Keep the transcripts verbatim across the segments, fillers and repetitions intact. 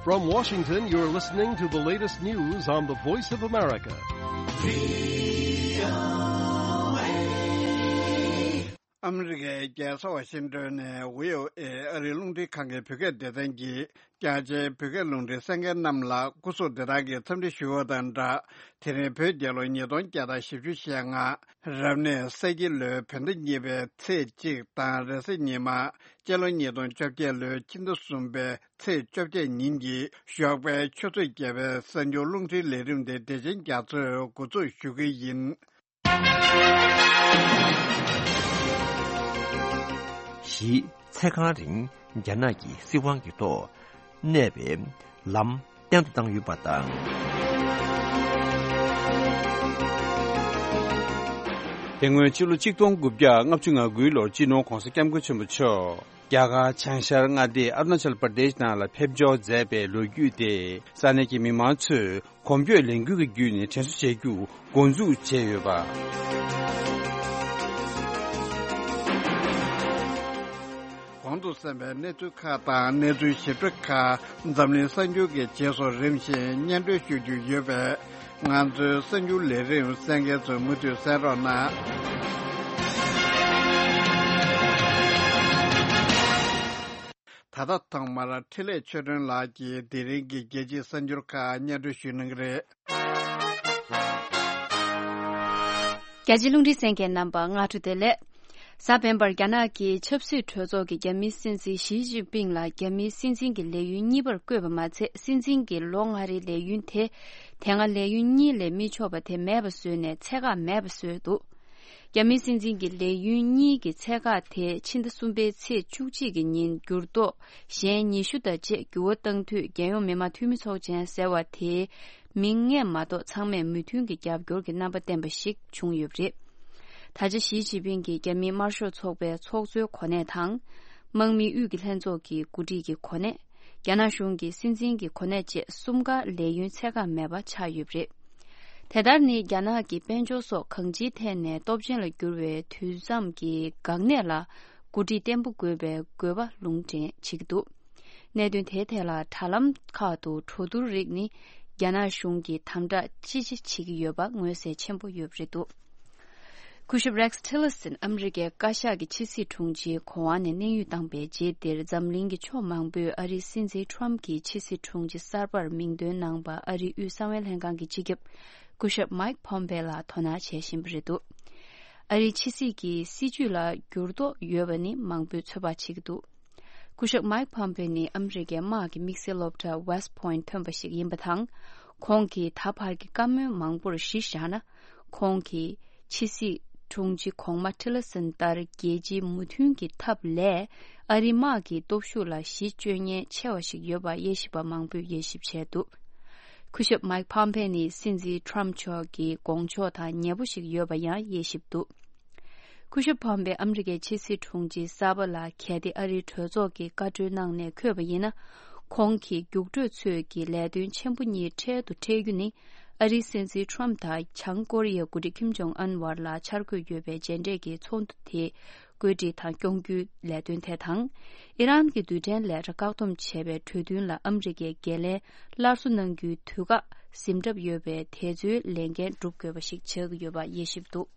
From Washington, you're listening to the latest news on the Voice of America. ཨ་མི་རི་ཀའི་རྒྱལ་ས་ཝ་ཤིང་ཏོན་ནས་བྷི་ཨོ་ཨེ་ཨ་རིའི་རླུང་འཕྲིན་ཁང་གི་བོད་སྐད་སྡེ་ཚན་གྱིས་རྒྱ་ཆེའི་བོད་སྐད་རླུང་འཕྲིན་གསན་མཁན་རྣམས་ལ་སྐུ་གཟུགས་བདེ་ཐང་གི་འཚམས་འདྲི་ཞུ་བ་དང་སྦྲགས། དེ་རིང་བོད་རྒྱལ་ལོ་ཉིས་སྟོང་བརྒྱ་དང་བཞི་བཅུ་ཞེ་ལྔ། རབ་གནས་ས་ཁྱི་ལོའི་བོད་ཟླ་གཉིས་པའི་ཚེས་གཅིག་དང་། རེས་གཟའ་ཉི་མ་སྤྱི་ལོ་ཉིས་སྟོང་བཅོ་བརྒྱད་ལོའི་ཕྱི་ཟླ་གསུམ་པའི་ཚེས་བཅོ་བརྒྱད་ཉིན་གྱི་ཞོགས་པའི་ཆུ་ཚོད་བརྒྱད་པའི་གསར་འགྱུར་རླུང་འཕྲིན་ལས་རིམ་དེ་བདེ་ཆེན་རྒྱ་མཚོས་འགོ་འཛུགས་ཞུ་གི་ཡིན། བཞི། ཚེ་གང་རིང་རྒྱ་ནག་གི་སྲིད་དབང་གི་ཐོག་གནས་པའི་ལམ་བརྟན་དུ་བཏང་ཡོད་པ་དང་། དེ་སྔོན་ཕྱི་ལོ་ཆིག་སྟོང་དགུ་བརྒྱ་ལྔ་བཅུ་ང་དགུའི་ལོར་སྤྱི་ནོར་༧གོང་ས་༧སྐྱབས་མགོན་ཆེན་པོ་མཆོག་རྒྱ་གར་བྱང་ཤར་མངའ་སྡེ་ཨ་རུ་ན་ཅལ་པར་དེཤ་ནང་ལ་ཕེབས་འབྱོར་མཛད་པའི་ལོ་རྒྱུས་དེ་ས་གནས་ཀྱི་མི་མང་ཚོས་གོམ་བགྲོད་ལས་འགུལ་གྱི་བརྒྱུད་ནས་དྲན་གསོ་བྱེད་རྒྱུ་འགོ་འཛུགས་བྱས་ཡོད་པ། གོང་དུ་གསན་པའི་གནས་ཚུལ་ཁག་དང་གནས་ཚུལ་ཞིབ་ཕྲ་ཁག་འཛམ་གླིང་གསར་འགྱུར་གྱི་རྗེས་སུ་རིམ་བཞིན་སྙན་སྒྲོན་ཞུ་རྒྱུ་ཡོད་པས། ང་ཚོའི་གསར་འགྱུར་ལས་རིམ་གསན་མཁན་ཚོས་མུ་མཐུད་གསན་རོགས་གནང་། ད་ལྟ་ཐོག་མར་འཕྲིན་ལས་ཆོས་སྒྲོན་ལགས་ཀྱིས་དེ་རིང་གི་རྒྱལ་སྤྱིའི་གསར་འགྱུར་ཁག་སྙན་སྒྲོན་ཞུ་གནང་གི་རེད། རྒྱལ་སྤྱིའི་རླུང་འཕྲིན་གསན་མཁན་རྣམ་པ་སྔ་དྲོ་བདེ་ལེགས། གཟའ་སྤེན་པར་རྒྱ་ནག་གི་ཆབ་སྲིད་གྲོས་ཚོགས་ཀྱིས་རྒྱ་མིའི་སྲིད་འཛིན་ཞི་ཅིན་ཕིང་ལ་རྒྱ་མིའི་སྲིད་འཛིན་གྱི་ལས་ཡུན་གཉིས་པར་བསྐོས་པ་མ་ཚད། སྲིད་འཛིན་གྱི་ལོ་ལྔ་རེའི་ལས་ཡུན་དེ་དེ་སྔ་ལས་ཡུན་གཉིས་ལས་མི་ཆོག་པ་དེ་མེད་པ་བཟོས་ནས་ཚད་བཀག་མེད་པ་བཟོས་འདུག་རྒྱ་མིའི་སྲིད་འཛིན་གྱི་ལས་ཡུན་གཉིས་ཀྱི་ཚད་བཀག་དེ་ཕྱི་ཟླ་གསུམ་པའི་ཚེས་བཅུ་གཅིག་གི་ཉིན་འགྱུར་ལྡོག་གཞན་ཉི་ཤུ་དང་བཅས་འགྱུར་བ་བཏང་དུས། རྒྱལ་ཡོངས་མི་དམངས་འཐུས་མི་ཚོགས་ཆེན་ཟེར་བ་དེའི་མིང་ལྔས་མ་གཏོགས་ཚང་མས་མོས་མཐུན་གྱི་རྒྱབ་སྐྱོར་གྱི་རྣམ་པ་བསྟན་པ་ཞིག་བྱུང་ཡོད་པ་རེད། ད་ཆ་ཞི་ཅིན་ཕིང་གིས་རྒྱ་མིའི་དམར་ཤོག་ཚོགས་པའི་ཚོགས་གཙོའི་གོ་གནས་དང་། དམག་མིའི་དབུས་ཀྱི་ལྷན་ཚོགས་ཀྱི་འགོ་ཁྲིད་ཀྱི་གོ་གནས། རྒྱ་ནག་གཞུང་གི་སྲིད་འཛིན་གྱི་གོ་གནས་བཅས་གསུམ་ཀ་ལས་ཡུན་ཚད་བཀག་མེད་པ་ཆགས་ཡོད་པ་རེད། དེ་ལྟར་ནི་རྒྱ་ནག་གི་དཔལ་འབྱོར་སོགས་གང་ཅིའི་ཐད་ནས་སྟོབས་ཆེན་ལ་གྱུར་བའི་དུས་མཚམས་ཀྱི་འགག་གནད་ལ་འགོ་ཁྲིད་བརྟན་པོ་དགོས་པའི་དགོས་པ་ལུང་འདྲེན་བྱེད་ཀྱི་འདུག་གནད་དོན་དེའི་ཐད་ལ་དྲ་ལམ་ཁག་ཏུ་གྲོས་བསྡུར་རིགས་ནི་རྒྱ་ནག་གཞུང་གིས་དམ་དྲག་ཅི་ཆེ་བྱེད་ཀྱི་ཡོད་པ་མངོན་གསལ་ཆེན་པོ་ཡོད་པ་རེད་འདུག་སྐུ་ཞབས་Rex Tillerson ཨ་མི་རི་ཀའི་བཀའ་ཤག་གི་ཕྱི་སྲིད་དྲུང་ཆེའི་གོ་དབང་ནས་གནས་དབྱུང་བཏང་པའི་རྗེས་འདིར་འཛམ་གླིང་གི་ཕྱོགས་མང་པོས་ཨ་རིའི་སྲིད་འཛིན་Trump གྱི་ཕྱི་སྲིད་དྲུང་ཆེ་གསར་པར་མིང་འདོན་གནང་པ་ཨ་རིའི་དབུས་གསང་བའི་ལྷན་ཁང་གི་སྤྱི་ཁྱབ་སྐུ་ཞབས་Mike Pompeo ལ་དོ་སྣང་བྱེད་བཞིན་པ་རེད་འདུག་ཨ་རིའི་ཕྱི་སྲིད་ཀྱི་སྲིད་ཇུས་ལ་འགྱུར་ལྡོག་ཡོད་པ་ནི་མང་པོས་ཚོད་དཔག་བྱེད་ཀྱི་འདུག་སྐུ་ཞབས་Mike Pompeo ནི་ཨ་མི་རི་ཀའི་དམག་གི་དམིགས་བསལ་སློབ་གྲྭ་West Point ཐོན་པ་ཞིག་ཡིན་པ་དང་། ཁོང་གིས་ད་བར་གྱི་བཀའ་མོལ་མང་པོར་གཞི་བཞག་ན། ཁོང་གིས་ཕྱི་སྲིད་དྲུང་ཆེ་གོང་མ་Tillerson ལྟར་རྒྱལ་སྤྱིའི་མོས་མཐུན་གྱི་ཐབས་ལས་ཨ་རིའི་དམག་གི་སྟོབས་ཤུགས་ལ་གཞི་བཅོལ་ཉེན་ཆེ་བ་ཞིག་ཡོད་པ་དབྱེ་ཞིབ་པ་མང་པོས་དབྱེ་ཞིབ་བྱས་འདུག་སྐུ་ཞབས་Mike Pompeo ནི་སྲིད་འཛིན་Trump མཆོག་གི་དགོངས་ཕྱོགས་དང་ཉེ་པོ་ཞིག་ཡོད་པ་ཡང་དབྱེ་ཞིབ་འདུག་སྐུ་ཞབས་Pompeo ཨ་མི་རི་ཀའི་ཕྱི་སྲིད་དྲུང་ཆེ་གསར་པ་ལ་གལ་ཏེ་ཨ་རིའི་གྲོས་ཚོགས་ཀྱིས་བཀའ་འཁྲོལ་གནང་ནས་འཁོད་པ་ཡིན་ན། ཁོང་གིས་རྒྱུགས་སྤྲོད་ཚོས་ཀྱི་ལས་དོན་ཆེན་པོ་གཉིས་འཕྲལ་དུ་འཕྲད་རྒྱུ་ནི། ཨ་རིའི་སྲིད་འཛིན་Trump དང་བྱང་ཀོ་རི་ཡའི་འགོ་ཁྲིད་Kim Jong Un བར་ལ་འཆར་འགོད་ཡོད་པའི་མཇལ་འཕྲད་ཀྱི་ཚོགས་འདུ་དེ་བཀོད་སྒྲིག་དང་སྐྱོང་རྒྱུའི་ལས་དོན་དེ་དང་། ཨི་རན་གྱི་རྡུལ་ཕྲན་ལས་གྲྭ་བཀག་སྡོམ་བྱས་པའི་གྲོས་མཐུན་ལ་ཨ་མི་རི་ཀས་འགན་ལེན་སླར་གསོ་གནང་རྒྱུའི་དུས་བཀག་ཟིན་གྲབས་ཡོད་པས། དེ་ཚོའི་ལས་འགན་སྒྲུབ་དགོས་པ་ཞིག་ཆགས་ཀྱི་ཡོད་པ་དབྱེ་ཞིབ་འདུག་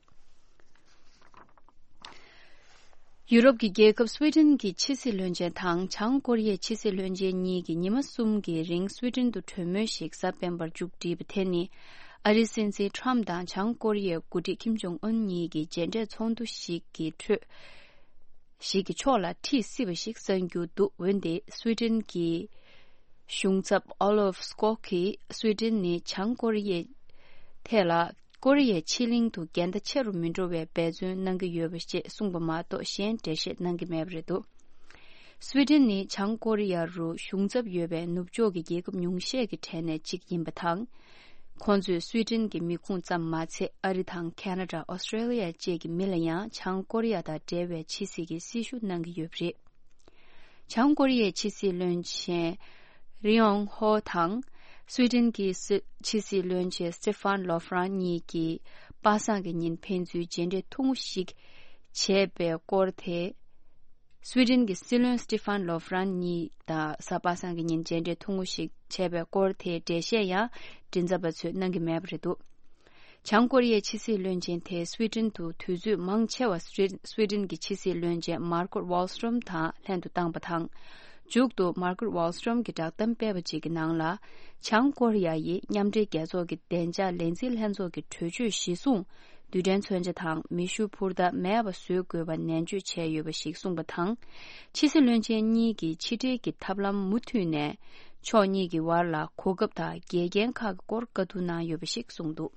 ཡུ་རོབ་ཀྱི་རྒྱལ་ཁབ་སུའེ་ཏེན་གྱི་ཕྱི་སྲིད་བློན་ཆེན་དང་བྱང་ཀོ་རི་ཡའི་ཕྱི་སྲིད་བློན་ཆེན་གཉིས་ཀྱིས་ཉི་མ་གསུམ་གྱི་རིང་སུའེ་ཏེན་དུ་གྲོས་མོལ་ཞིག་གཟའ་སྤེན་པར་མཇུག་བསྒྲིལ་བ་དེ་ནི། ཨ་རིའི་སྲིད་འཛིན་Trump དང་བྱང་ཀོ་རི་ཡའི་འགོ་ཁྲིད་Kim Jong Un གཉིས་ཀྱི་མཇལ་འཕྲད་ཚོགས་འདུ་ཞིག་གི་ཁྲོད། ཞིག་གི་ཕྱོགས་ལ་ཁྲིད་སྲིད་པ་ཞིག་གསན་རྒྱུ་འདུག་འོན་ཏེ་སུའེ་ཏེན་གྱི་གཞུང་ཚབ་Olof Skoog གིས་སུའེ་ཏེན་ནི་བྱང་ཀོ་རི་ཡའི་ཐད་ལ། ཀོ་རི་ཡའི་ཕྱེད་གླིང་དུ་འགལ་ཟླ་ཆེ་རུ་མི་འགྲོ་བའི་འབད་བརྩོན་གནང་གི་ཡོད་པ་ཞེས་གསུངས་པ་མ་གཏོགས་གཞན་འགྲེལ་བཤད་གནང་གི་མེད་པ་རེད་འདུག་སུའེ་ཏེན་ནི་བྱང་ཀོ་རི་ཡ་རུ་གཞུང་ཚབ་ཡོད་པའི་ནུབ་ཕྱོགས་ཀྱི་རྒྱལ་ཁབ་ཉུང་ཤས་ཀྱི་གྲས་ནས་གཅིག་ཡིན་པ་དང་། ཁོང་ཚོས་སུའེ་ཏེན་གྱི་མི་ཁུངས་ཙམ་མ་ཚད་ཨ་རི་དང་ཁེ་ན་ཌ། ཨོ་སི་ཀྲེ་ལི་ཡ་བཅས་ཀྱི་མི་ལ་ཡང་བྱང་ཀོ་རི་ཡ་དང་འབྲེལ་བའི་ཕྱི་སྲིད་ཀྱི་སྲི་ཞུ་གནང་གི་ཡོད་པ་རེད། བྱང་ཀོ་རི་ཡའི་ཕྱི་སྲིད་བློན་ཆེན་རི་ཡོང་ཧོ་དང་སུའེ་ཏེན་གྱི་སྲི་ཕྱི་སྲིད་བློན་ཆེན་སི་ཏི་ཧྥན་ལོ་ཧྥ་རན་གཉིས་ཀྱིས་པ་སངས་ཀྱི་ཉིན་ཕན་ཚུན་མཇལ་འཕྲད་ཐུང་ངུ་ཞིག་བྱས་པའི་སྐོར་དེ། སུའེ་ཏེན་གྱི་སྲིད་བློན་སི་ཏི་ཧྥན་ལོ་ཧྥ་རན་གཉིས་དང་གཟའ་པ་སངས་ཀྱི་ཉིན་མཇལ་འཕྲད་ཐུང་ངུ་ཞིག་བྱས་པའི་སྐོར་དེའི་འགྲེལ་བཤད་ཡང་མགྲིན་ཚབ་པ་ཚོས་གནང་གི་མེད་པ་རེད་འདུག། བྱང་ཀོ་རི་ཡའི་ཕྱི་སྲིད་བློན་ཆེན་དེ་སུའེ་ཏེན་དུ་དུས་ཚོད་མང་ཆེ་བ་སུའེ་ཏེན་གྱི་ཕྱི་སྲིད་བློན་ཆེན་མར་ཀོ་ཝཱལ་སི་ཏྲོམ་དང་ལྷན་དུ་བཏང་པ་དང་། མཇུག་ཏུ་མར་ཀོ་ཝཱལ་སི་ཏྲོམ་གྱིས་བསྒྲགས་གཏམ་སྤེལ་བ་ཅིག་གི་ནང་ལ། བྱང་ཀོ་རི་ཡ་ཡིས་མཉམ་འབྲེལ་རྒྱལ་ཚོགས་ཀྱི་བདེ་འཇགས་ལས་འཛིན་ལྷན་ཚོགས་ཀྱི་གྲོས་ཆོད་གཞིར་བཟུང་། རྡུལ་ཕྲན་མཚོན་ཆ་དང་མེ་ཤུགས་འཕུར་མདའ་མེད་པ་བཟོ་དགོས་པ་ནན་བརྗོད་བྱས་ཡོད་པ་ཞིག་གསུངས་པ་དང་། ཕྱི་སྲིད་བློན་ཆེན་གཉིས་ཀྱིས་ཕྱི་འབྲེལ་གྱི་ཐབས་ལམ་མུ་མཐུད་ནས། ཕྱོགས་གཉིས་ཀྱི་བར་ལ་གོ་སྐབས་དང་འགལ་རྐྱེན་ཁག་གི་སྐོར་བཀའ་བསྡུར་གནང་ཡོད་པ་ཞིག་གསུངས་འདུག།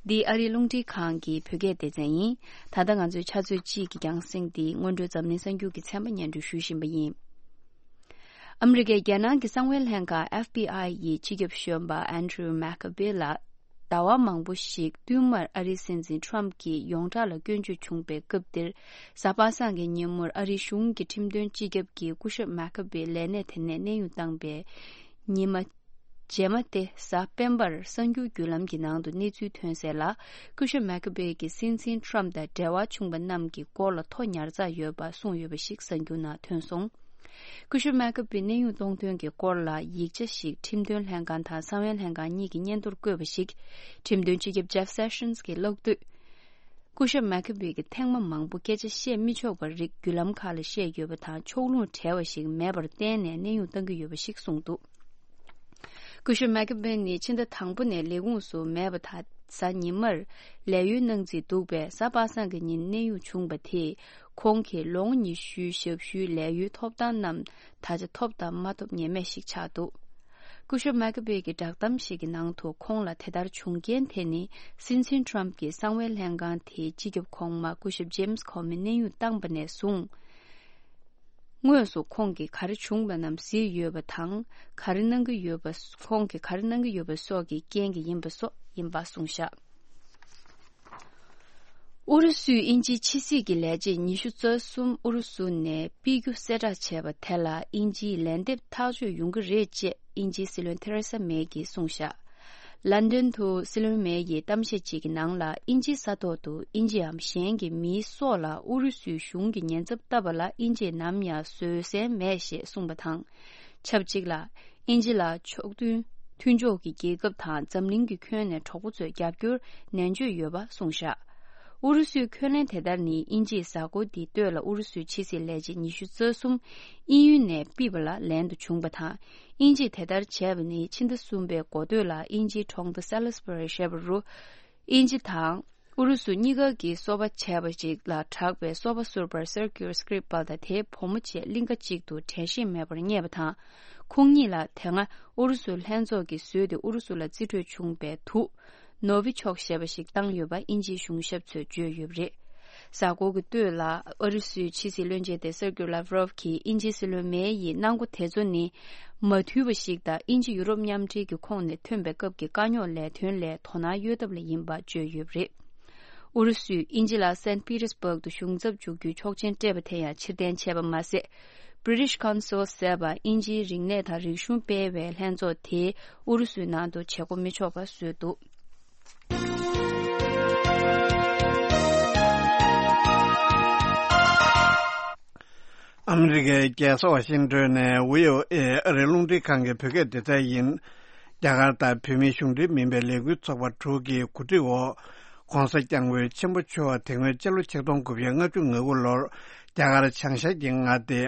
འདི་ཨ་རིའི་རླུང་འཕྲིན་ཁང་གི་བོད་སྐད་སྡེ་ཚན་ཡིན། ད་ལྟ་ང་ཚོའི་ཆུ་ཚོད་གཅིག་གི་རྒྱང་སྲིང་འདི་སྔོན་འགྲོའི་འཛམ་གླིང་གསར་འགྱུར་གྱི་ཚན་པ་སྙན་སྒྲོན་ཞུ་བཞིན་པ་ཡིན། ཨ་མི་རི་ཀའི་རྒྱལ་ནང་གི་གསང་བའི་ལྷན་ཁང་ཨེཕ་བི་ཨའི་ཡི་སྤྱི་ཁྱབ་གཞོན་པ་ཨན་ཌྲུ་མེག་ཁ་བྷེ་ལ། ཟླ་བ་མང་པོ་ཞིག་བསྟུད་མར་ཨ་རིའི་སྲིད་འཛིན་ཊརམཕ་གྱི་ཡོངས་གྲགས་ལ་སྐྱོན་བརྗོད་བྱུང་པའི་སྐབས་འདིར། གཟའ་པ་སངས་ཀྱི་ཉིན་མོར་ཨ་རིའི་གཞུང་གི་ཁྲིམས་དོན་སྤྱི་ཁྱབ་ཀྱིས་སྐུ་ཞབས་མེག་ཁ་བྷེ་ལས་གནས་དེ་ནས་གནས་དབྱུང་བཏང་པའི་ཉི་མ། རྗེས་མ་སྟེ་གཟའ་སྤེན་པར་གསར་འགྱུར་བརྒྱུད་ལམ་གྱི་ནང་དུ་གནས་ཚུལ་ཐོན་གསལ་ལ། སྐུ་ཞབས་མེག་ཁ་བྷེ་གིས་སྲིད་འཛིན་ཊརམཕ་དང་འབྲེལ་བ་བྱུང་པ་རྣམས་ཀྱི་སྐོར་ལ་ཐོ་ཉར་ཚགས་ཡོད་པ་གསུངས་ཡོད་པ་ཞིག་གསར་འགྱུར་ནང་ཐོན་སོང་། སྐུ་ཞབས་མེག་ཁ་བྷེ་གནས་དབྱུང་གཏོང་དོན་གྱི་སྐོར་ལ་ཡིག་ཆ་ཞིག་ཁྲིམས་དོན་ལྷན་ཁང་དང་གསང་བའི་ལྷན་ཁང་གཉིས་ཀྱི་སྙན་ཐོར་བཀོད་པ་ཞིག་ཁྲིམས་དོན་སྤྱི་ཁྱབ་ཇེཕ་སེ་ཤན་གྱིས་ཀློག་དུས། སྐུ་ཞབས་མེག་ཁ་བྷེ་གིས་ཐེངས་མ་མང་པོ་སྐད་ཆ་བཤད་མི་ཆོག་པ་རིགས་བརྒྱུད་ལམ་ཁག་ལ་བཤད་ཡོད་པ་དང་ཕྱོགས་ལྷུང་བྲལ་བ་ཞིག་མེད་པར་བརྟེན་ནས་གནས་དབྱུང་གཏང་གི་ཡོད་པ་ཞིག་གསུངས་འདུག། སྐུ་ཞབས་མེག་ཁ་བྷེ་ནི་ཕྱི་ཟླ་དང་པོ་ནས་ལས་ཁུངས་སུ་མེད་པ་དང་། གཟའ་ཉི་མར་ལས་གཡོལ་གནང་རྩིས་འདུག་པས། གཟའ་པ་སངས་ཀྱི་ཉིན་གནས་དབྱུང་བྱུང་བ་དེས། ཁོང་གིས་ལོ་ངོ་ཉི་ཤུའི་ཞབས་ཞུའི་ལས་གཡོལ་ཐོབ་ཐང་རྣམས་ད་ཆ་ཐོབ་དང་མ་ཐོབ་ངེས་མེད་ཞིག་ཆགས་འདུག། སྐུ་ཞབས་མེག་ཁ་བྷེ་གིས་བསྒྲགས་གཏམ་ཞིག་གི་ནང་དུ། ཁོང་ལ་དེ་ལྟར་བྱུང་རྐྱེན་དེ་ནི། སྲིད་འཛིན་ཊརམཕ་གྱིས་གསང་བའི་ལྷན་ཁང་དེའི་སྤྱི་ཁྱབ་གོང་མ་སྐུ་ཞབས་ཇེམ་སི་ཁོ་མི་གནས་དབྱུང་བཏང་པ་ནས་བཟུང་། དངོས་སུ་ཁོང་གིས་ག་རེ་བྱུང་བ་རྣམས་གཟིགས་ཡོད་པ་དང་། ག་རེ་གནང་གི་ཡོད་པ། ཁོང་གིས་ག་རེ་གནང་གི་ཡོད་པ་སོགས་ཀྱི་རྐྱེན་གྱིས་ཡིན་པ་སོགས་ཡིན་པ་གསུངས་བཞག། ཨུ་རུ་སུས་དབྱིན་ཇིའི་ཕྱི་སྲིད་ཀྱི་ལས་བྱེད་ཉི་ཤུ་རྩ་གསུམ་ཨུ་རུ་སུ་ནས་ཕུད་རྒྱུ་གསལ་བསྒྲགས་བྱས་པ་དེ་ལ་དབྱིན་ཇིས་ལན་འདེབས་ཐག་གཅོད་ཡོང་གི་རེད་ཅེས་དབྱིན་ཇིའི་སྲིད་བློན་ཐེ་རེ་ས་མེ་གིས་གསུངས་བཞག། ལན་ཌན་དུ་སྲིད་བློན་མེ་ཡིས་གཏམ་བཤད་ཅིག་གི་ནང་ལ། དབྱིན་ཇིའི་ས་ཐོག་ཏུ་དབྱིན་ཇིའམ་གཞན་གྱི་མིའི་སྲོག་ལ་ཨུ་རུ་སུའི་གཞུང་གིས་ཉེན་ཚབས་བཏབ་པ་ལ་དབྱིན་ཇིས་ནམ་ཡང་བཟོད་བསྲན་མེད་ཞེས་གསུངས་པ་དང་། ཆབས་ཅིག་ལ། དབྱིན་ཇི་ལ་ཕྱོགས་མཐུན་མཐུན་ཕྱོགས་ཀྱི་རྒྱལ་ཁབ་དང་འཛམ་གླིང་གི་ཁྱོན་ནས་གྲོགས་པོ་ཚོས་རྒྱབ་སྐྱོར་ནན་བརྗོད་ཡོད་པ་གསུངས་བཞག། ཨུ་རུ་སུའི་འཁོན་ལན་དེ་ལྟར་ནི་དབྱིན་ཇིའི་གཟའ་འཁོར་འདིའི་སྟོད་ལ་ཨུ་རུ་སུའི་ཕྱི་སྲིད་ལས་བྱེད་ཉི་ཤུ་རྩ་གསུམ་དབྱིན་ཡུལ་ནས་ཕུད་པ་ལ་ལན་དུ་བྱུང་པ་དང་། དབྱིན་ཇིས་དེ་ལྟར་བྱས་པ་ནི་ཕྱི་ཟླ་གསུམ་པའི་འགོ་སྟོད་ལ་དབྱིན་ཇིའི་གྲོང་རྡལ་སེ་ལི་སི་བྷ་རི་ཞེས་པ་རུ། དབྱིན་ཇི་དང་ཨུ་རུ་སུ་གཉིས་ཀ་གིས་སོ་པ་བྱས་པ་ཞིག་ལ་གྲགས་པའི་སོ་པ་ཟུར་པར་Circular Script་པ་དང་དེའི་བུ་མོ་བཅས་གླིང་ག་གཅིག་ཏུ་དྲན་ཤེས་མེད་པར་རྙེད་པ་དང་། ཁོང་གཉིས་ལ་དེ་སྔ་ཨུ་རུ་སུ་ལྷན་ཚོགས་ཀྱིས་བཟོས་ཏེ་ཨུ་རུ་སུ་ལ་རྩིས་སྤྲོད་བྱུང་བའི་དུག་ནོ་བི་ཆོག་ཞེས་པ་ཞིག་བཏང་ཡོད་པ་དབྱིན་ཇིའི་གཞུང་ཞབས་ཚོས་བརྗོད་ཡོད་པ་རེད། གཟའ་འཁོར་གྱི་སྟོད་ལ་ཨུ་རུ་སུའི་ཕྱི་སྲིད་བློན་ཆེན་དེ་སེར་གྱི་ལབ་རོབ་ཀྱིས་དབྱིན་ཇིའི་སྲིད་བློན་མེ་ཡི་གནང་སྒོ་དེ་ཚོ་ནི་མ་འཐུས་པ་ཞིག་དང་། དབྱིན་ཇི་ཡུ་རོབ་མཉམ་འབྲེལ་གྱི་ཁོངས་ནས་ཐོན་པའི་སྐབས་ཀྱི་དཀའ་རྙོག་ལས་དོན་ལས་དོ་སྣང་གཡོལ་ཐབས་ལ་ཡིན་པ་བརྗོད་ཡོད་པ་རེད། ཨུ་རུ་སུས་དབྱིན་ཇི་ལ་སན་པི་ཏེར་སྦུག་ཏུ་གཞུང་ཚབ་འཛུགས་རྒྱུའི་ཆོག་མཆན་སྤྲད་པ་དེ་ཡང་ཕྱིར་འཐེན་བྱས་པ་མ་ཟད། British Council ཟེར་བ་དབྱིན་ཇིའི་རིག་གནས་དང་རིག་གཞུང་སྤེལ་བའི་ལྷན་ཚོགས་དེས་ཨུ་རུ་སུའི་ནང་དུ་བྱེད་སྒོ་མི་ཆོག་པ་བཟོས་འདུག། ཨ་མི་རི་ཀའི་རྒྱལ་ས་ཝ་ཤིང་ཏོན་ནས་བྷི་ཨོ་ཨེ་ཨ་རིའི་རླུང་འཕྲིན་ཁང་གི་བོད་སྐད་སྡེ་ཚན་ཡིན། རྒྱ་གར་དང་བོད་མིའི་གཞུང་འབྲེལ་མིན་པའི་ལས་འགུལ་ཚོགས་པ་དྲུག་གི་གོ་སྒྲིག་འོག ༸གོང་ས་༸སྐྱབས་མགོན་ཆེན་པོ་མཆོག་དེ་སྔོན་སྤྱི་ལོ་ཆིག་སྟོང་དགུ་བརྒྱ་ལྔ་བཅུ་ང་དགུ་ལོར་རྒྱ་གར་བྱང་ཤར་གྱི་མངའ་སྡེ་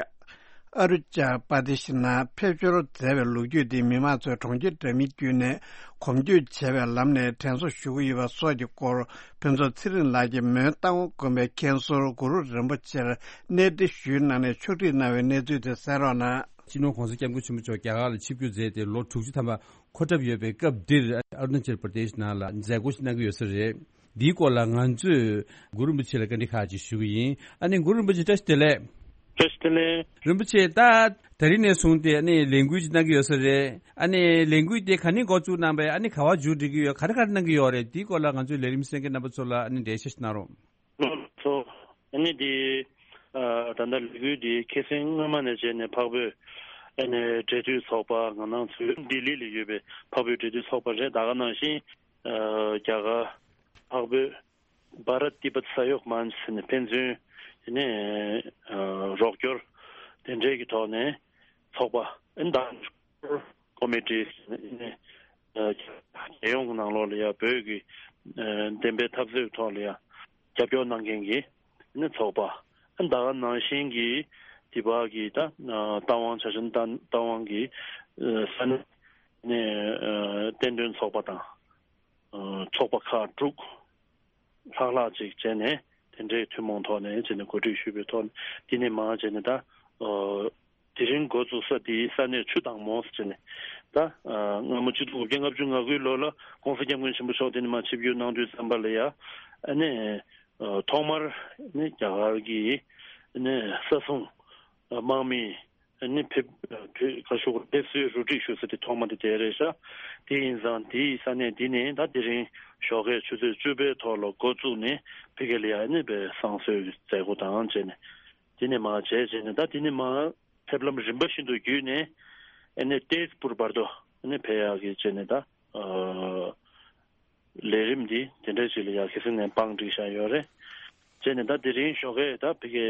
ཨ་རུ་ཅ་པ་དི་ཤི་ནང་ཕེབས་འབྱོར་མཛད་པའི་ལོ་རྒྱུས་འདི་མི་མང་ཚོས་གྲོང་ཁྱེར་འདྲ་མིན་བརྒྱུད་ནས་གོམ་བགྲོད་བྱས་པའི་ལམ་ནས་དྲན་གསོ་ཞུ་གི་ཡོད་པ་སོགས་ཀྱི་སྐོར་ཕུན་ཚོགས་ཚེ་རིང་ལགས་ཀྱིས་མོན་རྟ་དབང་དགོན་པའི་མཁན་ཟུར་གུ་རུ་རིན་པོ་ཆེར་གནས་འདྲི་ཞུས་གནང་ནས་ཕྱོགས་སྒྲིག་གནང་བའི་གནས་ཚུལ་དེ་གསན་རོགས་གནང་། སྤྱི་ནོར་༸གོང་ས་༸སྐྱབས་མགོན་ཆེན་པོ་མཆོག་རྒྱ་གར་ལ་ཆིབས་བསྒྱུར་མཛད་དེ་ལོ་དྲུག་ཅུ་ཐམ་པ་འཁོར་གྲབས་ཡོད་པའི་སྐབས་འདིར་ཨ་རུ་ན་ཅལ་པར་དེཤ་ནང་ལ་མཛད་སྒོ་ཞིག་གནང་གི་ཡོད་ས་རེད། འདིའི་སྐོར་ལ་ང་ཚོས་གུ་རུ་རིན་པོ་ཆེ་ལ་བཀའ་འདྲི་ཁག་ཅིག་ཞུ་གི་ཡིན། ཨ་ནི་གུ་རུ་རིན་པོ་ཆེ་བཀྲ་ཤིས་བདེ་ལེགས། བཀྲ་ཤིས་བདེ་ལེགས། རིན་པོ་ཆེ་ད་ད་རིང་ནས་བཟུང་སྟེ་ཨ་ནི་ལས་འགུལ་ཅིག་གནང་གི་ཡོད་ས་རེད། ཨ་ནི་ལས་འགུལ་དེ་ག་ནས་འགོ་བཙུགས་གནང་པས། ཨ་ནི་ག་བ་མཇུག་སྒྲིལ་གྱི་ཡོད། ག་རེ་ག་རེ་གནང་གི་ཡོད་རེད། འདིའི་སྐོར་ལ་ང་ཚོའི་ལས་རིམ་གསན་མཁན་རྣམ་པ་ཚོ་ལ་ཨ་ནི་འགྲེལ་བཤད་ཞིག་གནང་རོགས། ལགས་སོ། ཨ་ནི་འདི་ཨ་ད་ལྟ་ལས་འགུལ་འདི་ཁ་སང་སྔོན་མ་ནས་བྱས་ནས་འཕགས་བོད་ཨ་ནི་འབྲེལ་མཐུད་ཚོགས་པ་ང་རང་ཚོའི་ལྡི་ལི་ལ་ཡོད་པའི་འཕགས་བོད་འབྲེལ་མཐུད་ཚོགས་པ་རེད། ད་ག་ནང་བཞིན་ཨ་རྒྱ་གར་འཕགས་བོད་བྷ་རཏ་ཏི་བྷཏ་ས་ཡོག་མན་ཆ་ཟེར་ནས་ཕན་ཚུན་ དེ་ནས་རོགས་སྐྱོར་དེ་འདྲའི་གི་ཐོག་ནས་ཚོགས་པ་ཨན་དང་ཀོ་མི་ཊི་ནས་རྒྱལ་ཡོངས་ཀྱི་ནང་ལོགས་ལ་ཡ་བོད་ཀྱི་བདེན་པའི་འཐབ་རྩོད་ཐོག་ལ་ཡ་རྒྱབ་སྐྱོར་གནང་མཁན་གྱི་ནི་ཚོགས་པ་ཨན་ད་ག་ནང་བཞིན་གྱི་དེ་བ་གི་ད་རྟ་དབང་ཆ་ཆེན་རྟ་དབང་གི་ས་གནས་ནས་བསྟན་དོན་ཚོགས་པ་དང་ཚོགས་པ་ཁག་དྲུག་ལྷག་ལྷག་ཅིག་བྱས་ནས་དེ་འདྲའི་ཐུན་མོང་ཐོག་ནས་བྱས་ནས་གོ་སྒྲིག་ཞུས་པའི་ཐོག་ནས་དེ་ནས་མར་བྱས་ནས་ད་དེ་རིང་འགོ་བཙུགས་ས་དེའི་ས་གནས་ཆུ་དྭངས་མོ་ཟེར་ནས་ད་སྔ་མོ་ཆིག་སྟོང་དགུ་བརྒྱ་ལྔ་བཅུ་ང་དགུའི་ལོ་ལ་ྋགོང་ས་ྋསྐྱབས་མགོན་ཆེན་པོ་མཆོག་དེ་ནས་མར་ཆིབས་བསྒྱུར་གནང་དུས་ཙམ་པ་ལ་ཡ་ཨ་ནས་ཐོག་མར་ནི་རྒྱ་གར་གྱི་ནི་ས་སྲུང་དམག་མི་ནི་ཕེབས་ཕེབས་ཁ་ཤོག་ཕེབས་བསུའི་རུ་སྒྲིག་ཞུ་ས་དེ་ཐོག་མ་དེ་དེ་རེད་ཤག་དེ་ཡིན་ཙང་དེའི་ས་གནས་འདི་ནས་ད་དེ་རིང་ཞོགས་ཀའི་ཆུ་ཚོད་བཅུ་པའི་ཐོག་ལ་འགོ་བཙུགས་ནས་ཕ་གི་ལ་ཡ་ནི་བསང་གསོལ་གྱི་མཛད་སྒོ་དང་བཅས་ནས་དེ་ནས་མར་བྱས་བྱས་ནས་ད་དེ་ནས་མར་ཕེབས་ལམ་རིམ་པ་བཞིན་དུ་བརྒྱུད་ནས་ཨ་ནི་ཏེས་པུར་བར་དུ་ཨ་ནི་ཕེབས་ཡག་གི་བྱས་ནས་ད་ལས་རིམ་འདི་དེ་འདྲ་ཞིག་ལ་ཡ་ཁ་སང་ནས་བང་བསྒྲིགས་བཞག་ཡོད་རེད། བྱས་ནས་ད་དེ་རིང་ཞོགས་ཀས་ད་ཕ་གི་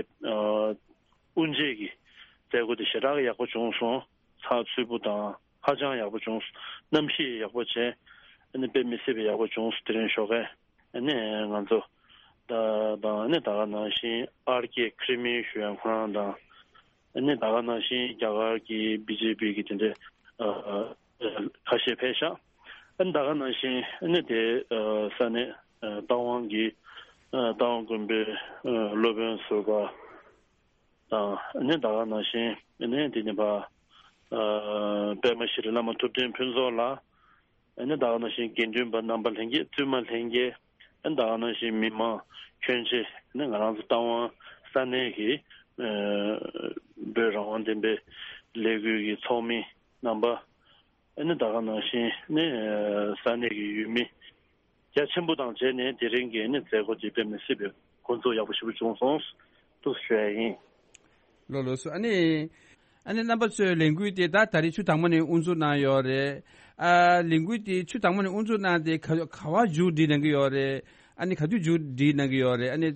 དབུ་འབྱེད་ཀྱི་མཛད་སྒོ་དེ་ཞེ་དྲག་ཡག་པོ་བྱུང་སོང་། ཚགས་ཚུད་པོ་དང་ཧ་ཅང་ཡག་པོ་བྱུང་སོང་། གནམ་གཤིས་ཡག་པོ་བྱས་ཨ་ནི་དཔེ་མི་སྲིད་པའི་ཡག་པོ་བྱུང་སོང་དེ་རིང་ཞོགས་ཀས། ཨ་ནི་ང་ཚོ་ད་དང་ཨ་ནི་ད་ག་ནང་བཞིན་ཨར་ཀེ་ཁི་རི་མི་ཞུ་ཡང་ཁོ་རང་དང་ཨ་ནི་ད་ག་ནང་བཞིན་རྒྱ་གར་གྱི་བི་ཇེ་པི་གི་དེ་འདྲའི་ཁ་ཤས་ཕེབས་ཤག་ཨ་ནི་ད་ག་ནང་བཞིན་ཨ་ནི་དེ་ས་གནས་རྟ་དབང་གི་རྟ་དབང་དགོན་པའི་སློབ་དཔོན་ཟུར་པ་དང་ཨ་ནི་ད་ག་ནང་བཞིན་ཨ་ནི་དེ་ནི་ཕ་པདྨ་ཤྲི་བླ་མ་ཐུབ་བསྟན་ཕུན་ཚོགས་ལགས། ཨ་ནི་ད་ག་ནང་བཞིན་དགེ་འདུན་པ་རྣམ་པ་ལྷན་རྒྱས་བཙུན་མ་ལྷན་རྒྱས། ཨ་ནི་ད་ག་ནང་བཞིན་མི་མང་ཁྱོན་ཆེ་ཨ་ནི་ང་རང་ཚོ་རྟ་དབང་ས་གནས་ཀྱི་བོད་རང་དབང་བདེན་པའི་ལས་འགུལ་གྱི་ཚོགས་མི་རྣམ་པ། ཨ་ནི་ད་ག་ནང་བཞིན་ནི་ས་གནས་ཀྱི་ཡུལ་མི་རྒྱ་ཆེན་པོ་དང་བཅས་ནས་དེ་རིང་གི་ནི་མཛད་སྒོ་དེ་དཔེ་མི་སྲིད་པའི་འགོ་འཛུགས་ཡག་པོ་ཞེ་པོ་བྱུང་སོང་། འདུག་ཞུ་ཡ་ཡིན། ལགས་ལགས་སོ། ཨ་ནི་ཨ་ནི་རྣམ་པ་ཚོའི་ལས་འགུལ་དེ་ད་ད་རེས་ཆུ་དྭངས་མོ་ནས་དབུ་འཛུགས་གནང་ཡོད་རེད། ཨ་ལས་འགུལ་དེ་ཆུ་དྭངས་མོ་ནས་དབུ་འཛུགས་གནང་དེ་ག་ག་བ་མཇུག་སྒྲིལ་གནང་གི་ཡོད་རེད། ཨ་ནི་ག་དུས་མཇུག་སྒྲིལ་གནང་གི་ཡོད་རེད། ཨ་ནི་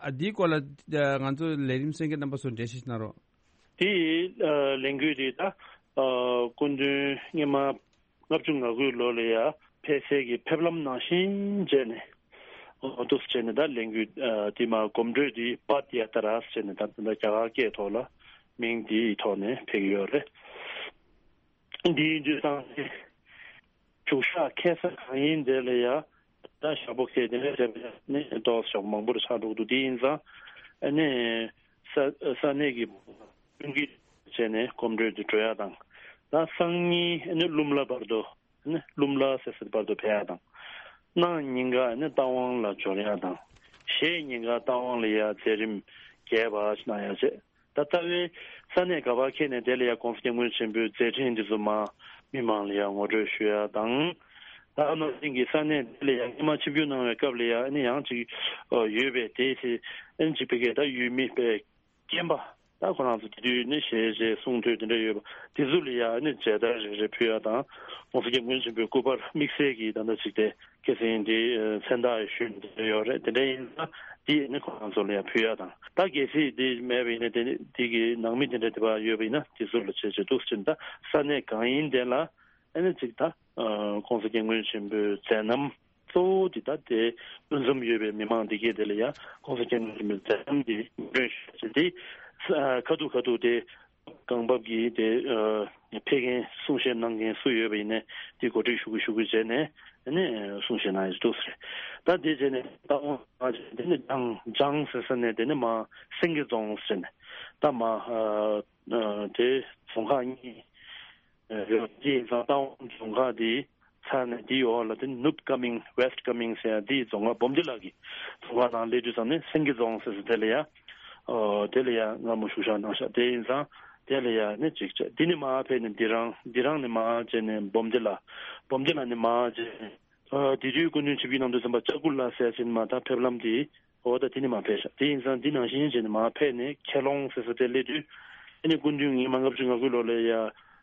ཨ་འདིའི་སྐོར་ལ་ང་ཚོ་ལས་རིམ་གསན་མཁན་རྣམ་པ་ཚོ་འགྲེལ་བཤད་གནང་རོགས། དེ་ཡི་ལས་འགུལ་དེ་ད་སྐུ་མདུན་སྔོན་མ་ལྔ་བཅུ་ང་དགུའི་ལོ་ལ་ཡ་ཕེབས་སའི་གི་ཕེབས་ལམ་ནང་བཞིན་བྱས་ནས་འོ་འདུག་སེ་བྱས་ནས་ད་ལས་འགུལ་དེ་མ་གོམ་བགྲོད་དེ་པད་ཡ་ཏྲ་ཟེར་ནས་ད་ད་རྒྱ་གར་སྐད་ཐོག་ལ་མིང་དེའི་ཐོག་ནས་ཕེབས་ཀྱི་ཡོད་རེད། འདི་ཡིན་དུས་ཙང་ནས་བཞུགས་ཤག་ཁེལ་ས་གང་ཡིན་དེ་ལ་ཡ་ད་ཞག་པོ་ཁེལ་དེ་ནས་རེད་པ་ནས་ཏོག་ཙམ་མང་པོ་རུ་ཆགས་འགྲོ་གི་འདུག་དེ་ཡིན་ཙང་ཨ་ནི་ས་ས་གནས་ཀྱི་ཀུན་གྱིས་བྱས་ནས་གོམ་བགྲོད་དུ་འགྲོ་ཡ་དང་ད་སང་ཉིན་ཨ་ནི་ཀླུ་མོ་ལ་བར་དུ་ཨ་ནི་ཀླུ་མོ་ལ་ཟེར་སའི་བར་དུ་ཕེབས་ཡ་དང་གནངས་ཉིན་ཀ་ཨ་ནི་རྟ་དབང་ལ་འབྱོར་ཡ་དང་གཞེས་ཉིན་ཀ་རྟ་དབང་ལ་ཡ་མཛད་རིམ་རྒྱས་པ་ཞིག་གནང་ཡ་བྱས། ད་ལྟ་བའི་ས་གནས་ག་པར་འཁེལ་ནས་དེ་ལ་ཡ་ྋགོང་ས་ྋསྐྱབས་མགོན་ཆེན་པོའི་མཛད་འཕྲིན་འདི་ཚོ་མར་མི་མང་ལ་ཡ་ངོ་སྤྲོད་ཞུ་ཡ་དང་། ད་ཨ་ནང་བཞིན་གྱི་ས་གནས་དེ་ལ་ཡ་སྔོན་མ་ཆིབས་བསྒྱུར་གནང་བའི་སྐབས་ལ་ཡ་ཨ་ནི་ཡང་ཅིག་ཡོད་པའི་དེ་དེ་ཨ་ནི་ཅིག་ཕ་གིའི་ད་ཡུལ་མི་པའི་རྒན་པ་ད་ཁོ་རང་ཚོ་དེ་དུས་ནི་ཞལ་བཞེས་གསུང་ཐོས་དེ་འདྲ་ཡོད་པ་དེ་ཚོ་ལ་ཡ་ཨ་ནི་མཇལ་དར་རེ་རེ་ཕུལ་ཡ་དང་ྋགོང་ས་ྋསྐྱབས་མགོན་ཆེན་པོའི་སྐུ་པར་དམིགས་བསལ་གྱི་ད་ལྟ་ཅིག་དེ། ཁ་སང་འདི་མཚན་རྟགས་ཞུས་འདི་ཡོད་རེད། དེ་འདྲ་ཡིན་ན་འདི་ནི་ཁོ་རང་ཚོ་ལ་ཡང་ཕུལ་ཡ་དང་། ད་གལ་སྲིད་འདི་མེད་པ་ཡིན་ན་དེ་ནི་འདི་གི་ནང་མི་དེ་འདྲ་དེ་བ་ཡོད་པ་ཡིན་ན་དེ་ཚོ་ལ་བྱས་བྱས་འདུག་ཟེར་ན་ད་ས་གནས་གང་ཡིན་དེ་ལ་ཨ་ནི་ཅིག་ད་ྋགོང་ས་ྋསྐྱབས་མགོན་ཆེན་པོའི་མཛད་རྣམ་གཙོ་བོ་འདི་ད་དེ་ཕུན་སུམ་ཡོད་པའི་མི་མང་འདི་གས་དེ་ལ་ཡང་ྋགོང་ས་ྋསྐྱབས་མགོན་ཆེན་པོའི་མཛད་རྣམ་འདི་ངོ་སྤྲོད་ཞུ་བྱས་འདི་ཁ་ཐུག་ཁ་ཐུག་དེ། གང་བབ་ཀྱིས་དེ་ཕེབས་མཁན་གསུང་བཤད་གནང་མཁན་སུ་ཡོད་པ་ཡིན་ནའི་དེ་གོ་སྒྲིག་ཞུ་གི་ཞུ་གི་བྱས་ནས་ནས་གསུང་བཤད་གནང་ཡོད་འདུག་ཟེར། ད་དེ་བྱས་ནས་ད་འོང་དེ་ནས་ལྗང་ལྗང་ཟེར་ས་ནས་དེ་ནས་མ་སེང་གེ་རྫོང་ཟེར་ནས་ད་མ་དེ་རྫོང་ཁག་གཉིས་ཡོད། དེ་ཡིན་ཙང་ད་འོང་རྫོང་ཁག་དེ། ཚར་ནས་དེའི་འོག་ལ་དེ་ནུབ་ཀ་མིང་ཝེ་སི་ཊི་ཀ་མིང་ཟེར་ཡ་དེའི་རྫོང་ཁག་སྦོམ་ལྡི་ལ་གི་རྫོང་ཁག་ནང་སླེབས་དུས་ཙམ་ནས་སེང་གེ་རྫོང་ཟེར་ཟེར་དེ་ལ་ཡ། ཨོ་དེ་ལ་ཡ་སྔ་མོ་བཞུགས་ཞག་གནང་ཤག་དེ་ཡིན་ཙང་དེ་ལ་ཡ་ནི་གཅིག་བྱས་དེ་ནི་མར་ཕེབས་ནས་དི་རང་དི་རང་ནས་མར་བྱས་ནས་སྦོམ་ལྡི་ལ་སྦོམ་ལྡི་ལ་ནས་མར་བྱས་ནས་ཨོ་དེ་དུས་སྐུ་མདུན་ཆིབས་བསྒྱུར་གནང་དུས་ཙམ་པ་ལྕགས་ཀུ་ལ་ཟེར་ཡ་ཅིག་མ་ད་ཕེབས་ལམ་དེ། འོ་ད་དེ་ནི་མར་ཕེབས་ཤག་དེ་ཡིན་ཙང་འདི་ནང་བཞིན་བྱས་ནས་མར་ཕེབས་ནས་ཁེ་ལོང་ཟེར་ས་དེ་སླེབས་དུས་ཨ་ནི་སྐུ་མདུན་ཉི་མ་ལྔ་བཅུ་ང་དགུ་ལོ་ལ་ཡ་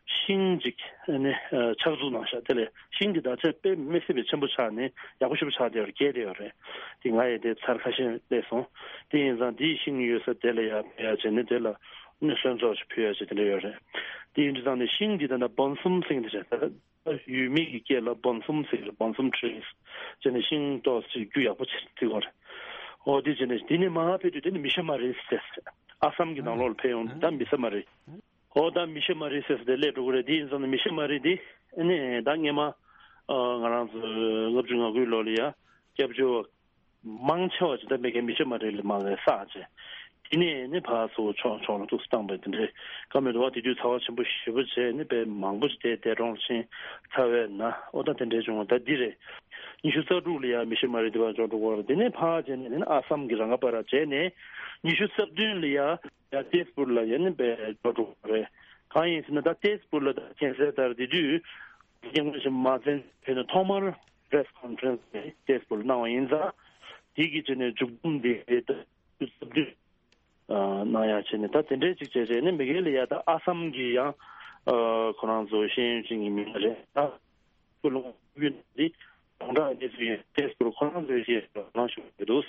ཤིང་ཅིག་ནི་ཨ་ཆགས་འཛུགས་གནང་ཤག་དེ་ལས་ཤིང་འདི་ད་ཆ་དཔེ་མི་སྲིད་པའི་ཆེན་པོ་ཆགས་ནས་ཡག་པོ་ཞེ་པོ་ཆགས་བསྡད་ཡོད་རེད། རྒྱས་བསྡད་ཡོད་རེད། དེ་ང་ཡི་དེ་ཚར་ཁ་ཤས་སླེབས་སོང་། དེ་ཡིན་ཙང་དེའི་ཤིང་ཡོད་ས་དེ་ལ་ཡར་ཕེབས་ཡ་བྱས་ནས་དེ་ལ་ནི་སོན་ཚོགས་ཤིག་ཕུལ་ཡ་བྱས་དེ་འདྲ་ཡོད་རེད། དེ་ཡིན་དུས་ཙང་ནས་ཤིང་འདི་ད་ལྟ་བོན་སུམ་ཟེར་གྱི་འདུག་ཅེས། ད་ཡུལ་མི་གི་སྐད་ལ་བོན་སུམ་ཟེར་གྱི་རེད། བོན་སུམ་ཊི་རིས་བྱས་ནས་ཤིང་ཏོག་ཙམ་རྒྱུ་ཡག་པོ་བྱས་བརྩི་དགོས་རེད། འོ་དེ་བྱས་ནས་དེ་ནས་མར་ཕེབས་དུས་དེ་ནི་མི་ཤ་མ་རི་ཟེར། ཨ་སམ་གྱི་ནང་ལོགས་ལ་ཕེབས་ཡོང་དུས་ད་མི་ཤ་མ་རི། ཨོ་ད་མི་ཤ་མ་རི་ཟེར་ས་དེ་སླེབས་འགྲོ་གི་རེད། དེ་ཡིན་ཙང་ནི་མི་ཤ་མ་རི་དེ་ཨ་ནི་ད་སྔས་མ་ཨ་ང་རང་ཚོ་ལྔ་བཅུ་ང་དགུའི་ལོ་ལ་ཡ་སྐྱབས་བཅོལ་བ་མང་ཆེ་བ་ཅིག་ད་མི་གའི་མི་ཤ་མ་རི་ལ་མ་གའི་བསགས་བྱས། དེ་ནས་ནི་ཕར་ཚུར་ཕྱོགས་ཕྱོགས་ལ་ཏོག་ཙམ་བཏང་པའི་དེ་འདྲའི་བཀའ་མོལ་འདུག་བ། དེ་དུས་ཚ་བ་ཆེན་པོ་ཞེ་པོ་བྱས་ནི་དཔེ་མང་པོ་ཅིག་དེ་འདས་གྲོངས་ཕྱིན་ཚར་བས་ན། ཨོ་ད་དེ་འདྲའི་བྱུང་བ་ད་འདི་རེད། ཉི་ཤུ་རྩ་དྲུག་ལ་ཡ་མི་ཤ་མ་རི་དེ་བར་འཇོག་འགྲོ་གི་རེད། དེ་ནས་ཕར་བྱས་ནས་ནི་ཨ་སམ་གྱི་རང་ཁ་པར་བྱས་ནས་ཉི་ཤུ་རྩ་བདུན་ལ་ཡ། ཡ་ཏེས་པུར་ལ་ཡ་ནི་པའི་འགྲོ་འགྲོ་རེད། གང་ཡིན་ཟེར་ན་ད་ཏེས་པུར་ལ་ད་མཁྱེན་གསལ་ལྟར་དེ་དུས་རྒྱལ་ངོས་ཤིག་མ་བཙན་བྱས་ནས་ཐོག་མར་པེ་རེ་སི་ཁོན་ཕེ་རེན་སི་ནས་ཏེས་པུར་ལ་གནང་བ་ཡིན་ཙང་། དེ་གི་ཆེད་ནས་མཇུག་བསྡོམས་དེ་ད་ཏེས་པུར་གནང་ཡ་བྱས་ནས་ད་དེ་འདྲའི་ཅིག་བྱས་བྱས་ནས་མི་སྒེར་ལ་ཡ་ད་ཨ་སམ་གི་ཡང་ཁོ་རང་ཚོ་ཤེས་ཡོན་ཅན་གྱི་མི་སྣ་རེད་ད། སྐུལ་སློང་ཡོད་འདི་གདོང་གྲགས་གནས་ཚུལ་ཡིན། ཏེས་པུར་ཁོ་རང་ཚོའི་ཞེས་གནང་ཞུ་གི་འདུག་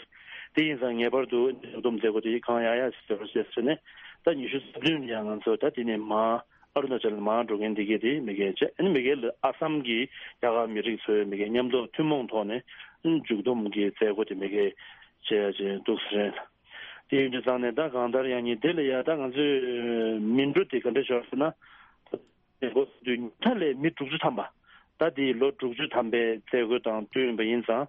དེ་ཡིན་ཙང་ངེས་པར་དུ་འདི་བསྡོམས་མཛད་སྒོ་དེ་གང་ཡག་ཡག་ཞིག་བཟོ་རོགས་ཞེས་ཟེར་ནས་ད་ཉི་ཤུ་རྩ་བདུན་ཡང་ང་ཚོ་ད་དེ་ནས་མར་ཨ་རུ་ན་ཅལ་མར་འགྲོ་མཁན་འདི་གས་དེ་མི་སྒེར་བྱས། ཨ་ནི་མི་སྒེར་ལ་ཨ་སམ་གྱི་རྒྱ་གར་མི་རིགས་ཚོའི་མི་སྒེར་མཉམ་དུ་ཐུན་མོང་ཐོག་ནས་མཇུག་བསྡོམས་ཀྱི་མཛད་སྒོ་དེ་མི་སྒེར་བྱས་ཡ་ཅིག་འདུག་ཟེར། དེ་ཡིན་དུས་ཙང་ནས་ད་གང་ལྟར་ཡང་ཉིན་དེ་ལ་ཡ་ད་ང་ཚོས་མི་འགྲོ་དེ་ག་འདྲ་ཤོར་ཟེར་ན། འགོ་བཙུགས་དུས་ཉིན་མཐའ་ལས་མི་དྲུག་ཅུ་ཐམ་པ། ད་དེའི་ལོ་དྲུག་ཅུ་ཐམ་པའི་མཛད་སྒོ་དང་བསྟུན་པ་ཡིན་ཙང་།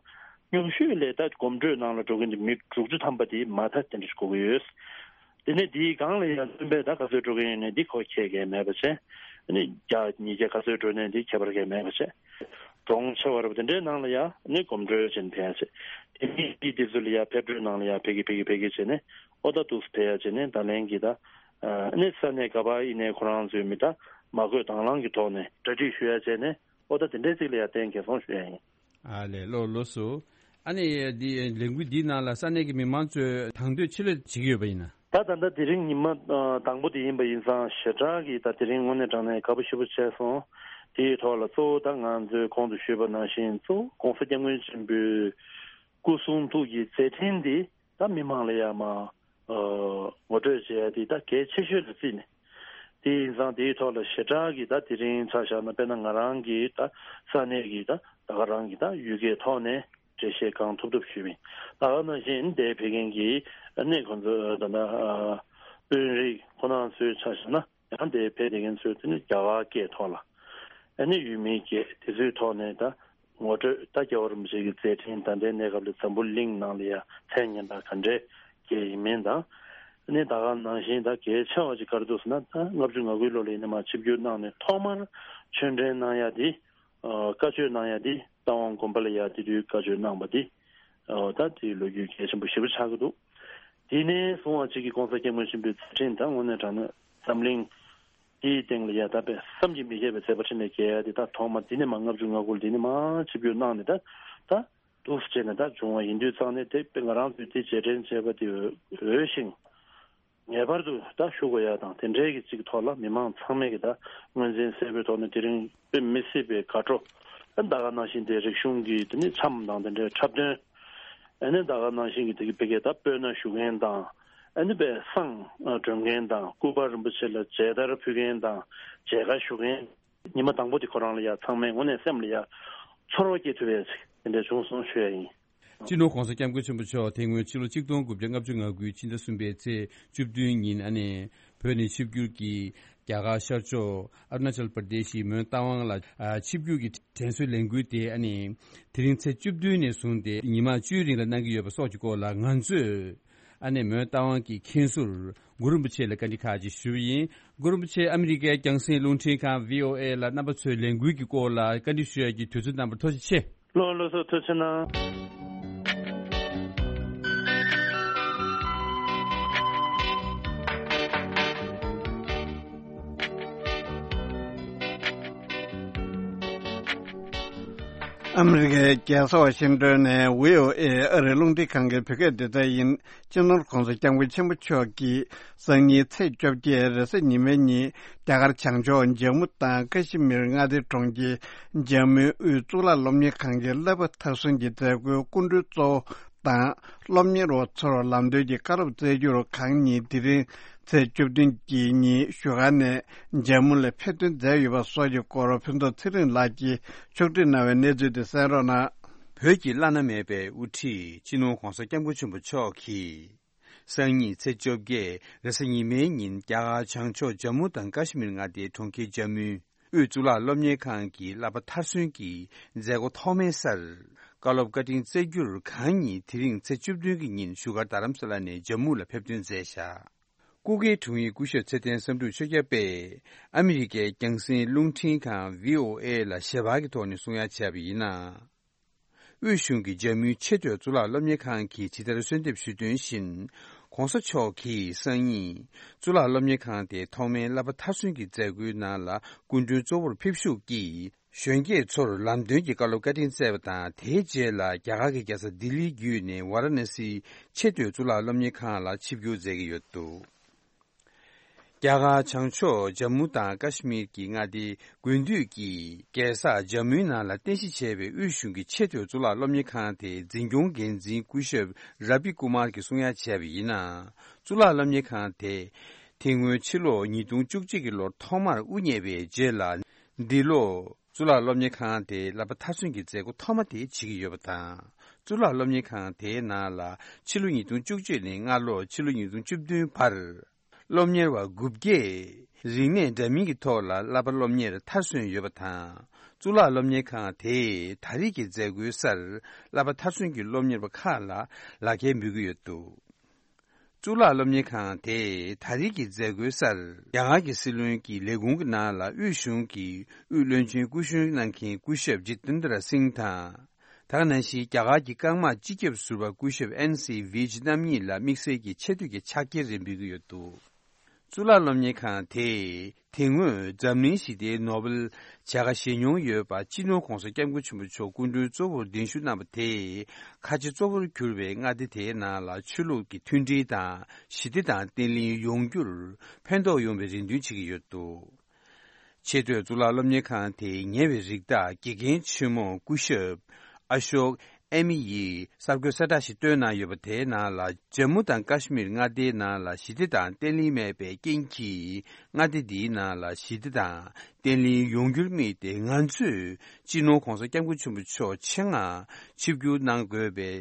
ཉུང་ཤོས་ལས་ད་གོམ་བགྲོད་ནང་ལ་འགྲོ་མཁན་དེ་མི་དྲུག་ཅུ་ཐམ་པ་དེ་མ་མཐའ་དེ་འདྲ་ཞིག་དགོས་ཀྱི་ཡོད། དེ་ནས་དེའི་སྒང་ལ་ཡང་བཙུན་པས་ད་ག་ཚོད་འགྲོ་གི་ཡོད་ནས་འདི་ཁོ་ཁྱད་ཀྱི་མེད་པ་བྱས། ཨ་ནི་བརྒྱ་ཉིས་བརྒྱ་ག་ཚོད་འགྲོ་ནས་འདི་ཁྱད་པར་གྱི་མེད་པ་བྱས། གྲོང་ཆེ་བ་རབ་དེ་འདྲའི་ནང་ལ་ཡང་ནི་གོམ་བགྲོད་བྱས་ནས་ཕེབས་བྱས། དེ་མི་དེ་དེ་ཚོ་ལ་ཡང་ཕེབས་བགྲོད་ནང་ལ་ཡང་ཕེབས་ཀྱི་ཕེབས་ཀྱི་ཕེབས་ཀྱི་བྱས་ནས་ཨོ་ད་འདུག་སེ་ཕེབས་ཡ་བྱས་ནས་ད་ལན་གྱི་ད། ཨ་ནི་ས་གནས་ག་པར་ཡིན་ནའི་ཁོ་རང་ཚོའི་མི་ད་མ་བསྐོས་དང་བླངས་ཀྱི་ཐོག་ནས་གྲ་སྒྲིག་ཞུ་ཡ་བྱས་ནས་ཨོ་ད་དེ་འདྲའི་ཚིག་ལ་ཡ་བརྟེན་གལ་སོང་ཞུ་ཡ་ཡིན། ཨ་ལས་ལོ་ལོ་སུ། ཨ་ནི་འདི་ལས་འགུལ་འདིའི་ནང་ལ་ས་གནས་ཀྱི་མི་མང་ཚོས་དང་དོད་ཆེ་ལོས་བྱེད་ཀྱི་ཡོད་པ་ཡིན་ན། ད་ད་ལྟ་དེ་རིང་ཉི་མ་ཨ་དང་པོ་དེ་ཡིན་པ་ཡིན་ཙང་ཞེ་དྲག་གི་ད་དེ་རིང་དངོས་གནས་དྲང་གནས་དགའ་པོ་ཞེ་པོ་བྱས་སོང་། དེའི་ཐོག་ལ་གཙོ་བོ་ད་ང་ཚོས་གོང་དུ་ཞུས་པ་ནང་བཞིན་གཙོ་བོ་༸གོང་ས་༸སྐྱབས་མགོན་ཆེན་པོའི་སྐུ་གསུང་ཐུགས་ཀྱི་མཛད་འཕྲིན་འདི། ད་མི་མང་ལ་ཡ་མ་ཨ་ངོ་སྤྲོད་བྱེད་ཡ་དེ་ད་གལ་ཆེ་ཤོས་ལ་བརྩིས་ནས། དེ་ཡིན་ཙང་དེའི་ཐོག་ལ་ཞེ་དྲག་གི་ད་དེ་རིང་ཆ་བཞག་ན་དཔེར་ན་ང་རང་གི་ད་ས་གནས་ཀྱི་ད་ད་ག་རང་གི་ད་ཡུལ་སྐད་ཐོག་ནས་འགྲེལ་བཤད་གང་ཐུབ་ཐུབ་ཞུས་པ་ཡིན། ད་ག་ནང་བཞིན་འདིར་ཕེབས་མཁན་གྱི་ཨ་ནི་ཁོང་ཚོ་ད་ད་ཨ་དཔོན་རིགས་ཁོ་རང་ཚོའི་ཆ་བཞག་ན། ཡང་དེ་ཕེབས་བསྡད་མཁན་ཚོས་དེ་ནི་རྒྱ་གར་སྐད་ཐོག་ལ། ཨ་ནི་ཡུལ་མིའི་སྐད་དེ་ཚོའི་ཐོག་ནས་ད་ངོ་སྤྲོད་ད་རྒྱལ་བ་རིན་པོ་ཆེ་གི་མཛད་འཕྲིན་ད་ལྟའི་གནས་སྐབས་ལ་འཛམ་བུ་གླིང་ནང་ལ་ཡ་མཚན་སྙན་གྲགས་ག་འདྲས་སྐྱེས་ཡིན་མིན་དང་། ཨ་ནི་ད་ག་ནང་བཞིན་ད་གལ་ཆེ་བ་ཅིག་ག་རེ་འདུག་ཟེར་ན་ད་ལྔ་བཅུ་ང་དགུའི་ལོ་ལ་ཡིན་ན་མར་ཆིབས་བསྒྱུར་གནང་ནས་ཐོག་མར་ཆོས་འབྲེལ་གནང་ཡ་དེ། ཨ་བཀའ་ཆོས་གནང་ཡ་དེ་རྟ་དབང་དགོན་པ་ལ་ཡ་དེ་དུས་བཀའ་ཆོས་གནང་བ་དེ། ཨོ་ད་དེའི་ལོ་རྒྱུས་གལ་ཆེན་པོ་ཞེ་པོ་ཆགས་ཀྱི་འདུག་དེ་ནས་བཟུང་བ་གཅིག་གིས་༸གོང་ས་༸སྐྱབས་མགོན་ཆེན་པོའི་མཛད་འཕྲིན་དང་དངོས་གནས་དྲང་གནས་འཛམ་གླིང་དེའི་སྟེང་ལ་ཡ་ད་དཔེ་བསམ་གྱིས་མི་ཁྱབ་པའི་མཛད་པ་འཕྲིན་ལས་རྒྱས་ཡ་དེ་ད་ཐོག་མ་འདི་ནས་མ་ལྔ་བཅུ་ང་དགུ་ལ་འདི་ནས་མ་ཆིབས་བསྒྱུར་གནང་ནས་ད་ད་འདུག་སེ་བྱས་ནས་ད་བྱུང་བ་ཡིན་དུས་ཙང་ནས་དེ་དཔེ་ང་རང་ཚོས་དེ་རྗེས་དྲན་བྱས་པ་དེ་འོས་ཤིང་། ངེས་པར་དུ་ད་ཞུ་དགོས་ཡ་དང་དེ་འདྲའི་གི་ཅིག་ཐོག་ལ་མི་མང་ཚང་མས་གི་ད་ངོས་འཛིན་གསལ་པོའི་ཐོག་ནས་དེ་རིང་དཔེ་མི་སྲིད་པའི་དགའ་སྤྲོ། ད་ག་ནང་བཞིན་དེ་རིག་གཞུང་གི་དེ་ནི་འཆམ་དང་དེ་འདྲའི་འཁྲབ་སྟོན། ཨ་ནི་ད་ག་ནང་བཞིན་གི་དེ་གི་དཔེ་གི་ད་སྤོས་སྣ་བཞུ་མཁན་དང་། ཨ་ནི་དཔེ་བསང་སྒྲོན་མཁན་དང་སྐུ་པར་རིན་པོ་ཆེ་ལ་མཇལ་དར་ཕུལ་མཁན་དང་མཇལ་ཁ་ཞུ་མཁན། ཉི་མ་དང་པོ་དེ་ཁོ་རང་ལ་ཡ་ཚང་མས་དངོས་གནས་སེམས་ལ་ཡ་ཚོར་བ་སྐྱེ་ཐུབ་པའི་ཅིག་དེ་འདྲ་བྱུང་སོང་ཞུ་ཡ་ཡིན། སྤྱི་ནོར་༸གོང་ས་༸སྐྱབས་མགོན་ཆེན་པོ་མཆོག་དེ་སྔོན་ཕྱི་ལོ་ཆིག་སྟོང་དགུ་བརྒྱ་ལྔ་བཅུ་ང་དགུའི་ཕྱི་ཟླ་གསུམ་པའི་ཚེས་བཅུ་བདུན་ཉིན་ཨ་ནི་བོད་ནས་ཆིབས་བསྒྱུར་གྱིས་རྒྱ་གར་ཤར་ཕྱོགས་ཨ་རུ་ན་ཅལ་པར་དེ་ཤི་མོན་རྟ་དབང་ལ་ཨ་ཆིབས་བསྒྱུར་གྱི་དྲན་གསོའི་ལས་འགུལ་དེ་ཨ་ནི་དེ་རིང་ཚེས་བཅུ་བདུན་ནས་བཟུང་སྟེ་ཉི་མ་བཅུའི་རིང་ལ་གནང་གི་ཡོད་པ་སོགས་ཀྱི་སྐོར་ལ་ང་ཚོས། ཨ་ནེ་མོན་རྟ་དབང་གི་མཁན་ཟུར་གུ་རུ་རིན་པོ་ཆེ་ལ་བཀའ་འདྲི་ཁག་ཅིག་ཞུས་པ་ཡིན། གུ་རུ་རིན་པོ་ཆེ་ཨ་མི་རི་ཀའི་རྒྱང་སྲིང་རླུང་འཕྲིན་ཁང་བྷི་ཨོ་ཨེ་ལ་རྣམ་པ་ཚོའི་ལས་འགུལ་གྱི་སྐོར་ལ་བཀའ་འདྲི་ཞུ་ཡ་གི་དུས་ཚོད་གནང་བར་ཐུགས་རྗེ་ཆེ། ལགས་ལགས་སོ་ཐུགས་རྗེ་གནང་། ཨ་མི་རི་ཀའི་རྒྱལ་ས་ཝ་ཤིང་ཏོན་ནས་བྷི་ཨོ་ཨེ་ཨ་རིའི་རླུང་འཕྲིན་ཁང་གི་བོད་སྐད་སྡེ་ཚན་ཡིན། སྤྱི་ནོར་༧གོང་ས་༧སྐྱབས་མགོན་ཆེན་པོ་མཆོག་གིས་སང་ཉིན་ཚེས་བཅོ་བརྒྱད་རེས་གཟའ་ཉི་མའི་ཉིན་རྒྱ་གར་བྱང་ཕྱོགས་ཇམ་མུ་དང་ཀ་ཤི་མིར་མངའ་སྡེའི་གྲོང་ཁྱེར་ཇམ་མུའི་དབུས་གཙུག་ལག་སློབ་གཉེར་ཁང་གི་བསླབ་པ་མཐར་སོན་གྱི་མཛད་སྒོའི་སྐུ་མགྲོན་གཙོ་བོ་དང་སློབ་གཉེར་བ་ཚོར་ལམ་སྟོན་གྱི་བཀའ་སློབ་སྩལ་རྒྱུར་གང་ཉིད་དེ་རིང་ཚེས་བཅུ་བདུན་གྱི་ཉིན་བཞུགས་སྒར་ནས་ཇམ་མུ་ལ་ཕེབས་ཐོན་མཛད་ཡོད་པ་སོགས་ཀྱི་སྐོར་ཕུན་ཚོགས་ཚེ་རིང་ལགས་ཀྱིས་ཕྱོགས་སྒྲིག་གནང་བའི་གནས་ཚུལ་དེ་གསན་རོགས་གནང་། བོད་ཀྱི་བླ་ན་མེད་པའི་དབུ་ཁྲིད་སྤྱི་ནོར་༧གོང་ས་༧སྐྱབས་མགོན་ཆེན་པོ་མཆོག་གིས། སང་ཉིན་ཚེས་བཅོ་བརྒྱད་རེས་གཟའ་ཉི་མའི་ཉིན་རྒྱ་གར་བྱང་ཕྱོགས་ཇམ་མུ་དང་ཀ་ཤི་མིར་མངའ་སྡེའི་གྲོང་ཁྱེར་ཇམ་མུའི་དབུས་གཙུག་ལག་སློབ་གཉེར་ཁང་གི་བསླབ་པ་མཐར་སོན་གྱི་མཛད་སྒོ་ཐོག་མའི་སར་བཀའ་སློབ་བཀའ་དྲིན་སྩལ་རྒྱུར་གང་ཉིད་དེ་རིང་ཚེས་བཅུ་བདུན་གྱི་ཉིན་བཞུགས་སྒར་རྡ་རམ་ས་ལ་ནས་ཇམ་མུ་ལ་ཕེབས་ཐོན་མཛད་བཞག་སྐུ་སྒེར་དྲུང་ཡིག་སྐུ་ཞབས་ཚེ་བརྟན་བསམ་གྲུབ་ཆོས་སྐྱབས་པས་ཨ་མི་རི་ཀའི་རྒྱང་སྲིང་རླུང་འཕྲིན་ཁང་བྷི་ཨོ་ཨེ་ལ་ཞལ་པར་གྱི་ཐོག་ནས་གསུང་ཡ་བྱས་པ་ཡིན་ན། དབུས་གཞུང་གི་ཇམ་མུའི་ཆེས་མཐོའི་གཙུག་ལག་སློབ་གཉེར་ཁང་གིས་ཇི་ལྟར་གསོལ་འདེབས་ཞུས་དོན་བཞིན། ༧གོང་ས་མཆོག་གིས་སང་ཉིན་གཙུག་ལག་སློབ་གཉེར་ཁང་དེའི་ཐོག་མའི་བསླབ་པ་མཐར་སོན་གྱི་མཛད་སྒོའི་ནང་ལ་སྐུ་མགྲོན་གཙོ་བོར་ཕེབས་ཞུགས་ཀྱིས། གཞོན་སྐྱེས་ཚོར་ལམ་སྟོན་གྱི་བཀའ་སློབ་བཀའ་དྲིན་སྩལ་བ་དང་། དེའི་རྗེས་ལ་རྒྱ་གར་གྱི་རྒྱལ་ས་ལྡི་ལི་བརྒྱུད་ནས་ཝཱ་ར་ཎ་སིའི་ཆེས་མཐོའི་གཙུག་ལག་སློབ་གཉེར་ཁང་ལ་ཆིབས་བསྒྱུར་མཛད་ཀྱི་ཡོད་འདུག་རྒྱ་གར་བྱང་ཕྱོགས་ཇམ་མུ་དང་ཀ་ཤི་མིར་གྱི་མངའ་སྡེའི་དགུན་དུས་ཀྱི་རྒྱལ་ས་ཇམ་མུའི་ནང་ལ་རྟེན་གཞི་བྱས་པའི་དབུས་གཞུང་གི་ཆེས་མཐོའི་གཙུག་ལག་སློབ་གཉེར་ཁང་དེའི་འཛིན་སྐྱོང་འགན་འཛིན་སྐུ་ཞབས་ར་བི་ཀུ་མར་གྱིས་གསུང་ཡ་བྱས་པ་ཡིན་ན། གཙུག་ལག་སློབ་གཉེར་ཁང་དེ་དེ་སྔོན་ཕྱི་ལོ་ཉིས་སྟོང་བཅུ་གཅིག་གི་ལོར་ཐོག་མར་དབུ་བརྙེས་པའི་རྗེས་ལ། འདི་ལོ། གཙུག་ལག་སློབ་གཉེར་ཁང་དེའི་བསླབ་པ་མཐར་སོན་གྱི་མཛད་སྒོ་ཐོག་མ་དེ་བྱེད་ཀྱི་ཡོད་པ་དང་། གཙུག་ལག་སློབ་གཉེར་ཁང་དེའི་ནང་ལ་ཕྱི་ལོ་ཉིས་སྟོང་བཅུ་གཅིག་ནས་སྔ་ལོ་ཕྱི་ལོ་ཉིས་སྟོང་བཅུ་བདུན་བར། སློབ་གཉེར་བ་དགུ་བརྒྱས་རིག་གནས་འདྲ་མིན་གྱི་ཐོག་ལ་བསླབ་པ་སློབ་གཉེར་མཐར་སོན་ཡོད་པ་དང་། གཙུག་ལག་སློབ་གཉེར་ཁང་དེས་ད་རེས་ཀྱི་མཛད་སྒོའི་སར་བསླབ་པ་མཐར་སོན་གྱི་སློབ་གཉེར་བ་ཁག་ལ་ལག་འཁྱེར་འབུལ་གྱི་ཡོད་འདུག་གཙུག་ལག་སློབ་གཉེར་ཁང་དེས་ད་རེས་ཀྱི་མཛད་སྒོའི་སར་རྒྱ་གར་གྱི་སྲིད་བློན་གྱི་ལས་ཁུངས་ཀྱི་ནང་ལ་དབུས་གཞུང་གི་དབུས་བློན་ཆེན་སྐུ་གཞོན་གནང་མཁན་སྐུ་ཞབས་ཇི་ཏན་དྲ་སིང་དང་། དེ་ག་ནང་བཞིན་རྒྱ་གར་གྱི་རྐང་དམག་སྤྱི་ཁྱབ་ཟུར་པ་སྐུ་ཞབས་ཨེན་སི་ཝེ་ཇི་རྣམ་གཉིས་ལ་དམིགས་བསལ་གྱི་ཆེ་བསྟོད་ཀྱི་ཕྱག་འཁྱེར་རེ་འབུལ་གྱི་ཡོད་འདུག་གཙུག་ལག་སློབ་གཉེར་ཁང་དེས་དེ་སྔོན་འཛམ་གླིང་ཞི་བདེའི་ནོ་བེལ་བྱ་དགའ་བཞེས་མྱོང་ཡོད་པ་སྤྱི་ནོར་༧གོང་ས་༧སྐྱབས་མགོན་ཆེན་པོ་མཆོག་སྐུ་མགྲོན་གཙོ་བོར་གདན་ཞུ་གནང་བ་དེས། ཁ་ཆེ་གཙོ་བོར་གྱུར་པའི་མངའ་སྡེ་དེའི་ནང་ལ་ཆོས་ལུགས་ཀྱི་མཐུན་སྒྲིལ་དང་ཞི་བདེ་དང་བརྟན་ལྷིང་ཡོང་རྒྱུར་ཕན་ཐོགས་ཡོང་བའི་རེ་འདུན་བྱེད་ཀྱི་ཡོད་འདུག་ཆེས་མཐོའི་གཙུག་ལག་སློབ་གཉེར་ཁང་དེའི་ཉེ་བའི་རིགས་བདག་དགེ་རྒན་ཆེན་མོ་སྐུ་ཞབས་ཨ་ཤོག་ཨེ་མི་ཡིས་གསར་འགོད་གསལ་བསྒྲགས་ཤིག་བཏོན་གནང་ཡོད་པ། དེའི་ནང་ལ་ཇམ་མུ་དང་ཀ་ཤི་མིར་མངའ་སྡེའི་ནང་ལ་ཞི་བདེ་དང་བརྟན་ལྷིང་མེད་པའི་རྐྱེན་གྱིས། མངའ་སྡེ་འདིའི་ནང་ལ་ཞི་བདེ་དང་བརྟན་ལྷིང་ཡོང་རྒྱུར་དམིགས་ཏེ། ང་ཚོས་སྤྱི་ནོར་༧གོང་ས་༧སྐྱབས་མགོན་ཆེན་པོ་མཆོག་ཆེད་མངགས་ཆིབས་བསྒྱུར་གནང་དགོས་པའི་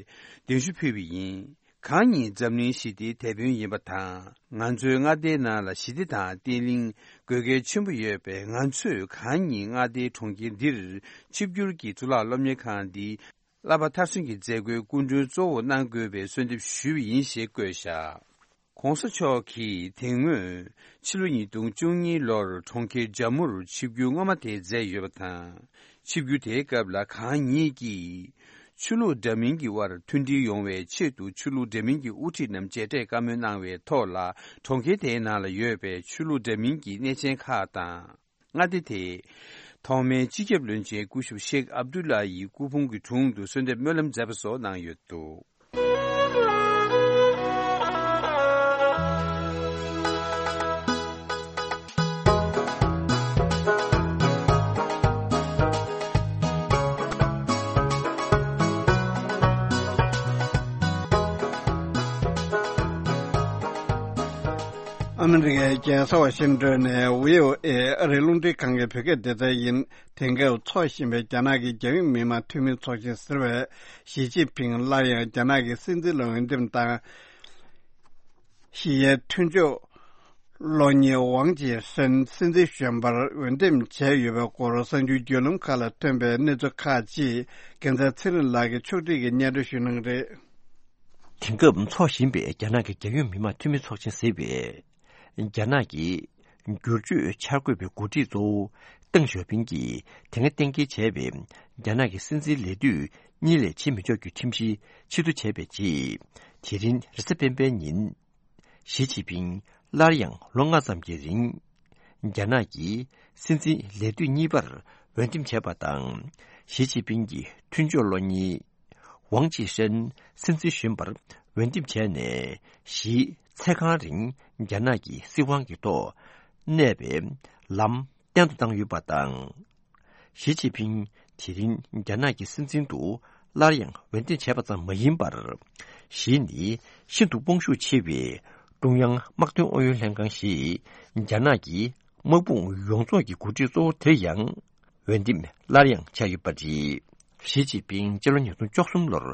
གདན་ཞུ་ཕུལ་བ་ཡིན། གང་ཉིད་འཛམ་གླིང་ཞི་བདེའི་དེད་དཔོན་ཡིན་པ་དང་། ང་ཚོའི་མངའ་སྡེའི་ནང་ལ་ཞི་བདེ་དང་བརྟན་ལྷིང་དགོས་གལ་ཆེན་པོ་ཡོད་པས། ང་ཚོས་གང་ཉིད་མངའ་སྡེའི་གྲོང་ཁྱེར་འདིར་ཆིབས་བསྒྱུར་གྱིས་གཙུག་ལག་སློབ་གཉེར་ཁང་འདིའི་བསླབ་པ་མཐར་སོན་གྱི་མཛད་སྒོའི་སྐུ་མགྲོན་གཙོ་བོ་གནང་དགོས་པའི་གསོལ་འདེབས་ཞུས་པ་ཡིན་ཞེས་བཀོད་བཞག ༸གོང་ས་མཆོག་གིས་དེ་སྔོན་ཕྱི་ལོ་ཉིས་སྟོང་བཅུ་གཉིས་ལོར་གྲོང་ཁྱེར་ཇམ་མུར་ཆིབས་བསྒྱུར་སྔོན་མ་དེ་མཛད་ཡོད་པ་དང་། ཆིབས་བསྒྱུར་དེའི་སྐབས་ལ་གང་ཉིད་ཀྱིས་ཆོས་ལུགས་འདྲ་མིན་གྱི་དབར་མཐུན་སྒྲིལ་ཡོང་བའི་ཆེད་དུ་ཆོས་ལུགས་འདྲ་མིན་གྱི་དབུ་ཁྲིད་རྣམས་མཇལ་འཕྲད་བཀའ་མོལ་གནང་བའི་ཐོག་ལ། གྲོང་ཁྱེར་དེའི་ནང་ལ་ཡོད་པའི་ཆོས་ལུགས་འདྲ་མིན་གྱི་གནས་ཆེན་ཁག་དང་། མངའ་སྡེ་དེའི་ཐོག་མའི་སྤྱི་ཁྱབ་བློན་ཆེན་སྐུ་ཞབས་ཤེག་ཨབ་དུ་ལ་ཡི་སྐུ་ཕུང་གི་དྲུང་དུ་གསོལ་འདེབས་སྨོན་ལམ་མཛད་པ་སོགས་གནང་ཡོད་འདུག་ཨ་མི་རི་ཀའི་རྒྱལ་ས་ཝ་ཤིང་ཏོན་ནས་བྷི་ཨོ་ཨེ་ཨ་རིའི་རླུང་འཕྲིན་ཁང་གི་བོད་སྐད་སྡེ་ཚན་ཡིན། དེང་སྐབས་འཚོགས་བཞིན་པའི་རྒྱ་ནག་གི་རྒྱལ་ཡོངས་མི་དམངས་འཐུས་མི་ཚོགས་ཆེན་ཟེར་བས། ཞི་ཅིན་ཕིང་སླར་ཡང་རྒྱ་ནག་གི་སྲིད་འཛིན་ལ་འོས་འདེམས་དང་། ཞི་ཡའི་མཐུན་ཕྱོགས་གློག་བརྙན་ཝང་ཅི་ཧྲན་སྲིད་འཛིན་གཞོན་པར་འོས་འདེམས་བྱས་ཡོད་པའི་སྐོར་གསར་འགྱུར་བརྒྱུད་ལམ་ཁག་ལ་ཐོན་པའི་གནས་ཚུལ་ཁག་ཅིག་རྒྱལ་མཚན་ཚེ་རིང་ལགས་ཀྱིས་ཕྱོགས་སྒྲིག་གིས་སྙན་སྒྲོན་ཞུ་གནང་གི་རེད། དེང་སྐབས་འཚོགས་བཞིན་པའི་རྒྱ་ནག་གི་རྒྱལ་ཡོངས་མི་དམངས་འཐུས་མི་ཚོགས་ཆེན་ཟེར་བས། རྒྱ་ནག་གི་བསྒྱུར་བཅོས་འཆར་འགོད་པའི་འགོ་ཁྲིད་གཙོ་བོ་ཏེང་ཞའོ་ཕིང་གིས་དེ་སྔ་གཏན་འཁེལ་བྱས་པའི་རྒྱ་ནག་གི་སྲིད་འཛིན་ལས་དུས་གཉིས་ལས་ཕྱིན་མི་ཆོག་གི་ཁྲིམས་གཞི་ཕྱིར་བསྡུ་བྱས་པའི་རྗེས། དེ་རིང་རེས་གཟའ་སྤེན་པའི་ཉིན། ཞི་ཅིན་ཕིང་སླར་ཡང་ལོ་ལྔ་ཙམ་གྱི་རིང་། རྒྱ་ནག་གི་སྲིད་འཛིན་ལས་དུས་གཉིས་པར་འོས་འདེམས་བྱས་པ་དང་ ཞི་ཅིན་ཕིང་གི་མཐུན་ཕྱོགས་བློ་གཉེར་ཝང་ཅི་ཧྲན་སྲིད་འཛིན་གཞོན་པར་འོས་འདེམས་བྱས་ནས། གཞིས་ཚེས་གང་རིང་རྒྱ་ནག་གི་སྲིད་དབང་གི་ཐོག་གནས་པའི་ལམ་བརྟན་དུ་བཏང་ཡོད་པ་དང་། ཞི་ཅིན་ཕིང་དེ་རིང་རྒྱ་ནག་གི་སྲིད་འཛིན་དུ་སླར་ཡང་འོས་འདེམས་བྱས་པ་ཙམ་མ་ཡིན་པར། གཞིས་ནི་ཤིན་ཏུ་དཔུང་ཤུགས་ཆེ་བའི་ཀྲུང་དབྱང་དམག་དོན་ཨུ་ཡོན་ལྷན་ཁང་ཞེས་རྒྱ་ནག་གི་དམག་དཔུང་ཡོངས་རྫོགས་ཀྱི་འགོ་ཁྲིད་གཙོ་བོ་དེ་ཡང་འོས་འདེམས་སླར་ཡང་བྱས་ཡོད་པ་རེད། ཞི་ཅིན་ཕིང་སྤྱི་ལོ་ཉིས་སྟོང་བཅུ་གསུམ་ལོར་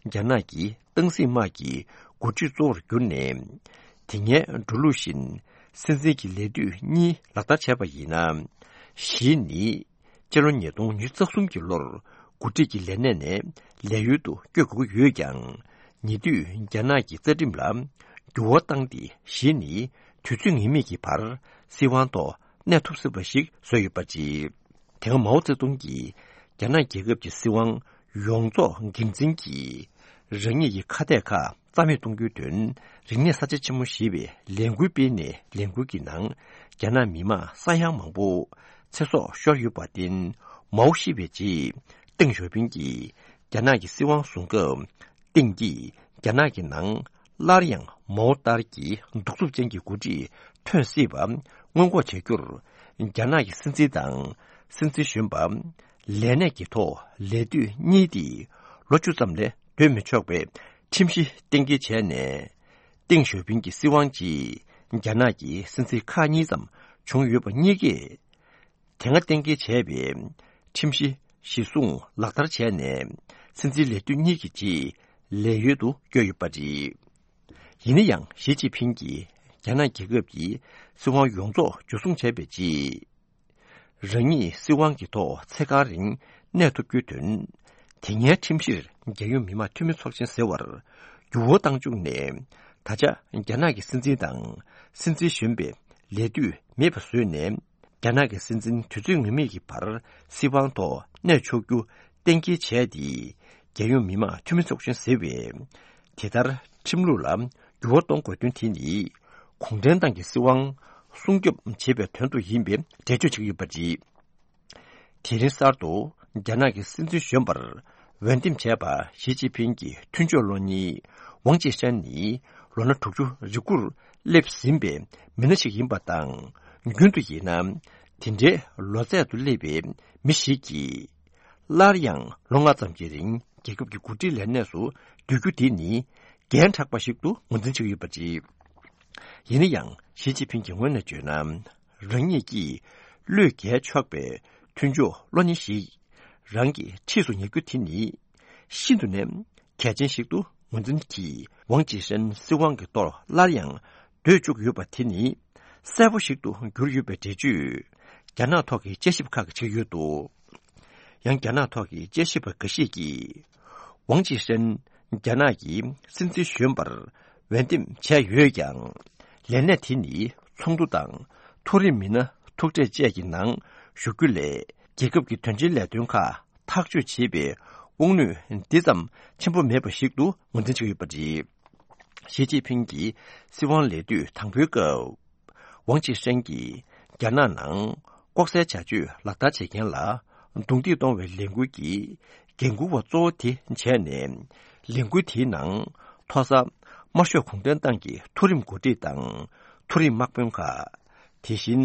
རྒྱ་ནག་གི་ཏང་སྲིད་དམག་གི་འགོ་ཁྲིད་གཙོ་བོར་གྱུར་ནས། དེ་སྔའི་འགྲོ་ལུགས་བཞིན་སྲིད་འཛིན་གྱི་ལས་དུས་གཉིས་ལག་བསྟར་བྱས་པ་ཡིན་ན། ཞི་ནི་སྤྱི་ལོ་ཉིས་སྟོང་ཉི་ཤུ་རྩ་གསུམ་གྱི་ལོར་འགོ་ཁྲིད་ཀྱི་ལས་གནས་ནས་ལས་ཡུལ་དུ་བསྐྱོད་དགོས་ཀྱི་ཡོད་ཀྱང་། ཉེ་དུས་རྒྱ་ནག་གི་རྩ་ཁྲིམས་ལ་འགྱུར་བ་བཏང་སྟེ། ཞི་ནི་དུས་ཚོད་ངེས་མེད་ཀྱི་བར་སྲིད་དབང་ཐོག་གནས་ཐུབ་སྲིད་པ་ཞིག་བཟོས་ཡོད་པ་རེད། དེ་སྔ་མའོ་ཙེ་ཏུང་གིས་རྒྱ་ནག་རྒྱལ་ཁབ་ཀྱི་སྲིད་དབང་ཡོངས་རྫོགས་འགན་འཛིན་གྱིས་རང་ཉིད་ཀྱི་ཁ་གཏད་ཁག་རྩ་མེད་གཏོང་རྒྱུའི་དོན། རིག་གནས་གསར་བརྗེ་ཆེན་མོ་ཞེས་པའི་ལས་འགུལ་སྤེལ་ནས། ལས་འགུལ་གྱི་ནང་རྒྱ་ནག་མི་དམངས་ས་ཡ་མང་པོ་ཚེ་སྲོག་ཤོར་ཡོད་པར་བརྟེན། མའོ་ཤི་བའི་རྗེས་ཏེང་ཞའོ་ཕིང་གིས་རྒྱ་ནག་གི་སྲིད་དབང་བཟུང་སྐབས། ཏེང་གིས་རྒྱ་ནག་གི་ནང་སླར་ཡང་མའོ་ལྟར་གྱི་གདུག་རྩུབ་ཅན་གྱི་འགོ་ཁྲིད་ཐོན་སྲིད་པ་སྔོན་འགོག་བྱ་རྒྱུར། རྒྱ་ནག་གི་སྲིད་འཛིན་དང་སྲིད་འཛིན་གཞོན་པ་ལས་གནས་ཀྱི་ཐོག་ལས་དུས་གཉིས་ཏེ་ལོ་བཅུ་ཙམ་ལས་སྡོད་མི་ཆོག་པའི་ཁྲིམས་གཞི་གཏན་འཁེལ་བྱས་ནས། ཏེང་ཞའོ་ཕིང་གི་སྲིད་དབང་རྗེས་རྒྱ་ནག་གི་སྲིད་འཛིན་ཁག་གཉིས་ཙམ་བྱུང་ཡོད་པ་གཉིས་ཀས། དེ་སྔ་གཏན་འཁེལ་བྱས་པའི་ཁྲིམས་གཞི་གཞིར་བཟུང་ལག་བསྟར་བྱས་ནས། སྲིད་འཛིན་ལས་དུས་གཉིས་ཀྱི་རྗེས་ལས་ཡུལ་དུ་བསྐྱོད་ཡོད་པ་རེད། ཡིན་ན་ཡང་། ཞི་ཅིན་ཕིང་གིས་རྒྱ་ནག་རྒྱལ་ཁབ་ཀྱི་སྲིད་དབང་ཡོངས་རྫོགས་འཇུ་བཟུང་བྱས་པའི་རྗེས། རང་ཉིད་སྲིད་དབང་གི་ཐོག་ཚེ་གང་རིང་གནས་ཐུབ་རྒྱུའི་དོན། དེ་སྔའི་ཁྲིམས་གཞིར་རྒྱལ་ཡོངས་མི་དམངས་འཐུས་མི་ཚོགས་ཆེན་ཟེར་བར་འགྱུར་བ་བཏང་བཅུག་ནས། ད་ཆ་རྒྱ་ནག་གི་སྲིད་འཛིན་དང་སྲིད་འཛིན་གཞོན་པའི་ལས་དུས་མེད་པ་བཟོས་ནས། རྒྱ་ནག་གི་སྲིད་འཛིན་དུས་ཚོད་ངེས་མེད་ཀྱི་བར་སྲིད་དབང་ཐོག་གནས་ཆོག་རྒྱུ་གཏན་འཁེལ་བྱས་ཏེ། རྒྱལ་ཡོངས་མི་དམངས་འཐུས་མི་ཚོགས་ཆེན་ཟེར་བས། དེ་ལྟར་ཁྲིམས་ལུགས་ལ་འགྱུར་བ་གཏོང་དགོས་དོན་དེ་ནི། གུང་ཁྲན་ཏང་གི་སྲིད་དབང་སྲུང་སྐྱོབ་བྱེད་པའི་དོན་དུ་ཡིན་པའི་འགྲེལ་བརྗོད་བྱེད་ཀྱི་ཡོད་པ་རེད། དེ་རིང་གསར་དུ་རྒྱ་ནག་གི་སྲིད་འཛིན་གཞོན་པར་འོས་འདེམས་བྱས་པ་ཞི་ཅིན་ཕིང་གི་མཐུན་ཕྱོགས་བློ་གཉེར་ཝང་ཅི་ཧྲན་ནི། ལོ་ན་དྲུག་ཅུ་རེ་དགུར་སླེབས་ཟིན་པའི་མི་སྣ་ཞིག་ཡིན་པ་དང་། རྒྱུན་དུ་ཡིན་ན། དེ་འདྲའི་ལོ་ཚད་དུ་སླེབས་པའི་མི་ཞིག་གིས། སླར་ཡང་ལོ་ལྔ་ཙམ་གྱི་རིང་རྒྱལ་ཁབ་ཀྱི་འགོ་ཁྲིད་ལས་གནས་སུ་སྡོད་རྒྱུ་དེ་ནི་འགན་དྲག་པ་ཞིག་ཏུ་ངོས་འཛིན་བྱེད་ཀྱི་ཡོད་པ་རེད། ཡིན་ན་ཡང་། ཞི་ཅིན་ཕིང་གི་ངོས་ནས་བརྗོད་ན། རང་ཉིད་ཀྱིས་བློས་འགེལ་ཆོག་པའི་མཐུན་ཕྱོགས་བློ་གཉེར་ཞིག་རང་གི་འཁྲིས་སུ་ཉར་རྒྱུ་དེ་ནི་ཤིན་ཏུ་ནས་གལ་ཆེན་ཞིག་ཏུ་ངོས་འཛིན་གྱིས། ཝང་ཅི་ཧྲན་སྲིད་དབང་གི་ཐོག་སླར་ཡང་སྡོད་བཅུག་ཡོད་པ་དེ་ནི་གསལ་པོ་ཞིག་ཏུ་གྱུར་ཡོད་པའི་འགྲེལ་བརྗོད་རྒྱ་ནག་ཐོག་གི་དཔྱད་ཞིབ་ཁག་གིས་བྱེད་ཀྱི་ཡོད་འདུག་ཡང་། རྒྱ་ནག་ཐོག་གི་དཔྱད་ཞིབ་པ་འགའ་ཤས་ཀྱིས། ཝང་ཅི་ཧྲན་རྒྱ་ནག་གི་སྲིད་འཛིན་གཞོན་པར་འོས་འདེམས་བྱས་ཡོད་ཀྱང་། ལས་གནས་དེ་ནི་ཚོགས་འདུ་དང་མཐོ་རིམ་མི་སྣ་ཐུག་འཕྲད་བཅས་ཀྱི་ནང་ཞུགས་རྒྱུ་ལས། རྒྱལ་ཁབ་ཀྱི་དོན་ཆེན་ལས་དོན་ཁག་ཐག་གཅོད་བྱེད་པའི་དབང་ནུས་འདི་ཙམ་ཆེན་པོ་མེད་པ་ཞིག་ཏུ་ངོས་འཛིན་བྱེད་ཀྱི་ཡོད་པ་རེད། ཞི་ཅིན་ཕིང་གི་སྲིད་དབང་ལས་དུས་དང་པོའི་སྐབས། ཝང་ཅི་ཧྲན་གྱིས་རྒྱ་ནག་ནང་ལྐོག་ཟའི་བྱ་སྤྱོད་ལག་བསྟར་བྱེད་མཁན་ལ་རྡུང་རྡེག་གཏོང་བའི་ལས་འགུལ་གྱི་འགན་འཁུར་བ་གཙོ་བོ་དེ་བྱས་ནས། ལས་འགུལ་དེའི་ནང་མཐོ་ས་དམར་ཤོག་གུང་ཁྲན་ཏང་གི་མཐོ་རིམ་འགོ་ཁྲིད་དང་མཐོ་རིམ་དམག་དཔོན་ཁག་དེ་བཞིན།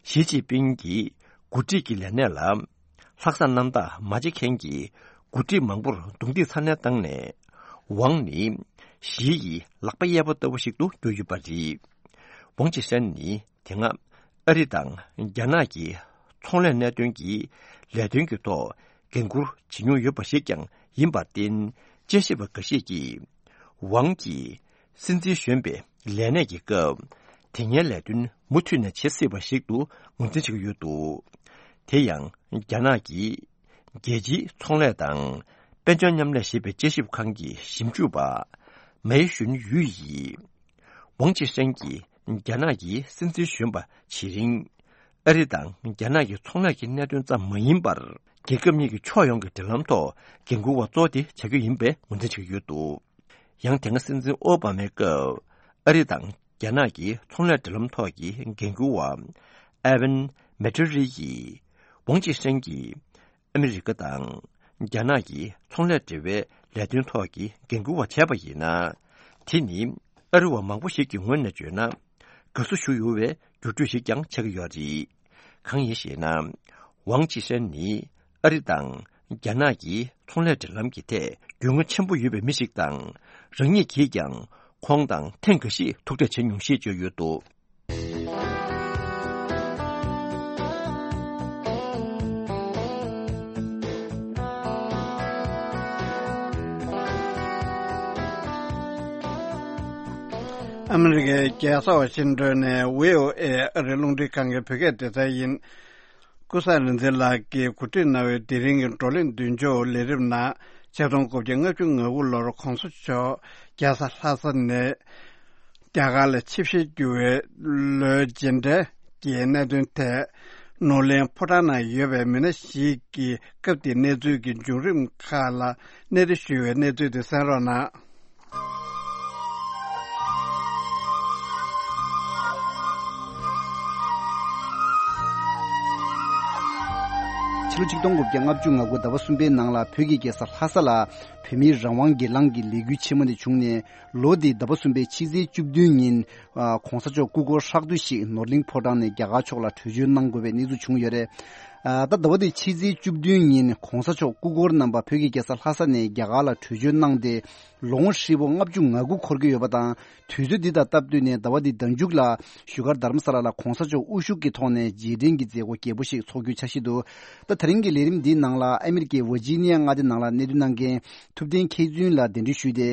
ཞི་ཅིན་ཕིང་གི་འགོ་ཁྲིད་ཀྱི་ལས་གནས་ལ་ལྷག་བསམ་རྣམ་དག་མ་བྱེད་མཁན་གྱི་འགོ་ཁྲིད་མང་པོར་རྡུང་རྡེག་ཚ་ནན་བཏང་ནས། ཝང་ནི་ཞི་ཡི་ལག་པ་གཡས་པ་ལྟ་བུ་ཞིག་ཏུ་གྱུར་ཡོད་པ་རེད། ཝང་ཅི་ཧྲན་ནི་དེ་སྔ་ཨ་རི་དང་རྒྱ་ནག་གི་ཚོང་ལས་གནད་དོན་གྱི་ལས་དོན་གྱི་ཐོག་འགན་འཁུར་བྱེད་མྱོང་ཡོད་པ་ཞིག་ཀྱང་ཡིན་པར་བརྟེན། དཔྱད་ཞིབ་པ་འགའ་ཤས་ཀྱིས། ཝང་གིས་སྲིད་འཛིན་གཞོན་པའི་ལས་གནས་ཀྱི་སྐབས། དེ་སྔའི་ལས་དོན་མུ་མཐུད་ནས་བྱེད་སྲིད་པ་ཞིག་ཏུ་ངོས་འཛིན་བྱེད་ཀྱི་ཡོད་འདུག་དེ་ཡང་། རྒྱ་ནག་གི་རྒྱལ་སྤྱིའི་ཚོང་ལས་དང་དཔལ་འབྱོར་མཉམ་ལས་ཞེས་པའི་དཔྱད་ཞིབ་ཁང་གི་ཞིབ་འཇུག་པ་མའེ་ཞུན་ཡུས་ཡིས། ཝང་ཅི་ཧྲན་གྱིས་རྒྱ་ནག་གི་སྲིད་འཛིན་གཞོན་པ་བྱེད་རིང་། ཨ་རི་དང་རྒྱ་ནག་གི་ཚོང་ལས་ཀྱི་གནད་དོན་ཙམ་མ་ཡིན་པར། རྒྱལ་ཁབ་གཉིས་ཀྱི་ཕྱོགས་ཡོངས་ཀྱི་འབྲེལ་ལམ་ཐོག་འགན་འཁུར་བ་གཙོ་བོ་དེ་བྱ་རྒྱུ་ཡིན་པའི་ངོས་འཛིན་བྱེད་ཀྱི་ཡོད་འདུག་ཡང་། དེ་སྔ་སྲིད་འཛིན་ཨོ་བྷ་མའི་སྐབས། ཨ་རི་དང་རྒྱ་ནག་གི་ཚོང་ལས་འབྲེལ་ལམ་ཐོག་གི་འགན་འཁུར་བ་ཨེ་ཝན་མེ་ཏྲི་རི་ཡིས། ཝང་ཅི་ཧྲན་གྱིས་ ཨ་མི་རི་ཀ་དང་རྒྱ་ནག་གི་ཚོང་ལས་འབྲེལ་བའི་ལས་དོན་ཐོག་གི་འགན་འཁུར་བ་བྱས་པ་ཡིན་ན། དེ་ནི་ཨ་རི་བ་མང་པོ་ཞིག་གི་ངོས་ནས་བརྗོད་ན། དགའ་བསུ་ཞུ་འོས་པའི་འགྱུར་འགྲོས་ཤིག་ཀྱང་ཆགས་ཀྱི་ཡོད་རེད། གང་ཡིན་ཞེ་ན། ཝང་ཅི་ཧྲན་ནི་ཨ་རི་དང་རྒྱ་ནག་གི་ཚོང་ལས་འབྲེལ་ལམ་གྱི་ཐད་རྒྱུས་མངའ་ཆེན་པོ་ཡོད་པའི་མི་ཞིག་དང་། རང་ཉིད་ཀྱིས་ཀྱང་ཁོང་དང་ཐེངས་འགའ་ཞིག་ཐུག་འཕྲད་བྱེད་མྱོང་ཞེས་བརྗོད་ཡོད་འདུག། ཨ་མི་རི་ཀའི་རྒྱལ་ས་ཝ་ཤིང་ཏོན་ནས་ཝི་ཨོ་ཨེ་ཨ་རིའི་རླུང་འཕྲིན་ཁང་གི་བོད་སྐད་སྡེ་ཚན་ཡིན། ཀུན་བཟང་རིག་འཛིན་ལགས་ཀྱིས་གོ་སྒྲིག་གནང་བའི་དེ་རིང་གི་བགྲོ་གླེང་མདུན་ལྕོག་ལས་རིམ་ནང་ཆིག་སྟོང་དགུ་བརྒྱ་ལྔ་བཅུ་ང་དགུ་ལོར་གོང་ས་མཆོག་རྒྱལ་ས་ལྷ་ས་ནས་རྒྱ་གར་ལ་ཆིབས་ཞལ་བསྒྱུར་བའི་ལོའི་མཇལ་འཕྲད་ཀྱི་གནད་དོན་ཐད། ནོར་གླིང་ཕོ་བྲང་ནང་ཡོད་པའི་མི་སྣ་ཞིག་གིས་སྐབས་དེའི་གནས་ཚུལ་གྱི་བྱུང་རིམ་ཁག་ལ་གནས་འདྲི་ཞུས་པའི་གནས་ཚུལ་དེ་གསན་རོགས་གནང་། ཕྱི་ལོ་ཆིག་སྟོང་དགུ་བརྒྱ་ལྔ་བཅུ་ང་དགུ་ཟླ་བ་གསུམ་པའི་ནང་ལ་བོད་ཀྱི་རྒྱལ་ས་ལྷ་ས་ལ་བོད་མིའི་རང་དབང་སྒེར་ལངས་ཀྱི་ལས་འགུལ་ཆེན་མོ་དེ་བྱུང་ནས། ལོ་འདིའི་ཟླ་བ་གསུམ་པའི་ཕྱི་ཚེས་བཅུ་བདུན་ཉིན། ཨ། གོང་ས་མཆོག་སྐུ་འཁོར་ཧྲག་བསྡུས་ཤིག་ནོར་གླིང་ཕོ་བྲང་ནས་རྒྱ་གར་ཕྱོགས་ལ་བྲོས་བྱོལ་གནང་དགོས་པའི་གནས་ཚུལ་བྱུང་ཡོད་རེད། ཨ། ད་ཟླ་བ་འདིའི་ཕྱི་ཚེས་བཅུ་བདུན་ཉིན་གོང་ས་མཆོག་སྐུ་འཁོར་རྣམ་པ་བོད་ཀྱི་རྒྱལ་ས་ལྷ་ས་ནས་རྒྱ་གར་ལ་བྲོས་བྱོལ་གནང་སྟེ། ལོ་ངོ་ཧྲིལ་པོ་ལྔ་བཅུ་ང་དགུ་འཁོར་གྱི་ཡོད་པ་དང་། དུས་ཚོད་འདི་དང་སྟབས་བསྟུན་ནས་ཟླ་བ་འདིའི་ཟླ་མཇུག་ལ་བཞུགས་སྒར་རྡ་རམ་ས་ལ་ལ་གོང་ས་མཆོག་དབུ་བཞུགས་ཀྱི་ཐོག་ནས་རྗེས་དྲན་གྱི་མཛད་སྒོ་རྒྱས་པོ་ཞིག་འཚོགས་རྒྱུའི་འཆར་གཞི་འདུག། ད་དེ་རིང་གི་ལས་རིམ་འདིའི་ནང་ལ་ཨ་མི་རི་ཀའི་ཝར་ཇི་ནི་ཡ་མངའ་སྡེ་ནང་ལ་གནས་སྡོད་གནང་མཁན་ཐུབ་བསྟན་མཁས་བཙུན་ལ་གདན་འདྲེན་ཞུས་ཏེ།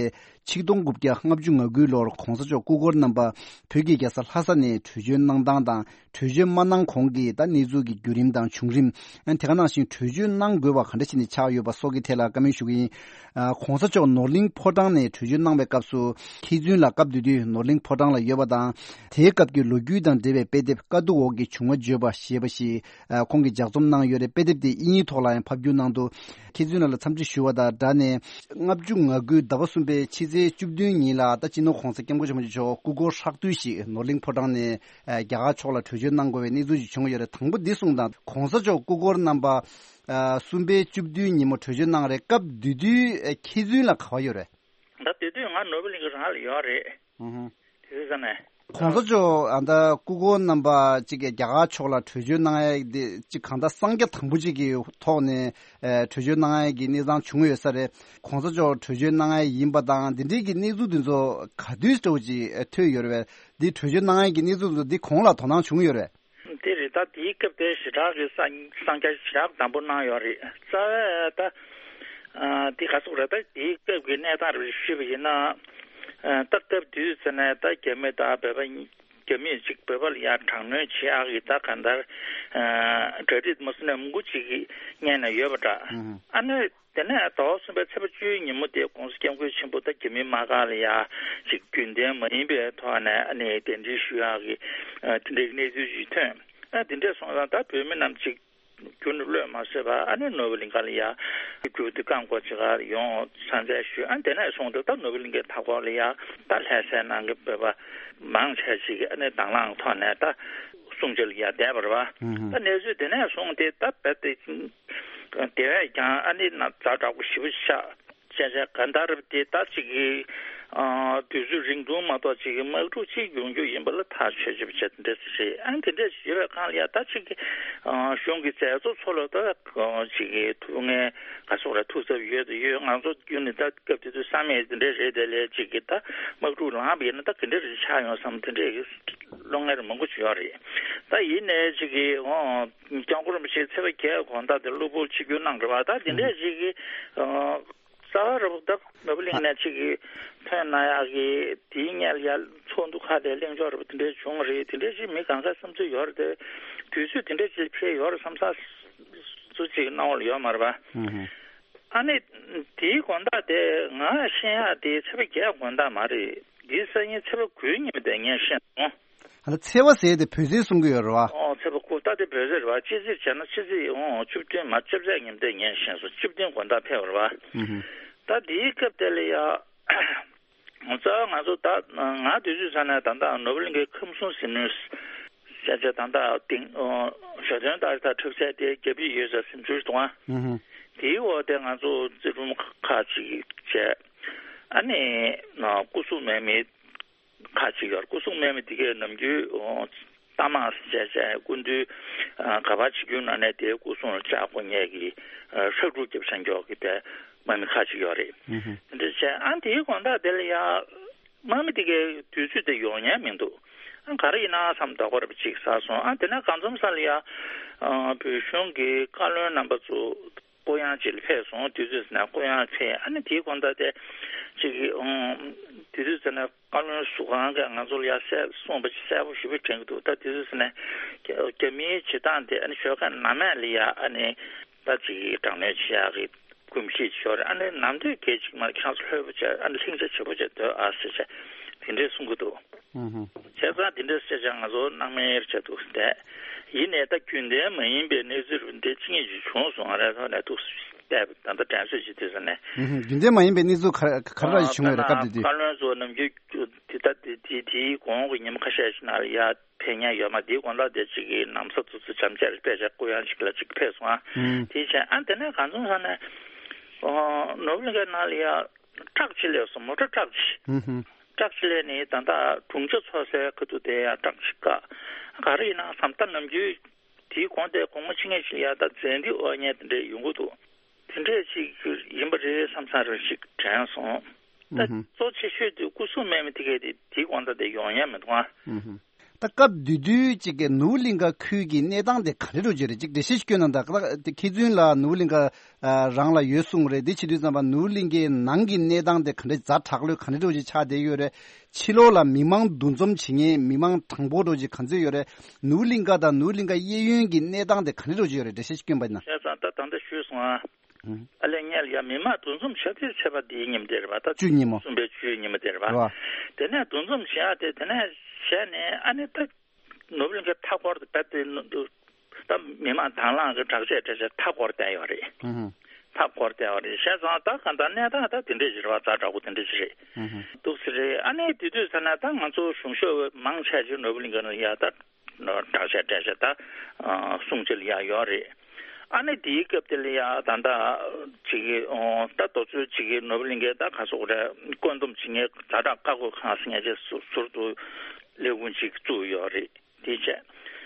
ཆིག་སྟོང་དགུ་བརྒྱ་ལྔ་བཅུ་ང་དགུའི་ལོར་གོང་ས་མཆོག་སྐུ་འཁོར་རྣམ་པ་བོད་ཀྱི་རྒྱལ་ས་ལྷ་ས་ནས་བྲོས་བྱོལ་གནང་སྟངས་དང་། བྲོས་བྱོལ་མ་གནང་གོང་གི་ད་གནས་ཚུལ་གྱི་བརྒྱུད་རིམ་དང་བྱུང་རིམ། ཨ། དེ་ག་ནང་བཞིན་བྲོས་བྱོལ་གནང་དགོས་པ་ག་འདྲ་བྱས་ནས་ཆགས་ཡོད་པ་སོགས་ཀྱི་ཐད་ལ་བཀའ་མོལ་ཞུ་གི་ཡིན། ཨ། གོང་ས་མཆོག་ནོར་གླིང་ཕོ་བྲང་ནས་བྲོས་བྱོལ་གནང་བའི་སྐབས་སུ་མཁས་བཙུན་ལགས་སྐབས་དེ་དུས་ནོར་གླིང་ཕོ་བྲང་ལ་ཡོད་པ་དང་། དེའི་སྐབས་ཀྱི་ལོ་རྒྱུས་དང་འབྲེལ་བའི་དཔེ་དེབ་དཀའ་སྡུག་འོག་གི་བྱུང་བ་བརྗོད་པ་ཞེས་པ་ཞིག། ཨ། ཁོང་གིས་ལྗགས་རྩོམ་གནང་ཡོད་རེད། དཔེ་དེབ་དེ་དབྱིན་ཡིག་ཐོག་ལ་ཡང་ཕབ་བསྒྱུར་གནང་འདུག། མཁས་བཙུན་ལགས་ལ་འཚམས་འདྲི་ཞུ་བ་དང་སྦྲགས་ནས། ལྔ་བཅུ་ང་དགུའི་ཟླ་བ་གསུམ་པའི་ཕྱི་ཚེས་བཅུ་བདུན་ཉིན་ལ་ད་སྤྱི་ནོར་༸གོང་ས་༸སྐྱབས་མགོན་ཆེན་པོ་མཆོག་སྐུ་འཁོར་ཧྲག་བསྡུས་ཤིག་ནོར་གླིང་ཕོ་བྲང་ནས། ཨ། རྒྱ་གར་ཕྱོགས་ལ་བྲོས་བྱོལ་གནང་དགོས་པའི་གནས་ཚུལ་ཞིག་བྱུང་ཡོད་རེད། དང་པོ་འདི་གསུངས་དང་། གོང་ས་མཆོག་སྐུ་འཁོར་རྣམ་པ། ཨ། གསུམ་པའི་བཅུ་བདུན་ཉིན་མོ་བྲོས་བྱོལ་གནང་རེད། སྐབས་དེ་དུས་མཁས་བཙུན་ལགས་ག་པར་ཡོད་རེད། ད་དེ་དུས་ང་ནོར་བུ་གླིང་གི་རང་ལ་ཡོད་རེད། ཨུ་ཧུ། དེ་དུས་ཙ་ནས། གོང་ས་མཆོག་ཨ་ད་སྐུ་འཁོར་རྣམ་པ་གཅིག་གིས་རྒྱ་གར་ཕྱོགས་ལ་བྲོས་བྱོལ་གནང་ཡས་དེ་གཅིག་གང་ལྟར་གསང་རྒྱ་དང་པོ་གཅིག་གི་ཐོག་ནས་ཨེ་བྲོས་བྱོལ་གནང་ཡས་ཀྱི་གནས་སྟངས་བྱུང་ཡོད་ས་རེད། གོང་ས་མཆོག་བྲོས་བྱོལ་གནང་ཡས་ཡིན་པ་དང་དེ་འདྲའི་གི་གནས་ཚུལ་དེ་ཚོ་ག་དུས་འདྲ་བོ་ཅིག་ཐོས་ཡོད་རེད་པས། འདི་བྲོས་བྱོལ་གནང་ཡས་ཀྱི་གནས་ཚུལ་དེ་ཚོ་འདི་གོང་ལ་དོ་སྣང་བྱུང་ཡོད་རེད། དེ་རེད། ད་དེའི་སྐབས་དེ་ཞེ་དྲག་གི་གསང་གསང་རྒྱ་ཞེ་དྲག་དམ་པོ་གནང་ཡོད་རེད། རྩ་བའི་ད་ཨ་དེ་ག་ཚོད་རེད། ད་དེའི་སྐབས་ཀྱི་གནས་སྟངས་རེ་ཞུས་པ་ཡིན་ན། ཨ་ད་སྐབས་དུས་ཙ་ནས་ད་རྒྱ་མི་དང་བོད་པ་རྒྱ་མིས་ཅིག་བོད་པ་ལ་ཡང་དྲག་གནོན་བྱེད་ཨ་གི་ད་ག་འདར་ཨ་གྲ་སྒྲིག་མ་སོང་ནས་མང་པོ་ཅིག་གི་སྔོན་ནས་ཡོད་པ་འདྲ། ཨ་ནི། དེ་ནས་ཟླ་བ་གསུམ་པའི་ཚེས་པ་བཅུའི་ཉིན་མོ་དེ་༸གོང་ས་༸སྐྱབས་མགོན་ཆེན་པོ་ད་རྒྱ་མིའི་དམག་སྒར་ལ་ཡ་ཅིག་རྒྱུན་ལྡན་མ་ཡིན་པའི་ཐོག་ནས་ཨ་ནི་གདན་འདྲེན་ཞུ་ཡག་གི་ཨ་དེ་འདྲའི་གནས་ཚུལ་ཞིག་ཐོན། ཨ་དེ་འདྲས་སོང་ཙང་ད་བོད་མི་རྣམས་ཅིག་རྒྱུན་དུ་གློད་མ་བསྲེས་པར་ཨ་ནི་ནོར་བུ་གླིང་ག་ལ་ཡ་རྒྱུན་དུ་བཀའ་འགོ་ཅིག་ག་ཡོང་ས་མཚམས་ཞུས། ཨ་དེ་ནས་བཟུང་སྟེ་ད་ནོར་བུ་གླིང་གའི་མཐའ་འཁོར་ལ་ཡ་ད་ལྷ་སའི་ནང་གི་བོད་པ་མང་ཆེ་ཅིག་གིས་ཨ་ནི་དང་བླངས་ཐོག་ནས་ད་སྲུང་བྱ་ལ་ཡ་བསྡད་པ་རེད་པ། ད་གནས་ཚུལ་དེ་ནས་བཟུང་སྟེ་ད་རྦད་དེ། དེ་བས་ཀྱང་ཨ་ནི་ན་ཛ་དྲག་པོ་ཞེ་པོ་ཆགས། བྱས་བྱས་གང་ལྟར་དེ་ད་ཅིག་གི་ཨ་དུས་ཚོད་རིང་ཐུང་མ་གཏོགས་ཅིག་གི་དམག་འཁྲུག་ཅིག་ཡོང་རྒྱུ་ཡིན་པ་ལ་ཐག་ཆོད་ཆོད་པ་བྱས་དེ་འདྲ་ཞིག་རེད། ཨ་ནི་དེ་འདྲ་ཞིག་ཡོད་པའི་སྒང་ལ་ཡ་ད་ཅིག་གི་ཨ་གཞུང་གི་མཛད་གཙོ་ཚོ་ལ་ད་ཨ་ཅིག་གི་ཐུགས་ངལ་ག་སོགས་ལ་ཐུགས་འཚབ་ཡོད་དུ་ཡོད། ང་ཚོ་རྒྱུན་ནས་ད་སྐབས་དེ་དུས་བསམ་ཡས་དེ་འདྲ་རེད། དེ་ལས་ཅིག་གི་ད་དམག་འཁྲུག་ལངས་པ་ཡིན་ན་ད་ག་འདྲ་རེ་ཆགས་ཡོང་བསམ་དེ་འདྲ་གི་བློ་ངལ་མང་པོ་ཅིག་ཡོད་རེད། ད་ཡིན་ནའི་ཅིག་གི་ཨོ། སྐྱབས་མགོན་རིན་པོ་ཆེ་ཚེས་པ་བརྒྱད་དགོང་དག་དེ་གློ་བུར་ཆིབས་བསྒྱུར་གནང་རེད་པ། ད་དེ་འདྲས་ཅིག་གི་ཨ་རྩ་བ་རེད་པ། ད་ནོར་བུ་གླིང་ནས་ཅིག་གི་ཐོན་གནང་ཡག་གི་དེའི་སྔོན་ལ་ཡ་ཚོགས་འདུ་ཁག་དེ་གླེང་ཕྱོགས་རེད་པ། དེ་འདྲས་བྱུང་རེད། དེ་འདྲས་ཅིག་མི་གང་ག་བསམ་ཚུལ་ཡོད་རེད་དེ། དུས་ཚོད་དེ་འདྲས་ཅིག་ཕེབས་ཡོད་རེད་བསམ་ས་ཚུལ་ཅིག་སྣང་བ་ལ་ཡོད་མ་རེད་པ། ཨ་ནི་དེའི་དགོང་དག་དེ་ང་ཤེས་ཡག་དེ་ཚེས་པ་བརྒྱད་དགོང་དག་མ་རེད། དེའི་སང་ཉིན་ཚེས་པ་དགུའི་ཉིན་མོ་དེ་ངས་ཤེས་སོང་། ཨ་ལ་ཚེས་པ་ཟེར་དེ་བོད་ཚེས་གསུང་གི་ཡོད་རེད་པ། ཨོ་ཚེས་པ་དགུ་ད་དེ་བོད་ཚེས་རེད་པ། སྤྱི་ཚེས་བྱས་ན་ཕྱི་ཚེས་ཨོ་བཅུ་བདུན་མ་བཅོ་བརྒྱད་ཉིན་དེ་ངས་ཤེས་སོང་། བཅུ་བདུན་དགོང་དག་ཕེབས་པ་རེད་པ། ད་དེའི་སྐབས་དེ་ལ་ཡ་རྩ་བ་ང་ཚོ་ད་ང་དུས་ཚོད་ཚ་ནས་ད་ལྟ་ནོར་བུ་གླིང་གའི་ཁམས་གསུམ་གཟིགས་མོའི་ས་ཆ་ད་ལྟ་དེང་ཨོ་ བརྗོད་དོན་ལྟར་ད་འཁྲབ་ཚད་དེ་རྒྱབ་ཡིག་ཡོད་ས་སེམས་ཚོར་གཏོང་ཨ། ཨུ་ཧུ། དེའི་འོག་དེ་ང་ཚོ་རྩེ་རུམ་ཁག་ཅིག་བྱས། ཨ་ནི་ན་སྐུ་སྲུང་མེད་མི་ཁག་ཅིག་ཡོད། སྐུ་སྲུང་མེད་མི་དེ་གས་ནམ་རྒྱུན་ཨོ་རྟ་དམག་བྱས་བྱས་སྐུ་མདུན་ཨ་ག་པར་བྱེད་རྒྱུ་ན་ནས་དེའི་སྐུ་སྲུང་ལ་ལྕགས་སྒོ་ཉལ་གི་ཨ་ཧྲག་སྒྲུག་རྒྱབ་བཞག་མགྱོགས་ཀྱི་པའི་དམག་མི་ཁག་ཅིག་ཡོད་རེད། ཨུ་ཧུ། དེ་འདྲ་བྱས་ཨ་དེའི་དགོང་དག་དེ་ལ་ཡ། དམག་མི་དེ་གའི་དུས་ཚོད་དེ་ཡོང་ཉན་མི་འདུག་ཨ་ག་རེ་ཡིན་ན་བསམ་དོགས་པ་རབ་ཅིག་ཟ་སོང་། ཨ་དེ་ནས་གང་འཛོམས་ས་ལ་ཡ། ཨ་བོད་གཞུང་གི་བཀའ་བློན་རྣམ་པ་ཚོ་སྐུ་ཡང་ཅིག་ལ་ཕེབས་སོང་། དུས་ཚོད་ཟིན་ན་སྐུ་ཡང་ཕེབས། ཨ་ནི་དེའི་དགོང་དག་དེ་ཅིག་གི་ཨང་དུས་ཚོད་ཟིན་ན་བཀའ་བློན་ཟུར་ཁང་གིས་ང་ཚོ་ལ་ཡ་གསལ་གསུངས་པ་ཅིག་གསལ་པོ་ཞེ་པོ་དྲན་གྱི་འདུག་ད་དུས་ཚོད་ཟིན་ན་རྒྱ་རྒྱ་མིའི་བྱེད་སྟངས་དེ་ཨ་ནི་ཞོགས་ཀ་ནམ་ཡང་ལ་ཡ་ཨ་ནི་ད་ཅིག་གི་དྲག་གནོན་བྱེད་ཡག་གི་གོམས་གཤིས་ཤོར་རེད། ཨ་ནི་ནམ་དུས་སྐད་ཅིག་མར་ཁྱེད་རང་ཚོ་ལྷོད་པོ་བྱས་ཨ་ནི་ལྷིང་འཇགས་བྱེད་པོ་བྱས་སྡོད་ཨ་ཟེར་བྱས་དེ་འདྲས་གསུང་གི་འདུག་ཨུ་ཧུ། བྱས་ཙང་དེ་འདྲས་བཤད་བྱས་ང་ཚོ་སྣང་མེད་བྱས་འདུག་བསྡད། ཡིན་ནའི་ད་རྒྱུན་ལྡན་མ་ཡིན་པའི་གནས་ཚུལ་འདི་ཅི་ངེས་ཅིག་བྱུང་སོང་། ཨ་རེ་ཐོག་ནས་འདུག་བསྡད་ད་ལྟ་དྲན་གསོས་ཅིག་དུས་ས་ནས། ཨུ་ཧུ། རྒྱུན་ལྡན་མ་ཡིན་པའི་གནས་ཚུལ་ག་ག་རེ་བྱུང་ཡོད་རེད། སྐབས་དེ་དུས། བཀའ་བློན་ཚོ་ནམ་རྒྱུན་དེ་ད་དེ་དེའི་གོང་གི་ཉིན་མོ་ཁ་ཤས་ཤིག་ནང་ལ་ཡ། ཕེབས་མཁན་ཡོད་མ། དེའི་དགོང་དག་དེ་གཅིག་གི་ནམ་ས་ཚོ་ཚོ་འཇམ་ཅར་དཔེ་ཆ་སྐུ་ཡང་གཅིག་ལ་གཅིག་ཕེབས་སོང་ཨ། ཨུམ། དེའི་ཆེད་ཨ་དེ་ནས་གང་བྱུང་ས་ནས་ཨོ་ནོར་བུ་གླིང་གའི་ནང་ལ་ཡ་ཊག་ཅིག་སླེབས་སོང་། མོ་ཊ་ཊག་ཅིག་ཨུམ་ཧུམ། ཊག་ཅིག་སླེབས་ནས་ད་ལྟ་གྲོང་ཆ་ཚོ་སའི་ཁ་ཐུག་དེ་ཡ་ཊག་ཅིག་བཀག་ག་རེ་ཡིན་ན་བསམ་ད་ནམ་རྒྱུན་དེའི་གོང་དེ་དགོང་མོ་ཕྱི་ངེས་ཤིག་ལ་ཡ་ད་ཛན་ཏི་དབོར་མཁན་དེ་འདྲས་ཡོང་གི་འདུག་དེ་འདྲས་ཅིག་ཡིན་པ་རེད་བསམ་བསམ་རེ་ཞིག་དྲན་སོང་། ད་ཨུ་ཧུམ། གཙོ་ཆེ་ཤོས་དེ་སྐུ་སྲུང་མེད་མི་དེ་གས་དེ་དེའི་དགོང་དག་དེ་ཡོང་ཡ་མི་འདུག་ཨ། ཨུ་ཧུམ། ད་སྐབས་དེ་དུས་ཅིག་གི་ནོར་བུ་གླིང་ག་ཁུལ་གྱི་གནས་སྟངས་དེ་ག་འདྲ་འདྲ་ཅིག་རེད། ཅིག་འགྲེལ་བཤད་ཞིག་སྐྱོན་གནང་དང་། ད་ད་མཁས་བཙུན་ལགས་ནོར་བུ་གླིང་ག་ཨ་རང་ལ་ཡོད་གསུངས་རེད། དེ་བྱེད་དུས་ཙམ་པ་ནོར་བུ་གླིང་གའི་ནང་གི་གནས་སྟངས་དེ་ག་འདྲ་ཛ་དྲག་ལོས་ག་འདྲ་འདྲ་ཅིག་ཆགས་བསྡད་ཡོད་རེད། ཕྱི་ལོགས་ལ་མི་མང་འདུ་འཛོམས་བྱེད་མཁན་མི་མང་གྲངས་འབོར་འདྲ་ཅིག་ག་ཚོད་ཡོད་རེད། ནོར་བུ་གླིང་ག་དང་ནོར་བུ་གླིང་ག་གཡས་གཡོན་གྱི་གནས་སྟངས་དེ་ག་འདྲ་འདྲ་ཅིག་ཡོད་རེད། འགྲེལ་བཤད་ཞིག་སྐྱོན་པ་ཡིན་ན། བྱས་ཙང་ད་ད་ལྟ་ཞུས་སོང་ཨ། ཨ་ལས་ངས་ལ་ཡ་མི་མང་འདུ་འཛོམས་བྱ་དུས་ཚེས་པ་འདིའི་ཉིན་དེ་རེད་པ། ད་བཅུ་གཉིས་མོ། གསུམ་པའི་བཅུའི་ཉིན་མོ་དེ་རེད་པ། རེད་པ། དེ་ནས་འདུ་འཛོམས་བྱེད་ཡག་དེ་དེ་ནས་བྱས་ནས་ཨ་ནི་ད་ནོར་བུ་གླིང་གའི་མཐའ་འཁོར་དུ་བབས་ཏེ་ད་མི་མང་དང་བླངས་ཀྱི་དྲག་ཆས་སྤྲས་བྱས་མཐའ་བསྐོར་བསྡད་ཡོད་རེད། ཨུ་ཧུ། མཐའ་བསྐོར་བསྡད་ཡོད་རེད། བྱས་ཙང་ད་གང་ལྟར་གནས་སྟངས་ད་དེ་འདྲས་ཞིག་རེད་པ། ཛ་དྲག་པོ་དེ་འདྲས་ཞིག་རེད། ཨུ་ཧུ། འདུག་སེ་རེད། ཨ་ནི་དེ་དུས་ཙ་ན་ད་ང་ཚོ་གཞུང་ཞབས་མང་ཆེ་ཅིག་ནོར་བུ་གླིང་ག་ནང་ཡ་ད། དྲག་ཆས་སྤྲས་བྱས་ད་སྲུང་བྱེད་ལ་ཡ་ཡོད་རེད། ཨ་ནི་དེའི་སྐབས་དེ་ལ་ཡ་ད་ལྟ་ཅིག་གི་ད་དུས་ཚོད་ཅིག་གི་ནོར་བུ་གླིང་གའི་ད་ག་སོག་རེད། བཀོད་འདོམས་བྱེད་མཁན་ཛ་དྲག་བཀའ་བཀོད་ཁང་ཟེར་མཁན་ཅིག་ཟུར་དུ་ལས་ཁུངས་ཅིག་བཙུགས་ཡོད་རེད། དེ་བྱས་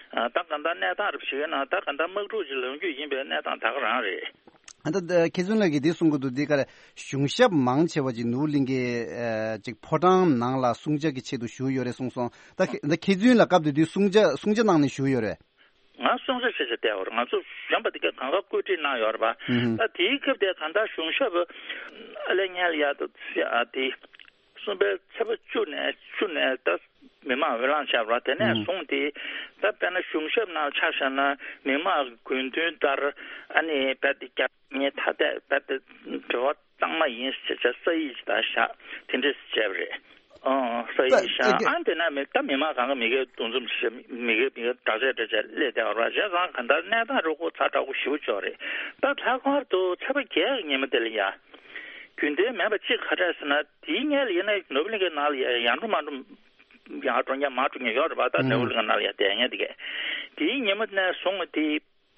ད་གང་ལྟར་གནས་སྟངས་རབ་ཞིག་ཡོད་ན་ད་གང་ལྟར་དམག་འཁྲུག་ཅིག་ལངས་རྒྱུ་ཡིན་པའི་གནས་སྟངས་ད་ག་རང་རེད། ཨ་ད་ད་མཁས་བཙུན་ལགས་ཀྱིས་འདི་གསུང་གི་འདུག་འདི་ག་རེ། གཞུང་ཞབས་མང་ཆེ་བ་ཅིག་ནོར་བུ་གླིང་གའི་ཨ་ཅིག་ཕོ་བྲང་ནང་ལ་སྲུང་བྱ་གི་ཆེད་དུ་བཞུགས་ཡོད་རེད་གསུངས་སོང་། ད་ཁ་ད་མཁས་བཙུན་ལགས་སྐབས་དེ་དུས་སྲུང་བྱ་སྲུང་བྱ་གནང་ནས་བཞུགས་ཡོད་རེད། ང་སྲུང་བྱ་བྱེད་བྱ་བསྡད་ཡོད་རེད། ང་ཚོ་གཞོན་པ་དེ་གས་གང་ག་བཀོད་སྒྲིག་གནང་ཡོད་རེད་པ། ཨུ་ཧུམ། ད་དེའི་སྐབས་དེ་གང་ལྟར་གཞུང་ཞབས་ཨ་ལས་ཉལ་ཡ་ད་ཨ་དེ། གསུམ་པའི་ཚེས་པ་བཅུ་ནས་བཅུ་ནས་ད་མི་མང་འོས་ལངས་བྱས་པ་རེད། དེ་ནས་ཨུ་ཧུམ། བཟུང་སྟེ་ད་དཔེར་ན་གཞུང་ཞབས་ནང་ཆ་བཞག་ན་མི་མང་གི་དགོས་འདུན་ལྟར་ཨ་ནི་རྦད་དེ་རྒྱ་མིའི་ཐ་དད་རྦད་དེ་འབྲེལ་བ་གཙང་མ་ཡིན་ཟེར་བྱས་ས་ཡིག་ཅིག་ད་བཞག་དེ་འདྲས་བྱས་པ་རེད། ཨོ་ས་ཡིག་ད་བཞག་ཨ་དེ་ནས་མི་ད་མི་མང་གང་ག་མི་སྒེར་འདུ་འཛོམས་བྱེད་མི་སྒེར་མི་སྒེར་དྲག་ཆས་སྤྲས་བྱས་སླེབས་བསྡད་པ་རེད། བྱས་ཙང་གང་ལྟར་གནས་སྟངས་རུ་ཁོ་ཛ་དྲག་པོ་ཞེ་པོ་ཅིག་རེད། ད་ལྷག་པར་དུ་ཚེས་པ་བརྒྱད་ཀྱི་ཉིན་མོ་དེ་ལ་ཡ། རྒྱུན་ལྡན་མིན་པ་གཅིག་ག་རེ་རེད་ཟེར་ན། དེའི་སྔོན་ལ་ཡིན་ན་ནོར་བུ་གླིང་གའི་ནང་ལ་ཡ་ཡར་འགྲོ་མར་འགྲོ་ཡར་འགྲོ་མཁན་མར་འགྲོ་མཁན་ཡོད་རེད་པ། ད་ཨུ་ནོར་བུ་གླིང་གའི་ནང་ལ་ཡ་བསྡད་མཁན་དེ་གས། དེའི་ཉིན་མོ་ནས་བཟུང་སྟེ་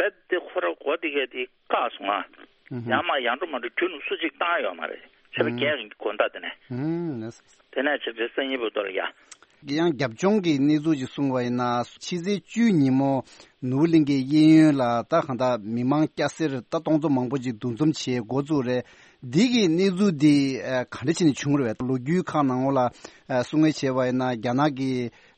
རྦད་དེ་ཁོ་ར་སྒོ་དེ་གས་དེ་བཀག་སོང་ང་། ཨུ་ཧུ། ཡར་མར་ཡར་འགྲོ་མར་འགྲོ་རྒྱུན་སུ་གཅིག་བཏང་ཡོད་མ་རེད། ཚེས་པ་ཨུ་བརྒྱད་ཀྱི་དགོང་དག་དེ་ནས། ཨུ་ཧུ། དེ་ནས་ཆེ་ཚེ་སང་ཉིན་བར་དུ་ལ་ཡ། ཡང་རྒྱབ་ལྗོངས་ཀྱི་གནས་ཚུལ་ཅིག་གསུངས་པ་ཡིན་ན། ཕྱི་ཚེས་བཅུའི་ཉིན་མོ་ནོར་བུ་གླིང་གའི་གཡས་གཡོན་ལ་ད་གང་ལྟར་མི་མང་སྐྱ་སེར་ད་སྟོང་ཚོ་མང་པོ་ཅིག་འདུ་འཛོམས་བྱེད་འགོ་བཙུགས་རེད། འདི་གི་གནས་ཚུལ་འདི་ཨ་ག་འདྲ་བྱས་ནས་བྱུང་རེད་པས། ལོ་རྒྱུས་ཁག་ནང་ལོགས་ལ་ཨ་གསུང་བཤད་བྱས་པ་ཡིན་ན། རྒྱ་ནག་གི་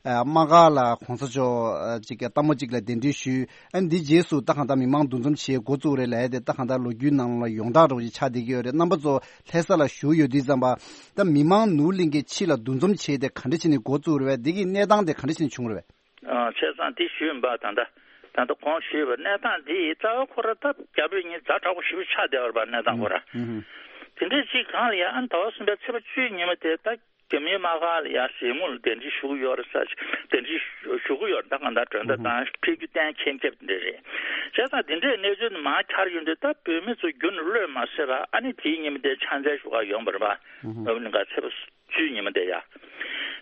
ཨ་དམག་སྒར་ལ་གོང་ས་མཆོག་ཨ་ཅིག་ལྟད་མོ་ཅིག་ལ་གདན་འདྲེན་ཞུས། ཨ་འདི་རྗེས་སུ་ད་གང་ལྟར་མི་མང་འདུ་འཛོམས་བྱེད་འགོ་བཙུགས་རེད་ལབ་ཡ་དེ་ད་གང་ལྟར་ལོ་རྒྱུས་ནང་ལ་ཡོངས་གྲགས་འདྲ་བོ་ཅིག་ཆགས་བསྡད་ཀྱི་ཡོད་རེད། རྣམ་པ་ཚོ་ལྷ་ས་ལ་བཞུགས་ཡོད་དུས་ཙམ་པ། ད་མི་མང་ནོར་བུ་གླིང་གའི་ཕྱི་ལ་འདུ་འཛོམས་བྱས་ཏེ་ག་འདྲ་བྱས་ནས་འགོ་བཙུགས་རེད་པས། འདི་གི་གནས་སྟངས་དེ་ག་འདྲ་བྱས་ནས་བྱུང་རེད་པས། ཨ་བྱས་ཙང་དེ་ཞུས་ཡིན་པ། ད་ལྟ་ད་ལྟ་གོང་ཞུས་པའི་གནས་སྟངས་འདི་རྩ་བ་ཁོ་ར་ད་རྒྱ་བོད་གཉིས་ཛ་དྲག་པོ་ཞེ་པོ་ཆགས་བསྡད་ཡོད་རེད་པ། གནས་སྟངས་ཁོ་ར། ཨུ་ཧུ། དེ་འདྲའི་ཅིག་གང་ལ་ཡ་ཨ་ཟླ་བ་གསུམ་པའི་ཚེས་པ་བཅུའི་ཉིན་མོ་དེ་ད་རྒྱ་མིའི་དམག་སྒར་ལ་ཡ་གཟིགས་མོ་ལ་གདན་འདྲེན་ཞུ་གི་ཡོད་རེད་ཟེར། གདན་འདྲེན་ཞུ་གི་ཡོད་རེད། ད་གང་ལྟར་མགྲོན་བརྡ་ཨུ་ཧུ། བཏང་། ཕེབས་རྒྱུ་གཏན་འཁེལ་འཁེལ་དེ་འདྲ་རེད། བྱས་ཙང་དེ་འདྲའི་གནས་ཚུལ་དེ་མར་འཁྱར་ཡོང་དུས་ད་བོད་མི་ཚོ་རྒྱུན་གློད་མ་བཟོད་པ། ཨ་ནི་དེའི་ཉིན་མོ་དེ་ཕྱག་འཚལ་ཞུ་ག་ཡོང་བ་རེད་པ། ཨུ་ཧུ། ནོར་བུ་གླིང་ག་ཚེས་པ་བཅུའི་ཉིན་མོ་དེ་ཡ།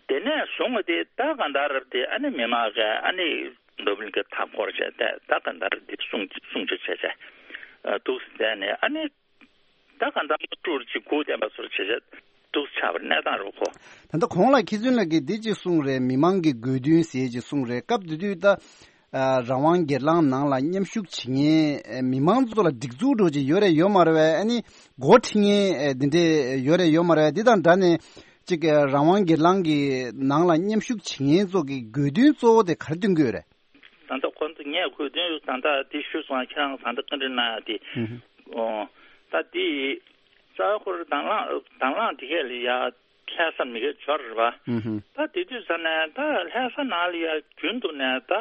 དེ་ནས་བཟུང་བ་དེ་ད་གང་ལྟར་རབ་དེ་ཨ་ནི་མི་མང་གིས་ཨ་ནི་ ནོར་བུ་གླིང་གའི་མཐའ་བསྐོར་བྱས་ཏེ་ད་ག་འདྲ་འདི་སྲུང་སྲུང་བྱེད་བྱས་བྱས་འདུག་ཟེར་ནས། ཨ་ནི་ད་ག་འདྲ་སྤྲུར་ཅིག་སྒུག་བསྡད་པ་སོར་བྱས་བྱས་འདུག་ཆགས་པ་གནས་སྟངས་རུ་གོ། ད་ལྟ་གོང་ལ་མཁས་བཙུན་ལགས་ཀྱིས་འདི་ཅིག་གསུངས་རེད། མི་མང་གི་དགོས་འདུན་ཟེར་ཅིག་གསུངས་རེད། སྐབས་དེ་དུས་ད་ཨ་རང་དབང་སྒེར་ལངས་ནང་ལ་མཉམ་ཞུགས་བྱེད་མཁན་ཨ་མི་མང་ཚོ་ལ་སྒྲིག་འཛུགས་འགྲོ་ཅིག་ཡོད་རེད་ཡོད་མ་རེད་བས། ཨ་ནི་འགོ་ཁྲིད་མཁན་ཨ་འདི་འདྲས་ཡོད་རེད་ཡོད་མ་རེད་བས། འདི་དང་འདྲ་ནས་ཅིག་ཨ་རང་དབང་སྒེར་ལངས་ཀྱི་ནང་ལ་མཉམ་ཞུགས་བྱེད་མཁན་ཚོ་གི་དགོས་འདུན་གཙོ་བོ་དེ་ག་རེ་འདོན་གྱི་ཡོད་རེད། ད་ལྟ་ཁོ་ཚོ་ངས་དགོས་འདུན་ད་ལྟ་འདི་ཞུས་སོང་། ཁྱེད་རང་ད་ལྟ་བཀའ་འདྲི་གནང་ཡ་དེ། ཨོ། ད་འདི་རྩ་བ་ཁོ་རང་དང་བླངས་དང་བླངས་དེ་གས་ལ་ཡ་ལྷ་ས་མི་གས་འབྱོར་རེད་པ། ད་དེ་དུས་ཙ་ནས་ད་ལྷ་ས་ནང་ལ་ཡ་རྒྱུན་དུ་ནས་ད་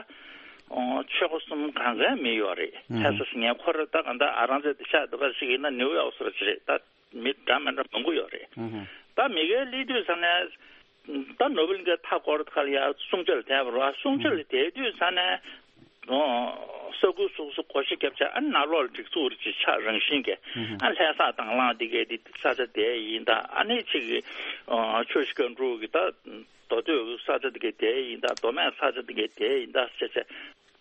ཨོ་ཆོལ་ཁ་གསུམ་གང་གའི་མི་ཡོད་རེད། ལྷ་ས་ཟེར་མཁན་ཁོ་རང་ད་གང་ལྟར་ཨ་རང་རྩེ་དེ་ཤག་འདི་ག་ཞིག་ཡིན་ན་ནིའུ་ཡོག་སོགས་ཅིག་རེད། ད་མི་འདྲ་མི་འདྲ་མང་པོ་ཡོད་རེད། ད་མི་གས་སླེབས་དུས་ཙ་ནས། ད་ནོར་བུ་གླིང་གའི་མཐའ་སྐོར་ཁ་ལ་ཡ་སྲུང་བྱ་ལ་བསྡད་པ་རེད་པ། སྲུང་བྱ་ལ་བསྡད་དུས་ཙ་ནས་ཨོ་ས་ཁུལ་སོ་སོ་སྒོ་ཕྱེ་བརྒྱབ་བྱས། ཨ་ནང་ལོགས་ལ་སྒྲིག་འཛུགས་རེ་ཅིག་ཆགས། རང་བཞིན་གྱི་ཨ་ལྷ་ས་དང་བླངས་དེ་གས་དེ་ས་ཆ་དེ་ཡིན་ད། ཨ་ནི་ཅིག་ཨོ་ཆོས་ཞིག་ག་འགྲོ་གི་ད་མདོ་སྟོད་ས་ཆ་དེ་གས་དེ་ཡིན་ད། མདོ་སྨད་ས་ཆ་དེ་གས་དེ་ཡིན་ད་ཟེར་བྱས་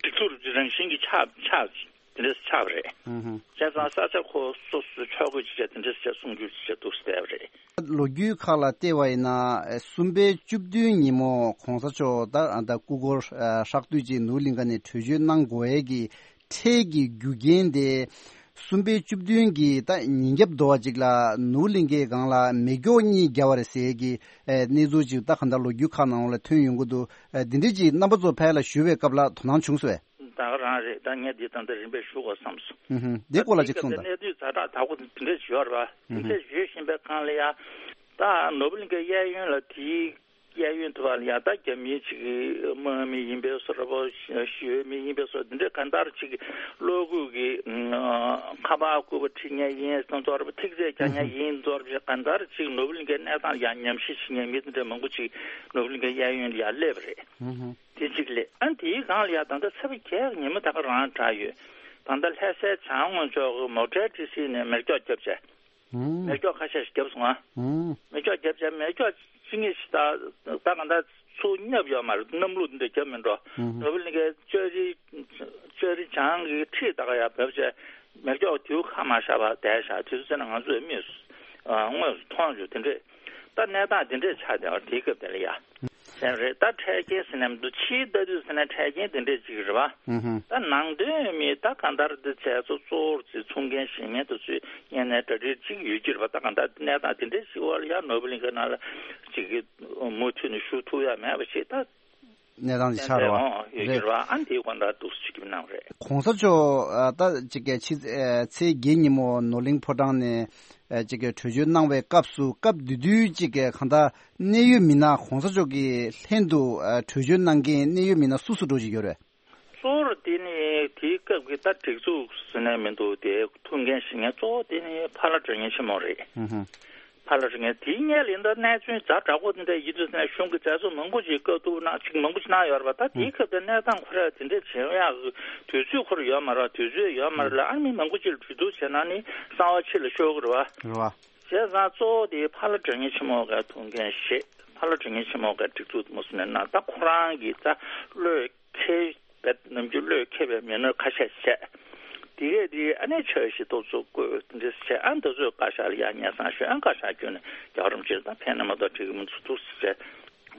སྒྲིག་འཛུགས་རེ་ཅིག་རང་བཞིན་གྱི་ཆགས་ཆགས། དེ་འདྲ་ཆགས་པ་རེད། བྱས་ཙང་ས་ཆ་ཁོ་སོ་སོའི་ཕྱོགས་བགོས་ཅིག་བྱས་དེ་འདྲ་བྱས་སྲུང་སྐྱོབ་ཅིག་བྱས་འདུག་ཟེར་བསྡད་པ་རེད། ལོ་རྒྱུས་ཁག་ལ་བལྟས་པ་ཡིན་ན་གསུམ་པའི་བཅུ་བདུན་ཉིན་མོ་གོང་ས་མཆོག་ད་ད་སྐུ་འཁོར་ཧྲག་བསྡུས་ཅིག་ནོར་བུ་གླིང་ག་ནས་བྲོས་བྱོལ་གནང་དགོས་ཡས་ཀྱི་འཕྲལ་གྱི་རྒྱུ་རྐྱེན་དེ། གསུམ་པའི་བཅུ་བདུན་གྱི་ད་ཉིན་རྒྱབ་དོ་བ་ཅིག་ལ་ནོར་བུ་གླིང་གའི་སྒང་ལ་མེ་སྒྱོགས་གཉིས་བརྒྱབ་པ་རེད་ཟེར་གྱི་གནས་ཚུལ་ཅིག་ད་ག་འདྲ་ལོ་རྒྱུས་ཁག་ནང་ལ་ཐོན་ཡོང་གི་འདུག་འདི་འདྲས་ཅིག་རྣམ་པ་ཚོ་ཕར་ལ་ཞུ་བའི་སྐབས་ལ་དོ་སྣང་བྱུང་སོང་ངས། ད་ག་རང་རེད། ད་ངས་འདི་ད་ལྟ་རིམ་པས་ཞུ་དགོས་བསམ་སོང་། ཨུ་ཧུམ། འདི་སྐོར་ལ་ཅིག་གསུངས་དང་། གནས་ཚུལ་ཛ་དྲག་དྲག་པོ་འདི་འདྲས་ཡོད་རེད་པ། འདི་འདྲས་ཡོད་བཞིན་པའི་སྒང་ལ་ཡ། ད་ནོར་བུ་གླིང་གའི་གཡས་གཡོན་ལ་དེའི་གཡས་གཡོན་དུ་བ་ལ་ཡ་ད་རྒྱ་མིའི་ཅིག་དམག་མི་ཡིན་པའི་བཟོ་འདྲ་པོ། ཞི་བའི་མི་ཡིན་པའི་བཟོ་འདི་འདྲས་གང་ལྟར་ཅིག་གློག་སྐུད་ཀྱི་ཁ་པར་སྐུད་པ་ཁྲིད་མཁན་ཡིན་ཙང་ཚོར་བ། ཐིག་ཚད་རྒྱག་མཁན་ཡིན་ཙང་ཚོར་བ། གང་ལྟར་ཅིག་ནོར་བུ་གླིང་གའི་གནས་སྟངས་ཡ་ཉམས་ཞིབ་བྱེད་མཁན་མི་འདི་འདྲས་མང་པོ་ཅིག་ནོར་བུ་གླིང་གའི་གཡས་གཡོན་ལ་ཡ་སླེབས་པ་རེད། དེ་གཅིག་ལས། ཨ་དེའི་སྒང་ལ་ཡ་ད་ལྟ་ཚེས་པ་བརྒྱད་ཉིན་མོ་ད་ག་རང་དྲག་ཡོད། ད་ལྟ་ལྷ་སའི་བྱང་ངོས་ཕྱོགས་ཀྱི་མོ་ཊའི་ཊི་སི་ནས་མེ་སྒྱོགས་བརྒྱབ་བྱས། མེ་སྒྱོགས་ཁ་ཤས་ཤིག་བརྒྱབ་སོང་ཨ། མེ་སྒྱོགས་བརྒྱབ་བྱས་མེ་སྒྱོགས་ཅི་ངེས་ཤིག་ད་ད་ག་ད་ཚུར་བརྒྱབ་ཡོད་མ་རེད། གནམ་ལོ་འདི་འདྲ་བརྒྱབ་མི་འགྲོ། ནོར་བུ་གླིང་གའི་ལྕགས་རི་ལྕགས་རི་བྱང་གི་འཁྲིས་ད་ག་ཡ་བབས་བྱས་མེ་སྒྱོགས་དུས་ཁ་མ་ཤར་བར་བསྡད་བཞག་དུས་ཚོད་ན་ང་ཚོས་མིག་དངོས་སུ་མཐོང་བྱུང་། དེ་འདྲས་ད་གནས་སྟངས་དེ་འདྲས་ཆགས་བསྡད་པ་དེའི་སྐབས་དེ་ལ་ཡ། དེ་རེད། ད་འཕྲལ་རྐྱེན་ཟེར་ནས་མི་འདུག་ཕྱིའི་ལྟ་དུས་ཟེར་ནས་འཕྲལ་རྐྱེན་དེ་འདྲས་ཅིག་རེད་པ། ད་ནང་དོན་མི་ད་གང་ལྟར་འདི་བྱས་ཚོ་གཙོ་བོར་ཚེ་ཚུགས་མཁན་ཞིག་མེད་དུ་ཚུད་ངས་ནས་གྲ་སྒྲིག་ཅིག་ཡོད་ཀྱི་རེད་པ། ད་གང་ལྟར་གནས་སྟངས་དེ་འདྲས་ཞིག་བར་ཡང་ནོར་བུ་གླིང་ག་ནང་ལ་ཅིག་གི་མུ་མཐུད་ནས་བཞུགས་ཐུབ་ཡ་མེད་པ་ཞིག་ད་གནས་སྟངས་ཅིག་ཆགས་རེད་པ། ཡོད་ཀྱི་རེད་པ། ཨ་འདིའི་དགོངས་དག་འདུག་ཅིག་གི་གནང་རེད། གོང་ས་མཆོག་ད་ཅིག་གི་ཕྱི་ཚེས་བརྒྱད་ཉིན་མོ་ནོར་གླིང་ཕོ་བྲང་ནས་ཅིག་གི་བྲོས་བྱོལ་གནང་བའི་སྐབས་སུ་སྐབས་དེ་དུས་ཅིག་གི་གང་ལྟར་གནད་ཡོད་མི་སྣ་གོང་ས་མཆོག་གི་ལྷན་དུ་ཨ་བྲོས་བྱོལ་གནང་མཁན་གནད་ཡོད་མི་སྣ་སུ་སུ་འགྲོ་བཞིན་ཡོད་རེད། གཙོ་བོར་དེ་ནི་དེའི་སྐབས་ཀྱི་ད་སྒྲིག་འཛུགས་ཟེར་ནས་མི་འདུག་དེ་ཐུགས་འགན་བཞེས་མཁན་གཙོ་བོ་དེ་ནི་ཕ་ལྷ་དགྲ་གཉེན་ཆེན་མོ་རེད། ཧུམ་ཧུམ། ཕ་ལྷ་དགྲ་གཉེན་དེའི་སྔོན་ལ་ཡིན་ད་གནས་ཚུལ་ཛ་དྲག་པོ་དེ་འདྲ་ཡིན་དུས་ནས་གཞུང་གི་མཛད་གཙོ་མང་པོ་ཅིག་བཀའ་བསྡུར་གནང་ཅིག་མང་པོ་ཅིག་གནང་ཡོད་རེད་པ། ད་དེའི་སྐབས་དེ་གནས་སྟངས་ཁོ་རང་དེ་འདྲ་བྱེད་ཡག་གི་དུས་ཚོད་ཁོ་རང་ཡོད་མ་རེད། དུས་ཚོད་ཡོད་མ་རེད་ལ། ཨ་མི་མང་པོ་ཅིག་ལ་གྲོས་བསྡུར་བྱས་ན་ནི་གསང་བ་ཕྱི་ལ་ཤོར་གི་རེད་པ། རེད་པ། བྱས་ཙང་གཙོ་བོ་དེ་ཕ་ལྷ་དགྲ་གཉེན་ཆེན་མོ་གི་ཐུགས་འགན་བཞེས། ཕ་ལྷ་དགྲ་གཉེན་ཆེན་མོ་གི་སྒྲིག་འཛུགས་མུ་སུ་ནས་གནང་། ད་ཁོ་རང་གིས་ད་བློས་འཁེལ་བའི་ནམ་རྒྱུན་བློས་འཁེལ་བའི་མི་སྣ་ཁ་ཤས་བྱས། དེ་གས་དེ་ཨ་ནེ་ཆ་ཞིག་ཏོག་ཙམ་བསྐོས་དེ་འདྲས་བྱས། ཨ་ད་ཚོས་བཀའ་ཤག་ལ་ཡ་སྙན་སེང་ཞུས། ཨ་བཀའ་ཤག་བསྐྱོན་ནས་རྒྱལ་བ་རིན་པོ་ཆེ་དང་ཕན་ནི་མ་གཏོགས་འགྲིག་གི་མི་འདུག་ཟེར་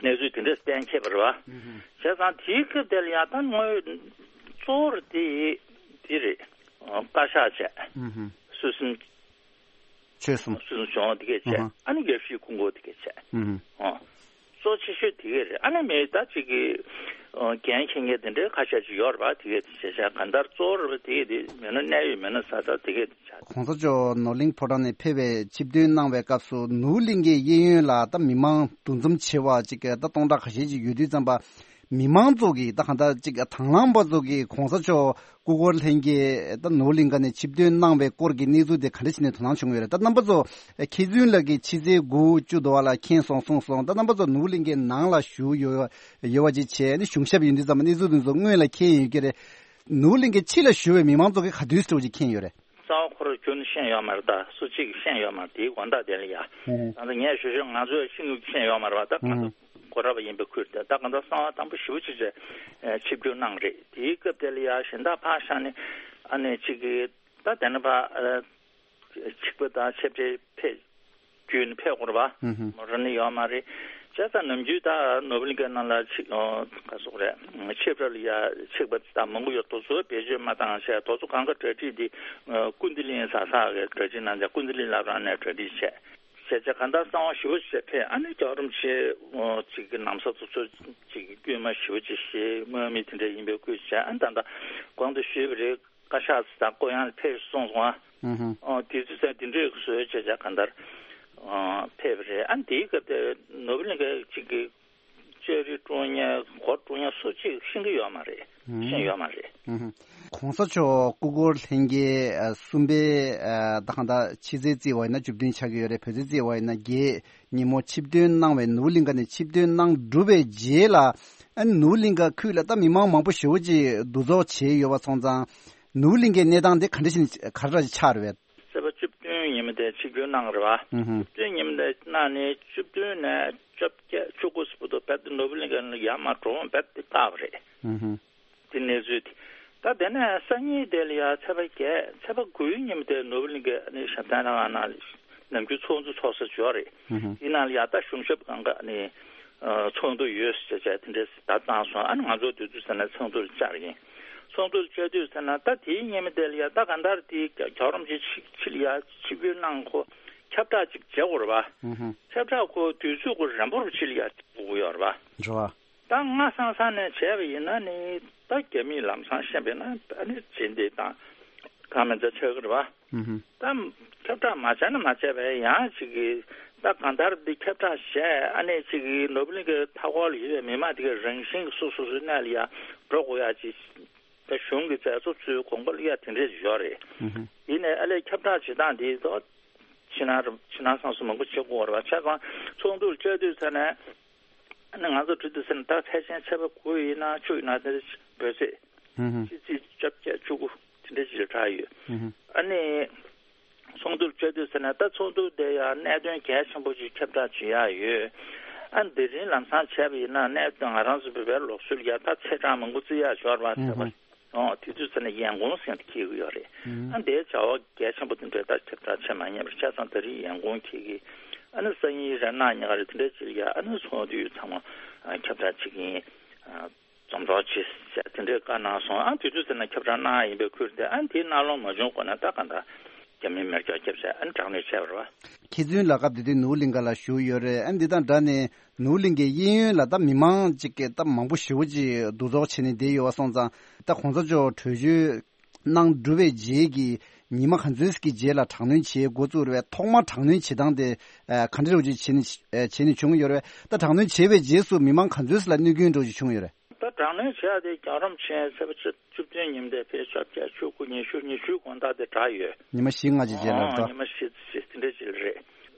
བྱས་གནས་ཚུལ་དེ་འདྲས་གཏན་འཁེལ་བ་རེད་པ། བྱས་ཙང་དེའི་སྐབས་དེ་ལ་ཡ་ད་དངོས་གཙོ་བོར་དེ་དེ་རེད། བཀའ་ཤག་བྱས། སྲོལ་གསུམ། ཆོལ་གསུམ། སྲོལ་གསུམ་བྱུང་དེ་གས་བྱས། ཨ་ནི་རྒྱལ་སྤྱིའི་ཁུངས་སྐོར་དེ་གས་བྱས། ཨོ། གཙོ་ཆེ་ཤོས་དེ་གས་རེད། ཨ་ནི་མི་ད་ཅིག་གི་འགན་འཁྱེར་མཁན་དེ་འདྲའི་ཁ་ཤས་ཅིག་ཡོད་རེད་པ། དེ་གས་དེ་བྱས་བྱས་གང་ལྟར་གཙོ་བོ་རེད་པ། དེ་གས་དེ་མི་སྣ་གནད་ཡོད་མི་སྣ་ས་ད་དེ་གས་དེ་བྱས། གོང་ས་མཆོག་ནོར་གླིང་ཕོ་བྲང་ནས་ཕེབས་པའི་ཆིབས་ཐོན་གནང་བའི་སྐབས་སུ་ནོར་བུ་གླིང་གའི་གཡས་གཡོན་ལ་ད་མི་མང་འདུ་འཛོམས་ཆེ་བ་ཅིག་ད་སྟོང་ཕྲག་ཁ་ཤས་ཅིག་ཡོད་དུས་ཙམ་པ། མི་མང་ཚོ་གིས་ད་གང་ལྟར་ཅིག་དང་བླངས་པ་ཚོ་གིས་གོང་ས་མཆོག་སྐུ་འཁོར་ལྷན་རྒྱས་ད་ནོར་བུ་གླིང་ག་ནས་ཆིབས་ཐོན་གནང་བའི་སྐོར་གྱི་གནས་ཚུལ་དེ་ག་འདྲ་བྱས་ནས་དོ་སྣང་བྱུང་ཡོད་རེད། ད་རྣམ་པ་ཚོ་མཁས་བཙུན་ལགས་ཀྱིས་ཕྱི་ཚེས་དགུ་བཅུ་དོ་བ་ལ་མཁྱེན་སོང་གསུངས་སོང་། ད་རྣམ་པ་ཚོ་ནོར་བུ་གླིང་གའི་ནང་ལ་བཞུགས་ཡོད་ཡོད་པ་ཅིག་བྱས་ནས་གཞུང་ཞབས་ཡིན་དུས་ཙམ་པ་གནས་ཚུལ་དེ་ཚོ་སྔོན་ལ་མཁྱེན་ཡོད་ཀྱི་རེད། ནོར་བུ་གླིང་གའི་ཕྱི་ལ་བཞུགས་པའི་མི་མང་ཚོ་གིས་ག་དུས་ཙམ་ཅིག་མཁྱེན་ཡོད་རེད། གསང་བ་ཁོ་རང་ཁྱོན་ནས་ཤེས་ཡོད་མ་རེད། ད་སུ་གཅིག་གིས་ཤེས་ཡོད་མ་རེད། དེའི་དགོངས་དག་དེ་ལ་ཡ། ཧུམ། ད་ལྟ་ངས་ཞུ་ཞུ་ང་ཚོས་ཤེས་ཤེས་ཡོད་མ་རེད་བ། ད་ང་ཚོ་ཧུམ། གོ་ར་བ་ཡིན་པའི་ཁུལ་དེ་ད་གང་ལྟར་གསང་བ་དམ་པོ་ཞེ་པོ་ཅིག་བྱས་ཆིབས་བསྒྱུར་གནང་རེད། དེའི་སྐབས་དེ་ལ་ཡ་གཞན་དག་ཕར་བཞག་ནས་ཨ་ནི་གཅིག་གིས་ད་དེ་ནས་ཕར་ཆིབས་པ་དང་ཆིབས་ཁྲི་ཕེབས། བརྒྱུད་ནས་ཕེབས་དགོས་རེད་བ། ཧུམ་ཧུམ། མོ་རང་ནི་ཡོད་མ་རེད། བྱས་ཙང་ནམ་རྒྱུན་ད་ནོར་བུ་གླིང་གའི་ནང་ལ་ཆིབས་ག་སོགས་རེད། ཆིབས་ར་ལ་ཡ་ཆིབས་པ་ད་མང་པོ་ཡོད། དེ་ཚོ་བེད་སྤྱོད་མ་བཏང་བྱས། དེ་ཚོ་གང་ག་གྲ་སྒྲིག་འདི་ཀུན་བདེ་གླིང་ས་ས་གི་གྲ་སྒྲིག་གནང་བྱས། ཀུན་བདེ་གླིང་བླ་བྲང་ནས་གྲ་སྒྲིག་བྱས། བྱས་བྱས་གང་ལྟར་གསང་བ་ཞེ་པོ་ཅིག་ཕེབས། ཨ་ནི་རྒྱལ་བ་རིན་པོ་ཆེ་ཅིག་གི་ན་བཟའ་དེ་ཚོ་ཅིག་གི་དཀྱུས་མ་ཞེ་པོ་ཅིག་བཞེས། དམག་མི་དེ་འདྲ་ཡིན་པའི་སྐུ་བྱས། ཨ་ནི་ད་ལྟ་གོང་དུ་ཞུས་པ་རེད། བཀའ་ཤག་དང་སྐུ་ཡང་ཕེབས་སོང་སོང་ཨ། ཨུ་ཧུ། ཨོ་དེ་ཚོ་ཚང་དེ་འདྲས་བཟོས་བྱས་བྱས་གང་ལྟར་ཨོ་ཕེབས་པ་རེད། ཨ་དེའི་སྐབས་དེ་ནོར་བུ་གླིང་ག་ཅིག་གི་ཅོ་རི་དཀྲོལ་མཁན་སྒོ་དཀྲོལ་མཁན་སུ་གཅིག་ཤེས་ཀྱི་ཡོད་མ་རེད། ཨུ་ཧུ། ཤེས་ཡོད་མ་རེད། ཨུ་ཧུ། གོང་ས་མཆོག་སྐུ་འཁོར་ལྷན་རྒྱས་ཨ་གསུམ་པའི་ཨ་ད་གང་ལྟར་ཕྱི་ཚེས་བརྩིས་པ་ཡིན་ན་བཅུ་བདུན་ཆགས་ཀྱི་ཡོད་རེད། བོད་ཚེས་བརྩིས་པ་ཡིན་ན་བརྒྱད། ཉིན་མོ་ཆིབས་ཐོན་གནང་བའི་ནོར་བུ་གླིང་ག་ནས་ཆིབས་ཐོན་གནང་གྲུབ་པའི་རྗེས་ལ། ཨ་ནི་ནོར་བུ་གླིང་ག་ཁུལ་ལ་ད་མི་མང་མང་པོ་ཞེ་པོ་ཅིག་འདུ་ཚོགས་བྱས་ཡོད་པ་སོང་ཙང་། ནོར་བུ་གླིང་གའི་གནས་སྟངས་དེ་ག་འདྲ་ཞིག་ག་འདྲ་ཞིག་ཆགས་རེད་པས། ཚེས་པ་བཅུ་བདུན་ཉིན་མོ་དེ་ཆིབས་བསྒྱུར་གནང་རེད་པ། ཨུ་ཧུ། བཅུ་བདུན་ཉིན་མོ་དེ་གནང་ནས་བཅུ་བདུན་ནས་བཅོ་བརྒྱད་བཅུ་དགུ་ཟེར་བར་དུ་རྦད་དེ་ནོར་བུ་གླིང་ག་ནས་ཡར་མར་འགྲོ་འོང་རྦད་དེ་བཀག་པ་རེད། ཨུ་ཧུ། དེ་གནས་ཚུལ་དེ། ད་དེ་ནས་སང་ཉིན་དེ་ལ་ཡ་ཚེས་པ་བརྒྱད། ཚེས་པ་དགུའི་ཉིན་མོ་དེ་ནོར་བུ་གླིང་གའི་ཨ་ནི་ཞབས་བརྟན་ལྷ་ཁང་ནང་ལ་ནམ་རྒྱུན་ཚོགས་འདུ་ཚོགས་ས་ཅིག་ཡོད་རེད། ཨུ་ཧུ། དེ་ནང་ལ་ཡ་ད་གཞུང་ཞབས་སྒང་ག་ཨ་ནི་ཚོགས་འདུ་ཡོད་ཟེར་བྱས་དེ་འདྲས་ད་བཏང་སོང་། ཨ་ནི་ང་ཚོ་དུས་ཚོད་ཟེར་ན་ཚོགས་འདུ་ལ་བཅར་ཡིན། ཚོགས་འདུ་ལ་བཅར་དུས་ཟེར་ན་ད་དེའི་ཉིན་མོ་དེ་ལ་ཡ་ད་གང་ལྟར་དེ་རྒྱལ་བ་རིན་པོ་ཆེ་ཕྱི་ཕྱི་ལ་ཡ་ཆིབས་བསྒྱུར་གནང་ཁོ་ཁྱབ་བསྒྲགས་ཅིག་བྱེད་དགོས་རེད་པ། ཨུ་ཧུ། ཁྱབ་བསྒྲགས་ཁོ་དུས་ཚོད་ཁོ་རན་པོ་རུ་ཕྱི་ལ་ཡ་དགོས་ཀྱི་ཡོད་རེད་པ། རེད་པ། ད་སྔ་སང་སང་ནས་བྱས་པ་ཡིན་ན་ནི་ད་རྒྱ་མིས་ལམ་སང་ཤེས་པས་ན་ཨ་ནི་རྗེས་འདེད་དང་གང་མིན་ཚ་ཆགས་ཀྱི་རེད་པ། ཨུ་ཧུ། ད་ཁྱབ་བསྒྲགས་མ་བྱས་ན་མ་བྱས་པས་ཡང་ཅིག་གིས་ད་གང་ལྟར་འདི་ཁྱབ་བསྒྲགས་བྱས། ཨ་ནི་ཅིག་གིས་ནོར་བུ་གླིང་གའི་མཐའ་འཁོར་ལ་ཡོད་པའི་མི་མང་དེ་གའི་རང་བཞིན་གྱིས་སོ་སོ་སོའི་གནས་ལ་ཡ་འགྲོ་དགོས་ཡ་ཅིག་ད་གཞུང་གི་མཛད་གཙོ་ཚོའི་དགོངས་པ་ལ་ཡ་དེ་འདྲས་ཡོད་རེད། ཨུ་ཧུ། ཡིན་ནའི་ཨ་ལས་ཁྱབ་བསྒྲགས་བྱེད་སྟངས་འདི་ད་ཕྱི་ནང་རུ་ཕྱི་ནང་སོ་སོ་མང་པོ་བྱེད་དགོས་རེད་པ། བྱས་ཙང་ཚོགས་འདུར་བཅར་དུས་ཚོད་ནས། ཨ་ནི་ང་ཚོ་འགྲོ་དུས་ཟེར་ན་ད་ཕལ་ཆེར་ཚེས་པ་དགུ་ཡིན་ན་བཅུ་ཡིན་ན་དེ་འདྲ་འབོད་ཚིག་ཧུམ་ཧུམ། ཕྱི་ཚེས་བཅོ་བརྒྱད་བཅུ་དགུ་དེ་འདྲ་ཅིག་ལ་གྲགས་ཡོད། ཧུམ་ཧུམ། ཨ་ནི་ཚོགས་འདུར་བཅར་དུས་ཟེར་ན་ད་ཚོགས་འདུ་དེ་ཡང་གནད་དོན་གལ་ཆེན་པོ་ཅིག་ཁྱབ་བསྒྲགས་བྱེད་ཡག་ཡོད། ཨ་ནི་དེ་རིང་ལམ་སང་བྱས་པ་ཡིན་ན་གནད་དོན་ང་རང་ཚོ་བོད་པའི་ལུགས་སྲོལ་ཡ་ད་ཚེས་གྲངས་མང་པོ་བརྩི་ཡག་ཞོར་བ་ཧུམ་ཚེས་པ། ཧུམ། ཨོ་དེ་དུས་ཚོད་ནས་ཡན་གུང་ཟེར་ནས་འཁེལ་གྱི་ཡོད་རེད། ཨ་འདིའི་བྱ་བ་གལ་ཆེན་པོ་དེ་འདྲ་ད་ཁྱབ་བསྒྲགས་བྱེད་མ་ཉན་པར་ཆ་ཚང་ད་རེས་ཡན་གུང་འཁེལ་གྱི། ཨ་ནི་སང་ཉིན་རེད་གནངས་ཉིན་ག་རེ་དེ་འདྲ་ཅིག་ལ་ཡ་ཨ་ནི་ཚོགས་འདུ་ཚང་མ་ཁྱབ་བསྒྲགས་བྱེད་ཀྱི་ཡིན། འཛོམས་རོགས་བྱེད་ཟེར་དེ་འདྲའི་བཀའ་གནང་སོང་། ཨ་དེ་དུས་ཚོད་ནས་ཁྱབ་བསྒྲགས་གནང་ཡིན་པའི་ཁུལ་དེ་ཨ་དེའི་གནང་ལུགས་མ་བྱུང་གོང་ནས་ད་ག་འདྲ་རྒྱ་མིའི་མེ་སྒྱོགས་བརྒྱབ་བྱས་ཨ་ནི་དྲག་གནོན་བྱས་པ་རེད་བ། མཁས་བཙུན་ལགས་སྐབས་དེ་དུས་ནོར་བུ་གླིང་ག་ལ་བཞུགས་ཡོད་རེད། ཨ་འདི་དང་འདྲ་ནས་ནོར་བུ་གླིང་གའི་གཡས་གཡོན་ལ་ད་མི་མང་ཅིག་གིས་ད་མང་པོ་ཞེ་པོ་ཅིག་འདུ་ཚོགས་བྱས་ནས་བསྡད་ཡོད་པ་སོང་ཙང་། ད་གོང་ས་མཆོག་བྲོས་བྱོལ་གནང་གྲུབ་པའི་རྗེས་ཀྱི་ཉི་མ་ག་ཚོད་ཅིག་གི་རྗེས་ལ་དྲག་གནོན་བྱེད་འགོ་བཙུགས་རེད་པས། ཐོག་མར་དྲག་གནོན་བྱེད་སྟངས་དེ་ག་འདྲ་རུ་ཅིག་བྱས་ནས་བྱས་ནས་བྱུང་ཡོད་རེད་པས། ད་དྲག་གནོན་བྱས་པའི་རྗེས་སུ་མི་མང་ག་ཚོད་ཅིག་ལ་གནོད་སྐྱོན་འདྲ་ཅིག་བྱུང་ཡོད་རེད། ད་དྲག་གནོན་བྱས་ཏེ་རྒྱལ་བ་རིན་པོ་ཆེ་ཚེས་པ་བཅུ་བཅུ་བདུན་ཉིན་དེ་ཕེབས་བཅོ་བརྒྱད་བཅུ་དགུ་ཉི་ཤུ་ཉི་ཤུའི་དགོང་དག་དེ་དྲག་ཡོད། ཉི་མ་བཞི་ལྔ་ཅིག་རྗེས་ལ་ཨོ་འགྲོ། ཉི་མ་བཞི་བཞི་དེ་འདྲ་ཅིག་རེད།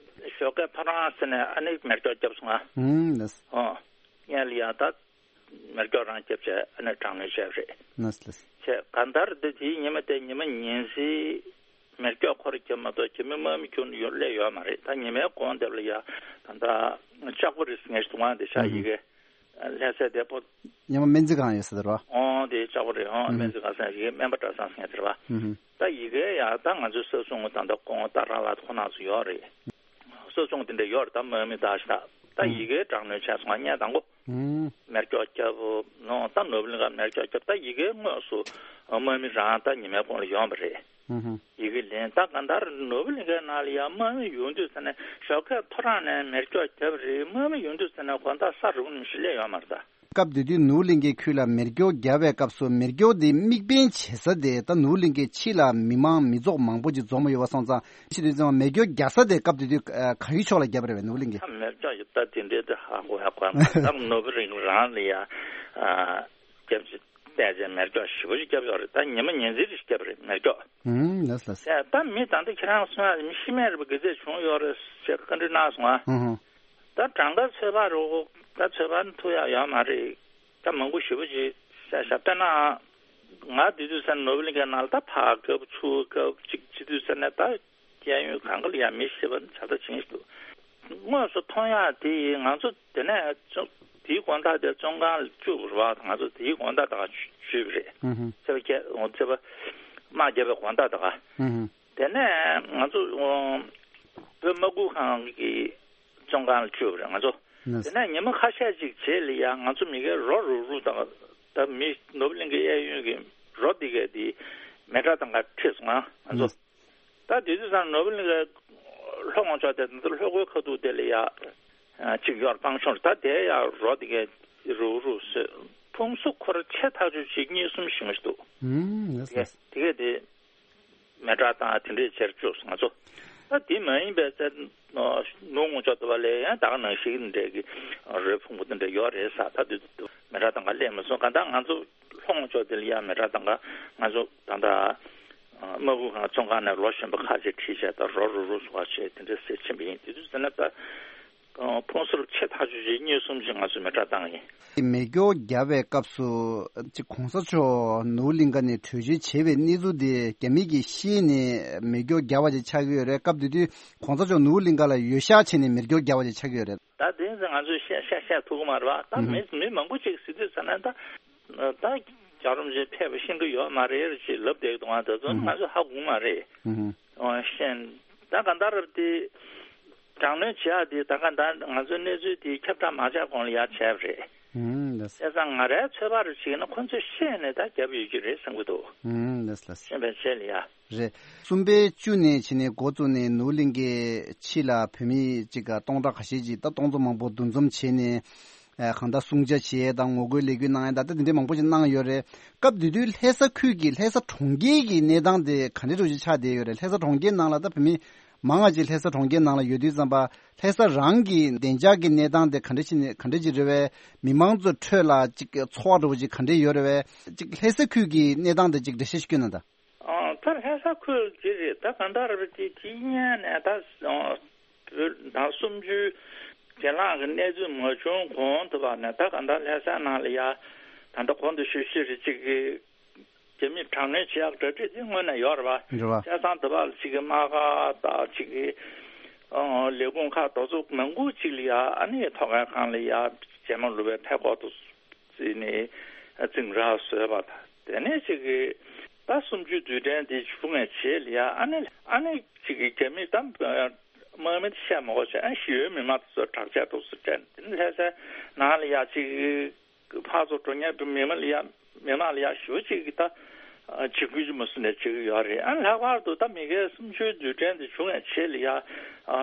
ཞོགས་ཀས་ཕ་རང་ཟེར་ནས་ཨ་ནི་མེ་སྒྱོགས་བརྒྱབ་སོང་ང་། ཨུམ་ལགས། ཨོ། ངས་ལ་ཡ་ད་མེ་སྒྱོགས་རང་བརྒྱབ་བྱས་ཨ་ནི་དྲག་གནོན་བྱས་པ་རེད། ལགས་ལགས། བྱས་གང་ལྟར་འདི་དེའི་ཉི་མ་དེ་ཉི་མ་ཉིན་གཟིགས་མེ་སྒྱོགས་ཁོ་རང་བརྒྱབ་མ་གཏོགས་རྒྱ་མི་དམག་མི་ཁྱོན་ནས་ཡོང་སླེབས་ཡོད་མ་རེད། ད་ཉི་མའི་གོང་དེབ་ལ་ཡ་ད་ལྟ་ལྕགས་པོ་རི་ཟེར་མཁན་ཞིག་འདུག་ཨང་དེ་ཤག་ཨུམ། ཡི་གེ་ལྷ་སའི་བདེ་པོ། ཉི་མ་སྨན་རྩིས་ཁང་ཡོད་ས་དེ་རེད་པ། ཨོ་དེ་ལྕགས་པོ་རི་ཨོ་ཨུམ། སྨན་རྩིས་ཁང་ཟེར་ཡི་གེ་སྨན་པ་གྲྭ་ཚང་ཟེར་མཁན་དེ་རེད་པ། ཨུམ། ད་ཡི་གེ་ཡ་ད་ང་ཚོའི་ས་སྲུང་ད་ལྟ་ཁོང་ད་རང་ལ་ཁོ་ན་ཚོ་ཡོད་རེད། ས་སྲུང་དེ་འདྲ་ཡོད་རེད། ད་དམག་མི་ད་ཤི་ད་ད་ཨུམ། ཡི་གེ་དྲག་གནོན་བྱས་སོང་ང་། ངས་དང་པོ་ཨུམ། མེ་སྒྱོགས་བརྒྱབ་ནོ་ད་ནོར་བུ་གླིང་ག་མེ་སྒྱོགས་བརྒྱབ། ད་ཡི་གེ་དངོས་སུ་དམག་མི་རང་ད་ཉི་མའི་གོང་ལ་ཡོང་བ་རེད། ཧུམ་ཧུམ། ཡི་གེ་ལེན། ད་གང་ལྟར་ནོར་བུ་གླིང་གའི་ནང་ལ་ཡང་དམག་མི་ཡོང་དུས་ཙ་ནས་ཞོགས་ཀས་ཐོ་རངས་ནས་མེ་སྒྱོགས་བརྒྱབ་རེད། དམག་མི་ཡོང་དུས་ཙ་ནས་དགོང་དག་ས་རུབ་ནས་ཞིག་སླེབས་ཡོད་མ་རེད་ད། སྐབས་དེ་དུས་ནོར་བུ་གླིང་གའི་ཁུལ་ལ་མེ་སྒྱོགས་བརྒྱབ་པའི་སྐབས་སུ་མེ་སྒྱོགས་དེ་དམིགས་འབེན་བྱེད་ས་དེ་ད་ནོར་བུ་གླིང་གའི་ཕྱི་ལ་མི་མང་མི་ཚོགས་མང་པོ་ཅིག་འཛོམས་ཡོད་པ་སོང་ཙང་། ཕྱི་དུས་ཙམ་མེ་སྒྱོགས་རྒྱག་ས་དེ་སྐབས་དེ་དུས་ག་རེའི་ཕྱོགས་ལ་བརྒྱབ་པ་རེད་པས་ནོར་བུ་གླིང་གའི། ད་མེ་སྒྱོགས་ཡོད་ད་དེ་འདྲའི་དེ་ཧ་གོ་ཧ་གོ་ཡ་མ་རེད། ད་ནོར་བུ་གླིང་རང་ལ་ཡ་རྒྱབ་ཅིག་བལྟས་ཚེ་མེ་སྒྱོགས་ཞེ་པོ་ཅིག་བརྒྱབ་ཡོད་རེད། ད་ཉི་མ་ཉིན་མཚན་རེ་ཞིག་བརྒྱབ་རེད་མེ་སྒྱོགས། ཨུམ་ལགས་ལགས། ད་མི་ད་ལྟ་ཁྱེད་རང་གསུང་ཡ་མི་ཤི་རྨས་རེད་པ་ག་ཚད་བྱུང་ཡོད་རེད་ཅེས་བཀའ་འདྲི་གནང་སོང་ང་། ཧུམ་ཧུམ། ད་གྲངས་ཀ་ཚོད་དཔག་རོགས་ད་ཚོད་དཔག་ཐུབ་ཡ་ཡོད་མ་རེད། ད་མང་པོ་ཞེ་པོ་ཅིག་བཤད་བཤད་དཔེར་ན། ང་དེ་དུས་ས་ནོར་བུ་གླིང་གའི་ནང་ལ་ད་ཕར་སྐབས་ཚུར་སྐབས་གཅིག་བྱེད་དུས་ས་ནས་ད་གཡས་གཡོན་གང་ག་ལ་ཡང་མི་ཤེས་པ་ནི་ཇ་ད་བྱིན་ཞིག་འདུག་དངོས་སུ་མཐོང་ཡག་དེ་ཡིས་ང་ཚོ་དེ་ནས་ཅུང་དེའི་དགོང་དག་དེ་བཙོན་ཁང་ལ་བཅུག་པ་རེད་བ། ང་ཚོ་དེའི་དགོང་དག་ད་ག་བཅུག་པ་རེད། ཨུ་ཧུ། ཚེས་པ་བརྒྱད་ཚེས་པ་དམག་བརྒྱབ་པའི་དགོང་དག་ད་ག་ཨུ་ཧུ། དེ་ནས་ང་ཚོ་བོད་དམག་ཁུལ་ཁང་གི་བཙོན་ཁང་ལ་བཅུག་པ་རེད་ང་ཚོ། ནས། དེ་ནས་ཉི་མ་ཁ་ཤས་ཅིག་རྗེས་ལ་ཡང་ང་ཚོ་མི་སྒེར་རོ་རུག་རུག་དང་ད་མི་ནོར་བུ་གླིང་གའི་གཡས་གཡོན་གྱི་རོ་འདི་གས་དེ་མེ་དགྲ་དང་ག་ཁྲིད་སོང་ང་ང་ཚོ། ནས། ད་དེ་དུས་ཙང་ནོར་བུ་གླིང་གའི་ལྷོ་ངོས་ཕྱོགས་དེ་ད་ལྟ་ལྷོ་སྒོའི་ཁ་ཐུག་དེ་ལ་ཡ་གཅིག་ཡོད་རེད། སྤང་གཤོང་རེད། ད་དེ་ཡ་རོ་འདི་གས་རུག་རུག་བཟོས། ཕུང་གསོ་ཁོ་ར་ཆེ་ཐག་ཆོད་ཅིག་གཉིས་གསུམ་ཞིག་མ་ཞིག་འདུག་ཨུམ། ཡེས་དེ་ཡེས། དེ་གས་དེ། མེ་དགྲ་དང་དེ་འདྲས་བྱེད་བཅུག་སོང་ང་ཚོ། ད་དེ་མ་ཡིན་པའི་ཚེ་ནུབ་ངོས་ཕྱོགས་དེ་བ་ལས་ཡང་ད་ག་ནང་བཞིན་འདྲས་ཀྱི་རོའི་ཕུང་པོ་དེ་འདྲས་ཡོད་རེད་ས། ད་དུས་དུས་མེ་དགྲ་དང་ག་སླེབས་མ་སོང་། གང་ལྟར་ང་ཚོ་ལྷོ་ངོས་ཕྱོགས་དེ་ལ་ཡང་མེ་དགྲ་དང་ག་ང་ཚོ་ད་ལྟ་དམག་ཁུལ་ཁང་བཙོན་ཁང་ནས་ལོ་གཞོན་པ་ཁ་ཤས་ཁྲིད་བྱས་ད་རོ་རུག་རུག་བཟོ་བ་བྱས་དེ་འདྲས་ཟེར་ཕྱིན་པ་ཡིན། དེ་དུས་ཟེར་ན་ད། ཕུང་གསོ་ཆེ་ཐག་ཆོད་ཅིག་གཉིས་གསུམ་ཅིག་ང་ཚོས་མེ་དགྲ་བཏང་ཡིན། མེ་སྒྱོགས་བརྒྱབ་པའི་སྐབས་སུ་ཅིག་གོང་ས་མཆོག་ནོར་བུ་གླིང་ག་ནས་བྲོས་བྱོལ་བྱས་པའི་གནས་ཚུལ་དེ་རྒྱ་མི་གིས་ཤེས་ནས་མེ་སྒྱོགས་བརྒྱབ་པ་ཅིག་ཆགས་ཀྱི་ཡོད་རེད། སྐབས་དེ་དུས་གོང་ས་མཆོག་ནོར་བུ་གླིང་ག་ལ་འོས་ཤག་བྱས་ནས་མེ་སྒྱོགས་བརྒྱབ་པ་ཅིག་ཆགས་ཀྱི་ཡོད་རེད། ད་དེ་ཚོ་ང་ཚོས་བཤད་བཤད་བཤད་ཐུབ་ཀྱི་མ་རེད་བ། ད་ཨུ་ཧུ། མི་མི་མང་པོ་ཅིག་ཟེར་དུས་ཙམ་ན་ད་ད་རྒྱལ་བ་རིན་པོ་ཆེ་ཕེབས་པ་ཤེས་ཀྱི་ཡོད་མ་རེད་ཅེས་ལབ་བསྡད་འདུག་ང་ད་ཚོ་ང་ཚོ་ཧ་གོ་མ་རེད། ཨུ་ཧུ། ཨོ་ཤེས། ད་ག་འདྲ་རེད་དེ། དྲག་གནོན་བྱེད་ཡག་དེ་ད་ག་ད་ང་ཚོའི་གནས་ཚུལ་དེ་ཁྱབ་བསྒྲགས་མ་བྱས་གོང་ལ་ཡར་བྱས་པ་རེད། ཨུམ། ལགས། བྱས་ཙང་ང་རའི་ཚོད་དཔག་རེ་བྱས་ན་ཁོ་ཚོས་ཤེས་ནས་ད་རྒྱབ་ཡོད་ཀྱི་རེད་བསམ་གྱི་འདུག་ཨུམ། ལགས་ལགས། ཤེས་པའི་ཆེད་ལ་ཡ། རེད། གསུམ་པའི་བཅུ་ནས་ཕྱིན་ནས་འགོ་བཙུགས་ནས་ནོར་བུ་གླིང་གའི་ཕྱི་ལ་བོད་མི་གཅིག་ག་སྟོང་ཕྲག་ཁ་ཤས་ཅིག་ད་སྟོང་ཚོ་མང་པོ་འདུ་འཛོམས་བྱས་ནས་ཨ་གང་ལྟར་སྲུང་བྱ་བྱས་དང་ངོ་རྒོལ་ལས་འགུལ་གནང་ཡ་ད་ལྟ་དེ་འདྲའི་མང་པོ་ཅིག་གནང་ཡོད་རེད། སྐབས་དེ་དུས་ལྷ་ས་ཁུལ་གྱི་ལྷ་ས་གྲོང་ཁྱེར་གྱི་གནས་སྟངས་དེ་ག་འདྲ་འདྲ་ཅིག་ཆགས་བསྡད་ཡོད་རེད། ལྷ་ས་གྲོང་ཁྱེར་ནང་ལ་ད་བོད་མི་མང་ང་ཅིག་ལྷ་ས་གྲོང་ཁྱེར་ནང་ལ་ཡོད་དུས་ཙམ་པ་ལྷ་ས་རང་གི་བདེ་འཇགས་ཀྱི་གནས་སྟངས་དེ་ག་འདྲ་ཞིག་ནས་ག་འདྲ་ཅིག་རེད་བས། མི་མང་ཚོའི་ཁྲོད་ལ་ཅིག་ཚོར་བ་འདྲ་བོ་ཅིག་ག་འདྲ་ཡོད་རེད་བས། ཅིག་ལྷ་ས་ཁུལ་གྱི་གནས་སྟངས་དེ་ཅིག་འགྲེལ་བཤད་ཞིག་སྐྱོན་ན་ད། ཨ། ད་ལྷ་ས་ཁུལ་འདི་རེད། ད་གང་ལྟར་རེད་དེ་དེའི་སྔོན་ནས་ད་བོད་ཟླ་སུམ་ཅུའི་རྗེས་ལངས་ཀྱི་གནས་ཚུལ་མ་བྱུང་གོང་དུ་བ་ནས་ད་གང་ལྟར་ལྷ་ས་ནང་ལ་ཡ་ད་ལྟ་གོང་དུ་ཞུས་ཞུས་རེད་ཅིག་གི་རྒྱ་མིས་དྲག་གནོན་བྱེད་ཡག་གྲ་སྒྲིག་དེ་སྔོན་ནས་ཡོད་རེད་བ། རེད་བ། བྱས་ཙང་དེ་བ་ལ་ཅིག་གི་དམག་སྒར་དང་ཅིག་གི་ཨང་ལས་ཁུངས་ཁག་དེ་ཚོ་མང་པོ་ཅིག་ལ་ཡ་ཨ་ནི་ཐོག་ཁང་ཁང་ལ་ཡ་རྗེས་མ་ལུས་པའི་ཕད་ཀོག་ཏུ་བརྩིས་ནས་འཛིང་རགས་བཟོས་པ་དང་དེ་ནས་ཅིག་གི་ད་གསུམ་བཅུའི་དུས་དྲན་དེ་བྱུང་བའི་རྗེས་ལ་ཡ་ཨ་ནི་ཨ་ནི་ཅིག་གི་རྒྱ་མིས་ད་དམག་མི་བཤད་མ་དགོས་བྱས་ཨ་ཞི་གཡོལ་མི་མང་དེ་ཚོ་དྲག་ཆས་ཏོག་ཙམ་སྤྲད་དེ་ནི་ལྷ་སའི་ནང་ལ་ཡ་ཅིག་གི་ཕར་ཚུར་འགྲོ་མཁན་བོད་མི་མང་ལ་ཡ་མི་མང་ལ་ཡ་ཞེ་པོ་ཅིག་གི་ད་འཇིགས་སྐུལ་ཅིག་མ་སུ་ནས་བྱེད་ཀྱི་ཡོད་རེད། ཨ་ལྷག་པར་དུ་ད་མི་སྒེར་སུམ་ཅུའི་དུས་དྲན་དེ་བྱུང་བའི་རྗེས་ལ་ཡ་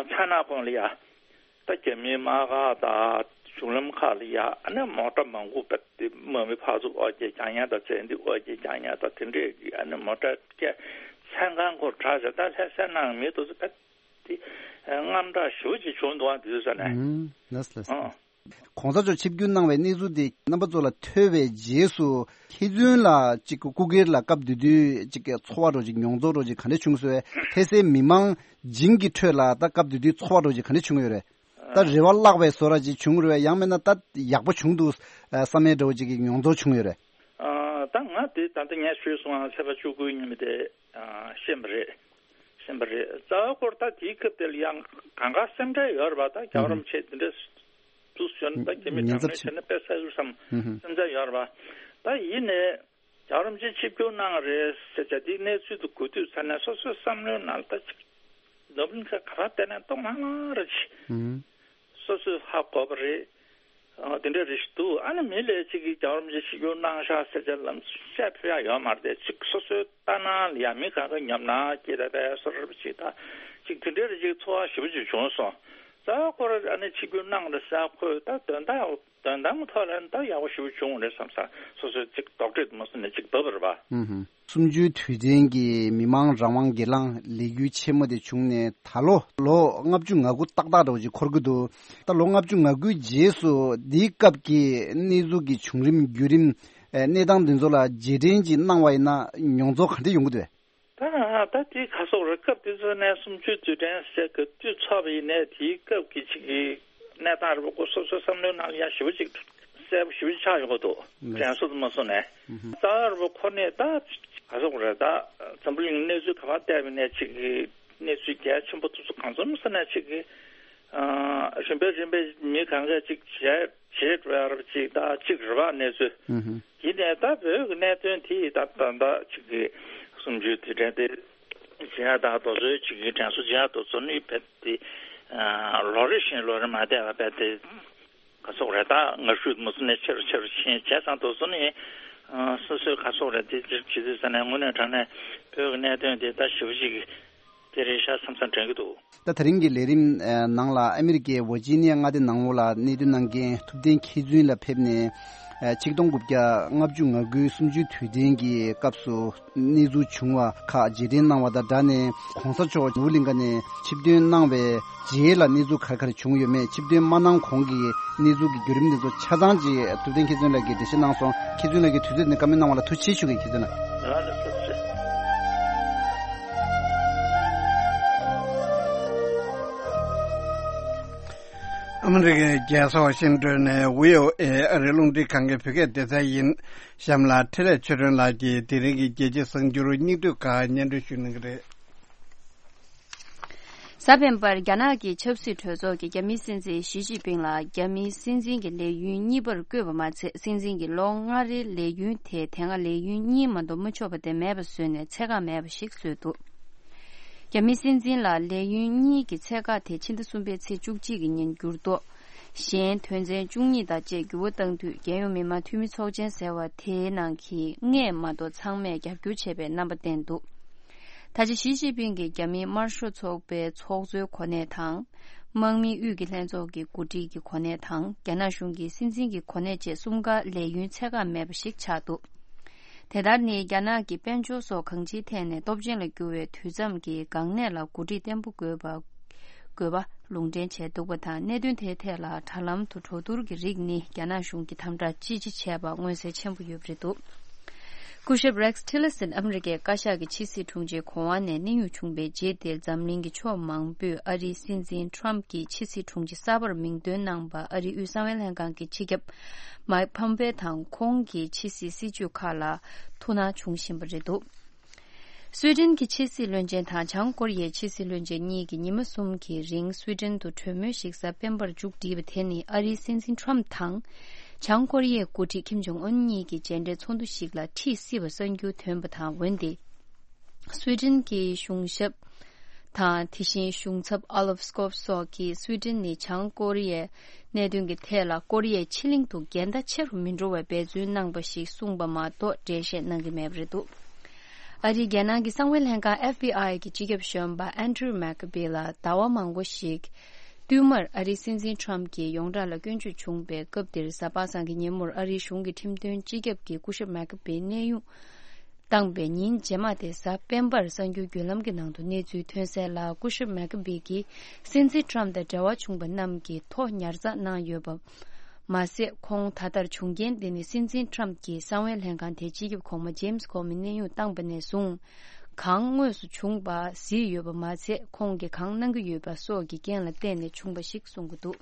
ཚ་ན་གོང་ལ་ཡ་ད་རྒྱ་མིའི་དམག་སྒར་དང་གཞུང་ལམ་ཁག་ལ་ཡ་ཨ་ནི་མོ་ཊ་མང་པོ་བེད་དེ་དམག་མི་ཕར་ཚུར་འོ་བརྒྱལ་རྒྱག་མཁན་དང་བྱས་འདི་འོ་བརྒྱལ་རྒྱག་མཁན་དང་དེ་འདྲས་ཀྱི་ཨ་ནི་མོ་ཊ་སྐད་མཚན་གང་སྐོར་གྲགས་བྱས། ད་ལྷ་སའི་ནང་མི་དེ་ཚོ་བེད་དེ་དངངས་སྐྲག་ཞེ་པོ་ཅིག་བྱུང་འདུག་ཨ་དེ་དུས་ས་ནས། ཨང་། ལགས་ལགས། ཨང་། གོང་ས་མཆོག་ཆིབས་བསྒྱུར་གནང་བའི་གནས་ཚུལ་དེ་རྣམ་པ་ཚོ་ལ་ཐོས་པའི་རྗེས་སུ་ལྷན་རྒྱས་ལ་ཅིག་སྐུ་སྒེར་ལ་སྐབས་དེ་དུས་ཅིག་ཚོར་བ་འདྲ་ཅིག་མྱོང་ཚོར་འདྲ་ཅིག་ག་འདྲ་བྱུང་སོང་བས། ལྷ་སའི་མི་མང་བྱིངས་ཀྱི་ཁྲོད་ལ་ད་སྐབས་དེ་དུས་ཚོར་བ་འདྲ་ཅིག་ག་འདྲ་བྱུང་ཡོད་རེད། ད་རེ་བ་བརླག་པའི་བཟོ་འདྲ་ཅིག་བྱུང་རེད་བས། ཡང་མིན་ན་ད་ཡག་པོ་བྱུང་འདུག་བསམ་ཡས་འདྲ་བོ་ཅིག་གི་མྱོང་ཚོར་བྱུང་ཡོད་རེད། ཨ། ད་ང་དེ་ད་ལྟ་ངས་ཞུས་སོང་ཨ་ཚེས་པ་བཅུ་དགུའི་ཉིན་མོ་དེ་ཨ་ཤེས་པ་རེད། ཤེས་པ་རེད། རྩ་བའི་སྐོར་ད་དེའི་སྐབས་དེ་ལ་ཡང་གང་ག་སེམས་ཁྲལ་ཡོད་རེད་པ། ད་རྒྱལ་བ་རིན་པོ་ཆེ་དེ་འདྲ་འདུག་ཞུ་ན་ད་རྒྱ་མི་ཉན་དྲག་ཚར་གནོན་བྱས་ན་དཔེ་ས་ཡུལ་བསམ་ཨུ་ཧུ། སེམས་ཁྲལ་ཡོད་རེད་པ། ད་ཡིན་ནའི་རྒྱལ་བ་རིན་པོ་ཆེ་ཆིབས་བསྒྱུར་གནང་རེད་ཟེར་བྱས་དེའི་གནས་ཚུལ་དུ་གོ་དུས་ཙ་ནས་སོ་སོའི་བསམ་བློའི་ནང་ལ་ད་ཅིག་ནོར་བུ་གླིང་ག་ག་པར་བལྟས་ནས་ལྟོགས་ལྷང་ལྷང་རེ་བྱས། ཨུ་ཧུ། སོ་སོས་ཧ་གོ་བ་རེད། ཨ། དེ་འདྲ་རེ་ཞིག་འདུག་ཨ་ནི་མི་ལ་ཅིག་གིས་རྒྱལ་བ་རིན་པོ་ཆེ་ཆིབས་བསྒྱུར་གནང་ཤག་ཟེར་བྱས་ལམ་སེང་བཤད་ཕོད་ཡག་ཡོད་མ་རེད་དེ། ཅིག་སོ་སོའི་ལྟ་སྣང་ལ་ཡ་མི་གང་ག་ཉོབ་སྣང་སྐྱེས་ད་པའི་བཟོ་འདྲ་ཅིག་དང་ཅིག་དེ་འདྲ་རེ་ཅིག་ཚོར་བ་ཞེ་པོ་ཅིག་བྱུང་སོང་། རྩ་བ་ཁོ་རང་ཨ་ནི་ཆིབས་བསྒྱུར་གནང་རེད་ཟེར་ཁོས་ད་དོན་དག་དོན་དག་ཐོག་ལ་ད་ཡག་པོ་ཞེ་པོ་བྱུང་རེད་བསམ་ས། སོ་སོའི་ཅིག་དོགས་འདྲི་དེ་མ་སོང་ནས་ཅིག་བབས་པ་རེད་པ། ཨུ་ཧུ། གསུམ་བཅུའི་དུས་དྲན་གྱི་མི་མང་རང་དབང་སྒེར་ལངས་ལས་འགུལ་ཆེན་མོ་དེ་བྱུང་ནས་ད་ལོ་ལོ་ལྔ་བཅུ་ང་དགུ་ཏག་ཏག་འདྲ་བོ་ཅིག་འཁོར་གྱི་འདུག་ད་ལོ་ལྔ་བཅུ་ང་དགུའི་རྗེས་སུ་འདིའི་སྐབས་ཀྱི་གནས་ཚུལ་གྱི་བྱུང་རིམ་བརྒྱུད་རིམ་ཨེ་གནས་སྟངས་འདི་ཚོ་ལ་རྗེས་དྲན་ཅིག་གནང་བ་ཡིན་ན་མྱོང་ཚོར་ག་འདྲ་ཡོང་གི་འདུག་ད་ད་དེ་ག་སོགས་རེད། སྐབས་དེ་ཚོ་ནས་གསུམ་བཅུའི་དུས་དྲན་ཟེར་ག་དུས་ཚོགས་པ་ཡིན་ནའི་དེའི་སྐབས་ཀྱི་ཅིག་གི་གནས་སྟངས་རེད་པ། ཁོ་སོ་སོའི་བསམ་བློའི་ནང་ལ་ཡ་ཞེ་པོ་ཅིག་ གསལ་པོ་ཞེ་པོ་ཅིག་ཆགས་ཡོང་གི་འདུག་ལགས། དྲན་གསོ་དུ་མ་སོང་ནས། ཨུ་ཧུ། རྩ་བ་རིན་པོ་ཁོ་ནས་ད་ག་ཟེར་དགོས་རེད། ད་འཛམ་བུ་གླིང་གནས་ཚུལ་ག་པར་བལྟས་པ་ནས་ཅིག་གི་གནས་ཚུལ་གལ་ཆེན་པོ་ཐུག་ས་གང་འཚམ་ས་ནས་ཅིག་གི་ཨ་རིམ་པས་རིམ་པས་མི་གང་གས་ཅིག་བྱས་བྱས་འགྲོ་ཡ་རབས་ཅིག་ད་ཅིག་རེད་པ་གནས་ཚུལ། ཨུ་ཧུ། ཡིན་ནའི་ད་བོད་ཀྱི་གནད་དོན་དེ་ད་ད་ད་ཅིག་གི་གསུམ་བཅུའི་དུས་དྲན་དེ་བྱེད་ཡ་ད་དེ་ཚོའི་ཅིག་གི་དྲན་གསོ་བྱེད་ཡ་དེ་ཚོ་ནི་རྦད་དེ་ཨ་ལོ་རེ་བཞིན་ལོ་རེ་མ་བསྡད་པ་རྦད་དེ། ག་ཟེར་དགོས་རེད། ད་ངར་ཤུགས་མུ་མཐུད་ནས་ཆེ་རུ་ཆེ་རུ་ཕྱིན་བྱས་ཙང་དེ་ཚོ་ནི་ཨ་སོ་སོའི་ག་ཟེར་དགོས་རེད། དེ་ཅིག་བྱེད་དུས་ཙ་ནས་དངོས་གནས་དྲང་གནས་བོད་ཀྱི་གནད་དོན་དེ་ད་ཞེ་པོ་ཅིག་དེ་རེད་ཤག་བསམ་བསམ་དྲན་གྱི་འདུག་ད་དེ་རིང་གི་ལས་རིམ་ཨ་ནང་ལ་ཨ་མི་རི་ཀའི་ཝར་ཇི་ནི་ཡ་མངའ་སྡེ་ནང་ལོགས་ལ་གནད་དོན་གནང་མཁན་ཐུབ་བསྟན་མཁས་བཙུན་ལགས་ཕེབས་ནས་ཨ་ཆིག་སྟོང་དགུ་བརྒྱ་ལྔ་བཅུ་ང་དགུའི་གསུམ་བཅུའི་དུས་དྲན་གྱི་སྐབས་སུ། གནས་ཚུལ་བྱུང་བ་ཁག་རྗེས་དྲན་གནང་བ་དང་སྦྲགས་ནས་༸གོང་ས་མཆོག་ནོར་བུ་གླིང་ཁ་ནས་ཆིབས་ཐོན་གནང་བའི་རྗེས་ལ་གནས་ཚུལ་ག་རེ་ག་རེ་བྱུང་ཡོད་མེད། ཆིབས་ཐོན་མ་གནང་གོང་གི་གནས་ཚུལ་གྱི་བརྒྱུད་རིམ་དེ་ཚོ་ཆ་ཚང་ཅིག་ཐུབ་བསྟན་མཁས་བཙུན་ལགས་ཀྱིས་འགྲེལ་བཤད་གནང་སོང་། མཁས་བཙུན་ལགས་ཀྱིས་དུས་ཚོད་འདི་བཀའ་མོལ་གནང་བ་ལ་ཐུགས་རྗེ་ཆེ་ཞུ་གི། མཁས་བཙུན་ལགས། ཨ་མི་རི་ཀའི་རྒྱལ་ས་ཝ་ཤིང་ཏོན་ནས་བྷི་ཨོ་ཨེ་ཨ་རིའི་རླུང་འཕྲིན་ཁང་གི་བོད་སྐད་སྡེ་ཚན་ཡིན། གཤམ་ལ་འཕྲིན་ལས་ཆོས་སྒྲོན་ལགས་ཀྱིས་དེ་རིང་གི་རྒྱལ་སྤྱིའི་གསར་འགྱུར་སྙིང་བསྡུས་ཁག་སྙན་སྒྲོན་ཞུ་གནང་གི་རེད། གཟའ་སྤེན་པར་རྒྱ་ནག་གི་ཆབ་སྲིད་གྲོས་ཚོགས་ཀྱིས་རྒྱ་མིའི་སྲིད་འཛིན་ཞི་ཅིན་ཕིང་ལ་རྒྱ་མིའི་སྲིད་འཛིན་གྱི་ལས་ཡུན་གཉིས་པར་བསྐོས་པ་མ་ཚད། སྲིད་འཛིན་གྱི་ལོ་ལྔ་རེའི་ལས་ཡུན་དེ་དེ་སྔ་ལས་ཡུན་གཉིས་མ་གཏོགས་མི་ཆོག་པ་དེ་མེད་པ་བཟོས་ནས་ཚད་བཀག་མེད་པ་ཞིག་བཟོས་འདུག་རྒྱ་མིའི་སྲིད་འཛིན་ལ་ལས་ཡུན་གཉིས་ཀྱི་ཚད་བཀག་དེ་ཕྱི་ཟླ་གསུམ་པའི་ཚེས་བཅུ་གཅིག་གི་ཉིན་འགྱུར་ལྡོག་གཞན་དོན་ཚན་བཅུ་གཉིས་དང་བཅས་འགྱུར་བ་བཏང་དུས། རྒྱལ་ཡོངས་མི་དམངས་འཐུས་མི་ཚོགས་ཆེན་ཟེར་བ་དེའི་ནང་གི་ལྔས་མ་གཏོགས་ཚང་མས་རྒྱབ་སྐྱོར་བྱས་པའི་རྣམ་པ་བསྟན་འདུག་ད་ཆ་ཞི་ཅིན་ཕིང་གིས་རྒྱ་མིའི་དམར་ཤོག་ཚོགས་པའི་ཚོགས་གཙོའི་གོ་གནས་དང་། དམག་མིའི་དབུས་ཀྱི་ལྷན་ཚོགས་ཀྱི་འགོ་ཁྲིད་ཀྱི་གོ་གནས་དང་། རྒྱ་ནག་གཞུང་གི་སྲིད་འཛིན་གྱི་གོ་གནས་བཅས་གསུམ་ཀ་ལས་ཡུན་ཚད་བཀག་མེད་པ་ཞིག་ཆགས་འདུག་དེ་ལྟར་ནི་རྒྱ་ནག་གི་དཔལ་འབྱོར་སོགས་གང་ཅིའི་ཐད་ནས་སྟོབས་ཆེན་ལ་གྱུར་བའི་དུས་མཚམས་ཀྱི་འགག་གནད་ལ་འགོ་ཁྲིད་བརྟན་པོ་དགོས་པ། དགོས་པ་ལུང་འདྲེན་བྱས་འདུག་པ་དང་། གནད་དོན་དེའི་ཐད་ལ་དྲ་ལམ་དུ་གྲོས་བསྡུར་གྱི་རིགས་ནི་རྒྱ་ནག་གཞུང་གིས་དམ་དྲག་ཅི་ཆེ་བྱས་པ་མངོན་གསལ་ཆེན་པོ་ཡོད་པ་རེད་འདུག་སྐུ་ཞབས་Rex Tillerson ཨ་མི་རི་ཀའི་བཀའ་ཤག་གི་ཕྱི་སྲིད་དྲུང་ཆེ་གོ་དབང་ནས་གནས་དབྱུང་བྱུང་བའི་རྗེས་དེར། འཛམ་གླིང་གི་ཕྱོགས་མང་པོས་ཨ་རིའི་སྲིད་འཛིན་Trump གྱི་ཕྱི་སྲིད་དྲུང་ཆེ་གསར་པར་མིང་འདོན་གནང་བ་ཨ་རིའི་དབུས་གསང་བའི་ལྷན་ཁང་གི་སྤྱི་ཁྱབ་Mike Pompeo དང་ཁོང་གི་ཕྱི་སྲིད་སྲིད་ཇུས་ཁག་ལ་ཐུགས་སྣང་བྱུང་བཞིན་པ་རེད་འདུག་སུའེ་ཏེན་གྱི་ཕྱི་སྲིད་བློན་ཆེན་དང་བྱང་ཀོ་རི་ཡའི་ཕྱི་སྲིད་བློན་ཆེན་གཉིས་ཀྱིས་ཉི་མ་གསུམ་གྱི་རིང་སུའེ་ཏེན་དུ་གྲོས་མོལ་ཞིག་གཟའ་སྤེན་པར་མཇུག་བསྒྲིལ་བ་དེ་ནི་ཨ་རིའི་སྲིད་འཛིན་Trump དང་། བྱང་ཀོ་རི་ཡའི་འགོ་ཁྲིད་ཁིམ་ཇོང་ཨུན་གཉིས་ཀྱི་མཇལ་འཕྲད་ཚོགས་འདུ་ཞིག་ལ་ཁྲིད་སྲིད་པ་གསར་འགྱུར་ཐོན་པ་དང་། འོན་ཏེ། སུའེ་ཏེན་གྱི་གཞུང་ཞབས་དང་། དེ་བཞིན་གཞུང་ཚབ་Olaf Skog སོགས་ཀྱིས་སུའེ་ཏེན་ནི་བྱང་ཀོ་རི་ཡའི་གནད་དོན་གྱི་ཐད་ལ་ཀོ་རི་ཡའི་ཕྱེད་གླིང་དུ་འགལ་ཟླ་ཆེ་རུ་མི་འགྲོ་བའི་འབད་བརྩོན་གནང་པ་ཞིག་གསུངས་པ་མ་གཏོགས་འགྲེལ་བཤད་གནང་གི་མེད་པ་རེད་འདུག་ཨ་རིའི་རྒྱལ་ནང་གི་གསང་བའི་ལྷན་ཁང་F B I གི་སྤྱི་ཁྱབ་གཞོན་པ་Andrew McCabe ལ་ཟླ་བ་མང་པོ་ཞིག་བསྟུད་མར་ཨ་རིའི་སྲིད་འཛིན་Trump གྱི་ཡོངས་གྲགས་ལ་སྐྱོན་བརྗོད་བྱུང་བའི་སྐབས་དེར། གཟའ་པ་སངས་ཀྱི་ཉིན་མོར་ཨ་རིའི་གཞུང་གི་ཁྲིམས་དོན་སྤྱི་ཁྱབ་ཀྱིས་སྐུ་ཞབས་McCabe གནས་དབྱུང་བཏང་པའི་ཉིན་རྗེས་མ་དེ་གཟའ་སྤེན་པར་གསར་འགྱུར་བརྒྱུད་ལམ་གྱི་ནང་དུ་གནས་ཚུལ་ཐོན་གསལ་ལ། སྐུ་ཞབས་McCabe གྱིས་སྲིད་འཛིན་Trump དང་འབྲེལ་བ་བྱུང་པ་རྣམས་ཀྱི་ཐོ་ཉར་ཚགས་གནང་ཡོད་པ་མ་ཟད། ཁོང་ད་ལྟར་བྱུང་རྐྱེན་དེ་ནི་སྲིད་འཛིན་Trump གྱིས་གསང་བའི་ལྷན་ཁང་དེའི་སྤྱི་ཁྱབ་གོང་མ་James Comey གནས་དབྱུང་བཏང་པ་ནས་བཟུང་གང་དངོས་སུ་བྱུང་པ་གཟིགས་ཡོད་པ་མ་ཟད། ཁོང་གིས་གང་གནང་གི་ཡོད་པ་སོགས་ཀྱི་རྐྱེན་ལ་བརྟེན་ནས་བྱུང་པ་ཞིག་གསུང་གི་འདུག་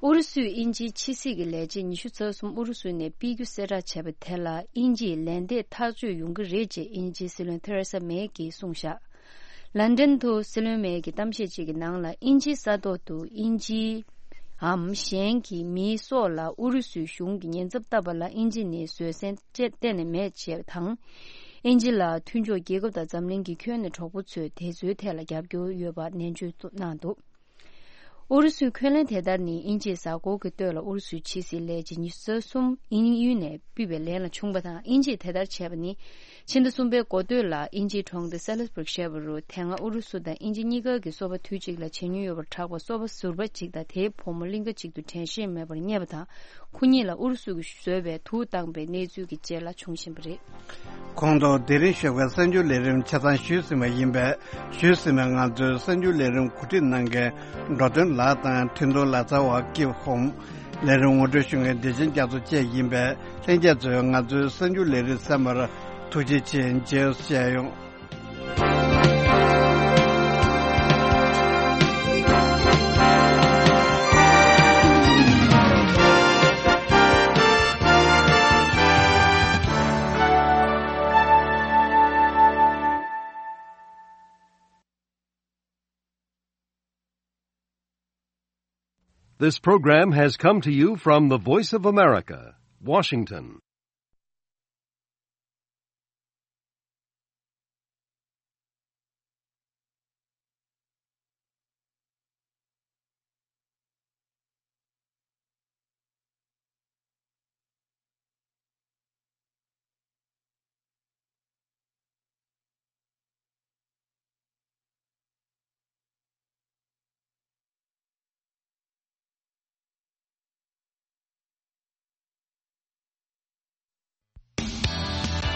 ཨུ་རུ་སུས་དབྱིན་ཇིའི་ཕྱི་སྲིད་ཀྱི་ལས་བྱེད་ཉི་ཤུ་རྩ་གསུམ་ཨུ་རུ་སུ་ནས་ཕུད་རྒྱུ་གསལ་བསྒྲགས་བྱས་པ་དེ་ལ་དབྱིན་ཇིས་ལན་འདེབས་ཐག་གཅོད་ཡོང་གི་རེད་ཅེས་དབྱིན་ཇིའི་སྲིད་བློན་ཐེ་རེ་ས་མེ་གིས་གསུངས་བཞག་ལན་ཌན་དུ་སྲིད་བློན་མེ་གི་གཏམ་བཤད་ཅིག་གི་ནང་ལ། དབྱིན་ཇིའི་ས་ཐོག་ཏུ་དབྱིན་ཇིའམ་གཞན་གྱི་མིའི་སྲོག་ལ་ཨུ་རུ་སུའི་གཞུང་གིས་ཉེན་ཚབས་བཏབ་པ་ལ་དབྱིན་ཇི་ནས་བཟོད་བསྲན་གཏན་ནས་མེད་ཅེས་དང་། དབྱིན་ཇི་ལ་མཐུན་ཕྱོགས་རྒྱལ་ཁབ་དང་འཛམ་གླིང་གི་ཁྱོན་ནས་གྲོགས་པོ་ཚོས་དེ་ཚོའི་ཐད་ལ་རྒྱབ་སྐྱོར་ཡོད་པ་ནན་བརྗོད་གནང་འདུག་ཨུ་རུ་སུའི་འཁོན་ལན་དེ་ལྟར་ནི་དབྱིན་ཇིའི་གཟའ་འཁོར་གྱི་སྟོད་ལ་ཨུ་རུ་སུའི་ཕྱི་སྲིད་ལས་བྱེད་ཉི་ཤུ་རྩ་གསུམ་དབྱིན་ཡུལ་ནས་ཕུད་པའི་ལན་ལ་བྱུང་པ་དང་། དབྱིན་ཇིས་དེ་ལྟར་བྱས་པ་ནི་ཕྱི་ཟླ་གསུམ་པའི་འགོ་སྟོད་ལ་དབྱིན་ཇིའི་གྲོང་སྡེ་སེ་ལི་སི་བྷུར་གཞས་པ་རུ་དེ་སྔ་ཨུ་རུ་སུ་དང་དབྱིན་ཇི་གཉིས་ཀ་གི་སོ་པ་དུས་གཅིག་ལ་མཇལ་མྱོང་ཡོད་པར་གྲགས་པ་སོ་པ་ཟུར་པ་གཅིག་དང་དེའི་བུ་མོ་གླིང་ཁ་གཅིག་ཏུ་དྲན་ཤེས་མེད་པར་རྙེད་པ་དང་། ཁོ་གཉིས་ལ་ཨུ་རུ་སུ་གིས་བཟོས་པའི་དུག་བཏང་པའི་གནས་ཚུལ་གྱི་རྗེས་ལ་བྱུང་བཞིན་པ་རེད། ཁོང་ཚོ་དེ་རིང་ཞོགས་པའི་གསར་འགྱུར་ལས་རིམ་ཆ་ཚང་ཞུས་ཟིན་པ་ཡིན་པས། ཞུས་ཟིན་པའི་ང་ཚོའི་གསར་འགྱུར་ལས་རིམ་གོ་སྒྲིག་གནང་མཁན་འགྲོ་དོན་ལགས་དང་འཕྲིན་གཏོང་ལག་རྩལ་བ་ཀིབ་ཧོམ། ལས་རིམ་ངོ་སྤྲོད་ཞུ་མཁན་བདེ་ཆེན་རྒྱ་མཚོ་བཅས་ཡིན་པས། ལྷན་རྒྱས་ཚོས་ང་ཚོའི་གསར་འགྱུར་ལས་རིམ་གསན་པར་ཐུགས་རྗེ་ཆེ། མཇལ་བཤད་ཡོང་། This program has come to you from the Voice of America, Washington.